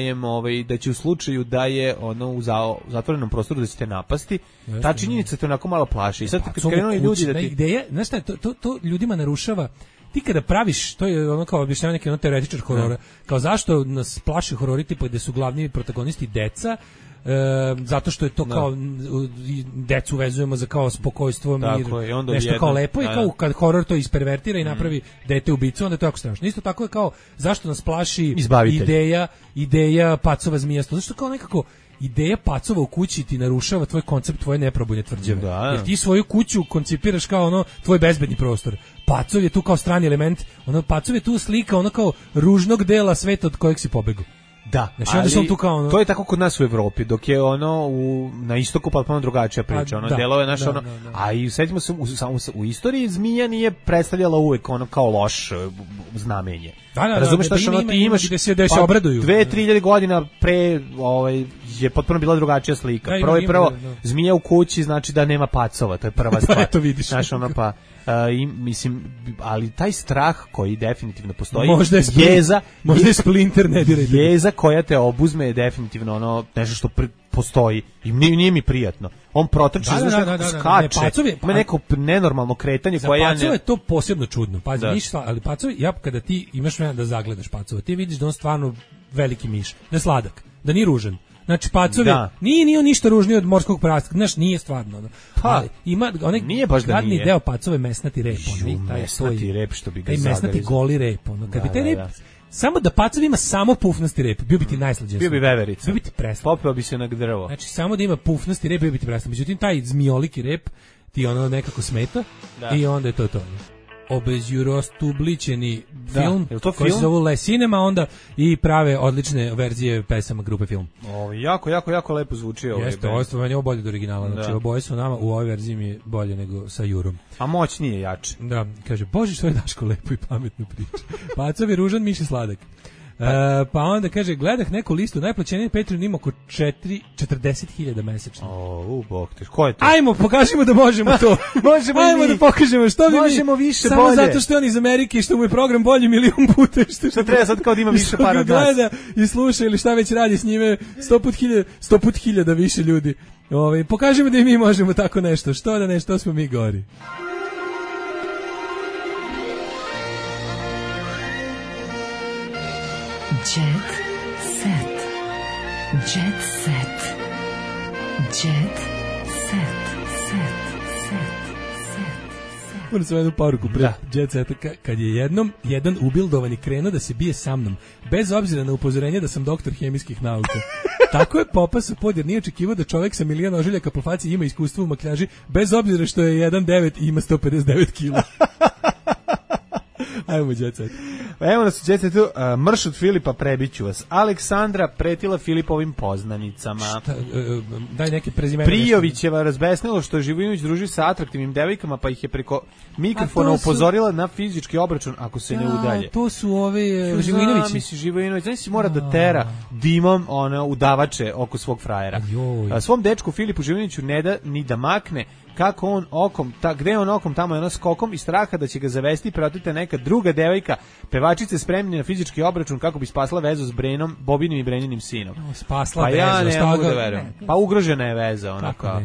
će u slučaju da je ono u zatvorenom prostoru da će te napasti, ta činjenica te onako malo plaši. I sad kad krenuli ljudi da ti... Ideja, znaš šta, to ljudima narušava. Ti kada praviš, to je ono kao objašnjava neki ono teoretičar horora, kao zašto nas plaši horori tipa gde su glavni protagonisti deca, zato što je to kao decu vezujemo za kao spokojstvo, mir, nešto kao lepo i kao kad horor to ispervertira i napravi dete ubicu, onda je to jako strašno. Isto tako je kao zašto nas plaši ideja pacova zmijasto, zašto kao nekako ideja pacova u kući ti narušava tvoj koncept tvoje neprobojne tvrđave. Jer ti svoju kuću koncipiraš kao ono tvoj bezbedni prostor. Pacov je tu kao strani element, ono pacov je tu slika ono kao ružnog dela sveta od kojeg si pobegao. Da, znači, onda sam tu kao ono... to je tako kod nas u Evropi, dok je ono na istoku potpuno drugačija priča, ono delove naše ono, a i setimo se u istoriji zmija nije predstavljala uvek ono kao loš znamenje. Razumeš šta ono ti imaš gde se obraduju. 2-3 godina pre je potpuno bila drugačija slika. Prvo zmija u kući znači da nema pacova, to je prva stvar. To vidiš. Znaš ono pa mislim, ali taj strah koji definitivno postoji, možda je Splinter, ne dirajte. Jeza koja te obuzme je definitivno ono nešto što postoji i nije mi prijatno. On protrče, skače, ima neko nenormalno kretanje koje ja ne... Za pacove je to posebno čudno, pazi, ništa, ali pacovi, kada ti imaš vremena da zagledaš pacova, ti vidiš da on stvarno veliki miš, da je sladak, da nije ružan. Znači pacovi, nije on ništa ružniji od morskog prasta, znaš, nije stvarno. Ali ima onaj gadni deo pacove mesnati rep. Mesnati rep što bi ga zagrizao. Mesnati goli rep. Kad bi taj rep, samo da pacovi ima samo pufnasti rep, bio bi ti najslađe. Bio bi veverica. Bio bi ti preslan. Popeo bi se na drvo. Znači samo da ima pufnasti rep, bio bi ti preslan. Međutim, taj zmijoliki rep ti ono nekako smeta i onda je to. Obezjurostubličeni film koji se zove Le Cinema, onda i prave odlične verzije pesama grupe Film. Jako lepo zvuči ovo. Jeste, ovo je bolje od originala. Znači, oboje su nama u ovoj verziji mi je bolje nego sa Jurom. A moćnije jače. Da, kaže, Bože, što je Daško lepo i pametno priča. Pacovi ružan, miš je sladak. Pa onda kaže, gledah neku listu, najplaćeniji Patreon ima oko 40.000 mesečno. Bog te, ko je to? Ajmo, pokažimo da možemo to. Ajmo da pokažemo što bi možemo više samo bolje. Samo zato što je on iz Amerike i što mu je program bolji milion puta. Što treba sad kao da ima više para od nas. Gleda i sluša ili šta već radi s njime 100 put hiljada više ljudi. Pokažimo da i mi možemo tako nešto. Što da ne, što smo mi gori. Jet set. Jet set. Jet set. Moram sam jednu poruku pre Jet seta. Kad je jedan ubildovani krenuo da se bije sa mnom, bez obzira na upozorenje da sam doktor hemijskih nauka. Tako je popasao pod jer nije očekivao da čovjek sa milion ožiljaka po faci ima iskustvo u makljaži, bez obzira što je 1,9 i ima 159 kila. Ajmo Jet set. Evo nas u Jet setu, mrš od Filipa, prebiću vas. Aleksandra pretila Filipovim poznanicama. Šta, daj neke prezimene. Prijovićeva razbesnilo što je Živojinović druži sa atraktivnim devojkama, pa ih je preko mikrofona upozorila na fizički obračun ako se ne udalje. To su ove Živojinovići. Misli Živojinović, znači si mora da tera dimom udavače oko svog frajera. Svom dečku Filipu Živojinoviću ne da ni da makne kako on okom, gde on okom, tamo je ono skokom i straha da će ga zavesti preotete neka druga devojka, pevačice spremni na fizički obračun kako bi spasla vezu s Brenom, Bobinim i Breninim sinom. Spasla pa vezu, ja ne mogu da verujem. Pa ugrožena je veza, ona kao.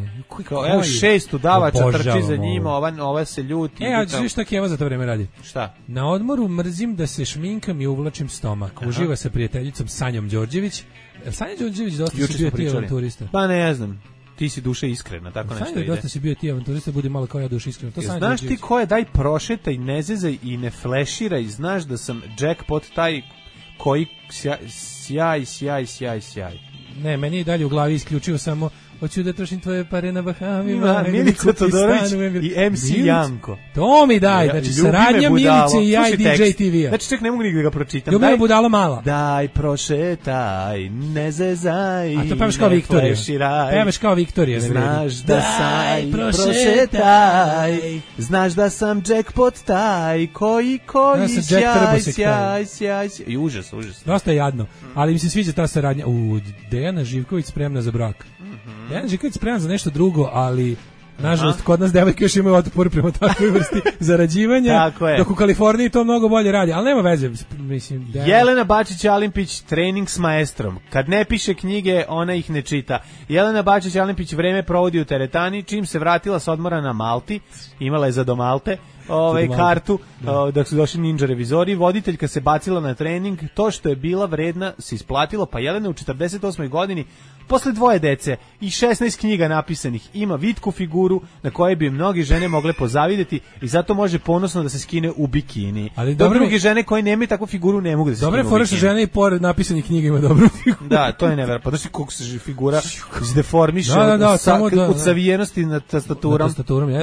Evo 6 udavača trči za njima, ova se ljuti. A znaš šta Keva za to vreme radi? Šta? Na odmoru mrzim da se šminkam i uvlačim stomak. Uživa sa prijateljicom Sanjom Đorđević. Sanja Đorđević dosta si bio ti avanturista. Pa ne znam. Ti si duša iskrena, tako nešto ide. Dosta si bio ti avanturista, budi malo kao ja duša iskrena. Znaš ti ko je, daj prošetaj, ne zezaj i ne fleširaj, znaš da sam jackpot taj koji sjaj. Ne, meni je dalje u glavi isključivo samo hoću da trošim tvoje pare na Bahamima. Milica Todorović i MC Janko. To mi daj, znači saradnja Milice i ja i DJ TV-a. Znači ček, ne mogu nikada ga pročitam. Ljubila budala mala. Daj prošetaj, ne zezaj. A to pevaš kao Viktorija. Pevaš kao Viktorija. Znaš da sam prošetaj, znaš da sam jackpot taj koji sjaj. I užas. Dosta je jadno, ali mi se sviđa ta saradnja. Dejana Živković spremna za brak. Dejana Živković spremna za nešto drugo, ali nažalost kod nas devojke još imaju otpor prema takvoj vrsti zarađivanja, dok u Kaliforniji to mnogo bolje radi, ali nema veze. Mislim, Jelena Bačić-Alimpić, trening s maestrom. Kad ne piše knjige, ona ih ne čita. Jelena Bačić-Alimpić vreme provodi u teretani, čim se vratila s odmora na Malti, imala je za do Malte, kartu, dok su došli ninja revizori, voditeljka se bacila na trening, to što je bila vredna se isplatilo, pa Jelena u 48. godini, posle 2 dece i 16 knjiga napisanih, ima vitku figuru na kojoj bi mnogi žene mogle pozavideti i zato može ponosno da se skine u bikini. Ali druge žene koje nemaju takvu figuru ne mogu da se skine u bikini. Dobre fora žene i pored napisanih knjiga ima dobru figuru. Da, to je neverovatno. Pa znači kako se figura izdeformiše od savijenosti nad tastaturom,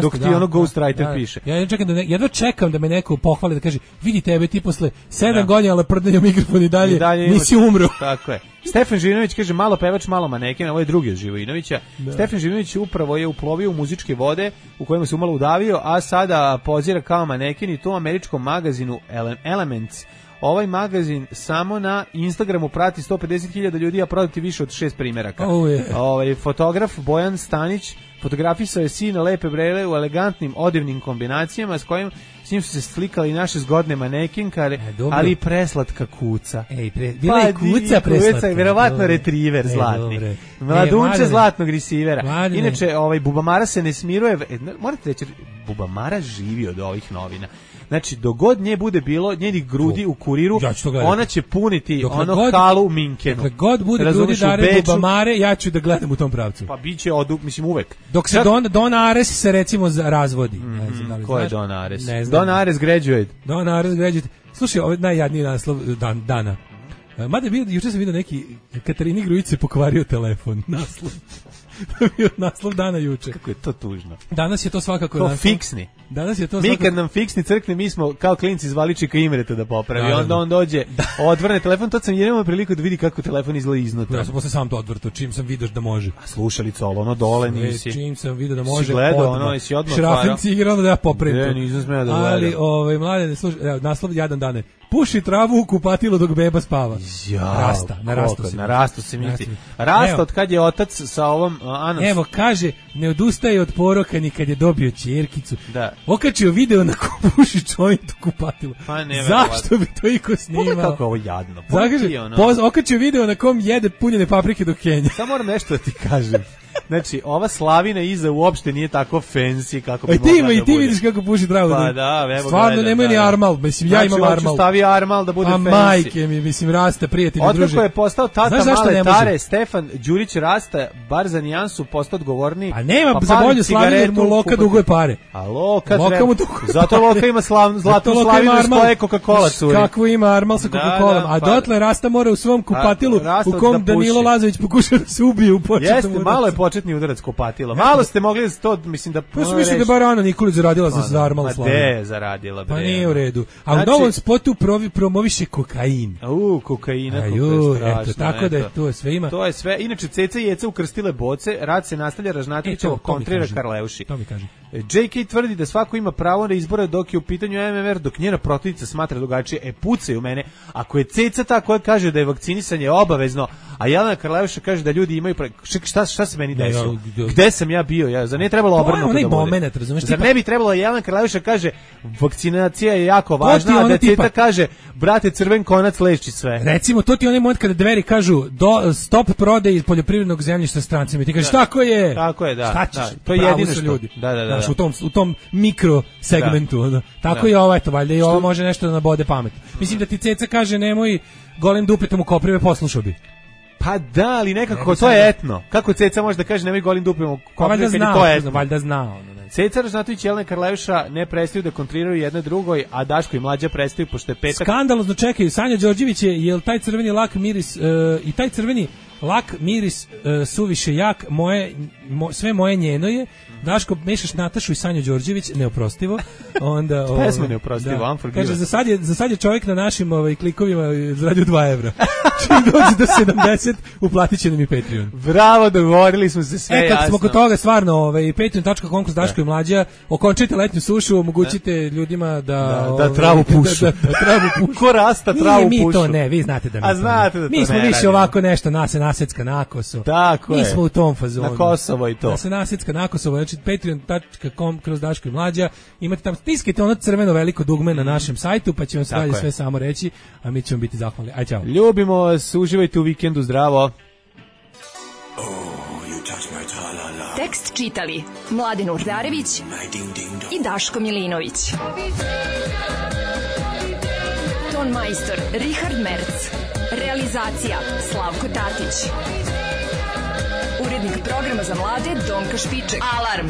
dok ti ono ghostwriter piše. Ja čekam jedva čekam da me neko pohvali da kaže vidi tebe ti posle 7 godina leprdanja mikrofon i dalje nisi umro. Tako je. Stefan Živinović kaže malo pevač, malo maneken, ovo je drugi od Živinovića. Stefan Živinović upravo je uplovio u muzičke vode u kojima se umalo udavio, a sada pozira kao maneken i to u američkom magazinu Elements. Ovaj magazin samo na Instagramu prati 150.000 ljudi, a prodati više od 6 primeraka. Fotograf Bojan Stanić fotografisao je sina Lepe Brele u elegantnim odevnim kombinacijama s njim su se slikali naše zgodne manekinkare, ali i preslatka kuca. Bila je kuca preslatka. Verovatno retriver zlatni. Mladunče zlatnog risivera. Inače, Bubamara se ne smiruje. Morate reći, Bubamara živi od ovih novina. Znači, dogod nje bude bilo njenih grudi u Kuriru, ona će puniti halu u Minkenu. Dokle god bude grudi Dare Bubamare, ja ću da gledam u tom pravcu. Pa bit će, uvek. Dok se Don Ares se recimo razvodi. Ko je Don Ares? Don Ares graduate. Don Ares graduate. Slušaj, ovo je najjadniji naslov dana. Mada je juče sam vidio neki Katarini Grujić se pokvario telefon. Naslov dana juče. Kako je to tužno. Danas je to svakako naslov. Fiksni. Danas je to mi kad nam fiksni crkne, mi smo kao klinci zvali Čika Imreta da popravi. Onda on dođe, odvrne telefon, to sam jedino priliku da vidi kako telefon izgleda iznutra. Ja sam posle sam to odvrtao, čim sam vidio da može. A slušalica, ono dole nisi. Čim sam vidio da može. Si gledao, ono, si odmah otvarao. Šrafinci igrano da ja popravim to. Nisam smeo da gledam. Ali, mlade, slušaj, naslov jadan dane. Puši travu u kupatilu dok beba spava. Rasta, na rastu se misli. Rasta od kad je otac sa ovom Anos. Evo, kaže, ne odustaje od poroka ni kad je dobio ćerkicu. Da. Okačio video na ko puši čovjek u kupatilu. Pa ne, zašto bi to iko snimao? Pogledaj kako ovo jadno. Okačio video na kom jede punjene paprike do Kenja. Samo moram nešto da ti kažem. Znači, ova slavina iza uopšte nije tako fancy kako bi mogla da bude. I ti vidiš kako puši travu. Pa da, evo stvarno nemaju ni armal, mislim, ja imam armal. Znači, stavi armal da bude fancy. A majke mi, mislim, Rasta, prijatelji, druže. Otkako je postao tata male Tare, Stefan Đurić Rasta, bar za nijansu, postao odgovorniji. A nema za bolju slavinu, jer mu Loka duguje pare. A Loka treba. Zato Loka ima zlatnu slavinu s koje Coca-Cola curi. Kako ima armal sa Coca-Colom. A dotle Rasta mora u svom kupatilu, u kom Danilo Lazović pokuša da se ubije u početnom udaracu. Jeste, malo je početni udarac kupatilo. Malo ste mogli to, mislim da... Pa mislim da je bar Ana Nikolić zaradila za armal slavinu. Ma de zaradila, bre. Pa nije u redu. A u novom spotu promoviše kokain. Kokaina, eto, tako da je to sve ima. To je sve. Inače, Ceca i Jeca ukrstile boce, rad se nastavlja, Ražnatovićevo kontrira Karleuši. To mi kaže. JK tvrdi da svako ima pravo na izbore dok je u pitanju MMR, dok njena protivnica smatra drugačije. Pucaju mene. Ako je Ceca ta koja kaže da je vakcinisanje obavezno, a Jelena Karleuša kaže da ljudi imaju... Šta se meni desilo? Gde sam ja bio? Zar ne trebalo obrnuto da bude? Zar ne bi trebalo Jelena Karleuša kaže vakcinacija je jako važna, a da Ceca kaže brate, crven konac leči sve. Recimo, to ti onaj moment kada Dveri kažu stop prodaje iz poljoprivrednog zemljišta strancima. Ti kažeš tako je. Tako je, da. Šta ćeš? To je jedino što. Ljudi. Da. U tom mikro segmentu. Tako je ovo, eto, valjda i ovo može nešto da nabode pamet. Mislim da ti Ceca kaže nemoj golim dupetom u koprive, poslušao bi. Pa da, ali nekako to je etno. Kako Ceca može da kaže nemoj golim dupetom u koprive kad je to etno? Valjda zna. Ceca, Ražnatović i Jelena Karleuša ne prestaju da kontriraju jedno drugoj, a Daško i Mlađa prestaju pošto je petak. Skandalozno čekaju. Sanja Đorđević je taj crveni lak miris i taj crveni lak miris suviše jak, sve moje njeno je. Daško, mešaš Natašu i Sanju Đorđević, neoprostivo. Onda pesma neoprostivo, unforgiven. Kaže za sad je čovjek na našim klikovima zaradio 2 evra. Čim dođe do 70, uplatit će nam i Patreon. Bravo, dogovorili smo se sve jasno. Kad smo kod toga, stvarno, patreon.com kroz Daško i Mlađa, okončite letnju sušu, omogućite ljudima da travu pušu. Da travu pušu. Ko Rasta travu pušu? Nije mi to, ne, vi znate da mi to. A znate da to ne. Mi smo više ovako nešto, nasecka na Kosovo. Tako je. Mi smo u tom fazonu. Na Kosovo i to. Da se nasecka na Kosovo, znači patreon.com kroz Daško i Mlađa, imate tamo, stiskajte ono crveno veliko dugme na našem sajtu, pa će vam se dalje sve samo reći, a mi ćemo biti zahvalni. Aj, čao. Ljubimo vas, uživajte u vikendu, zdravo. Tekst čitali Mladen Urdarević i Daško Milinović. Ton majstor Richard Merc. Realizacija Slavko Tatić. Urednik programa za mlade Donka Špiček. Alarm!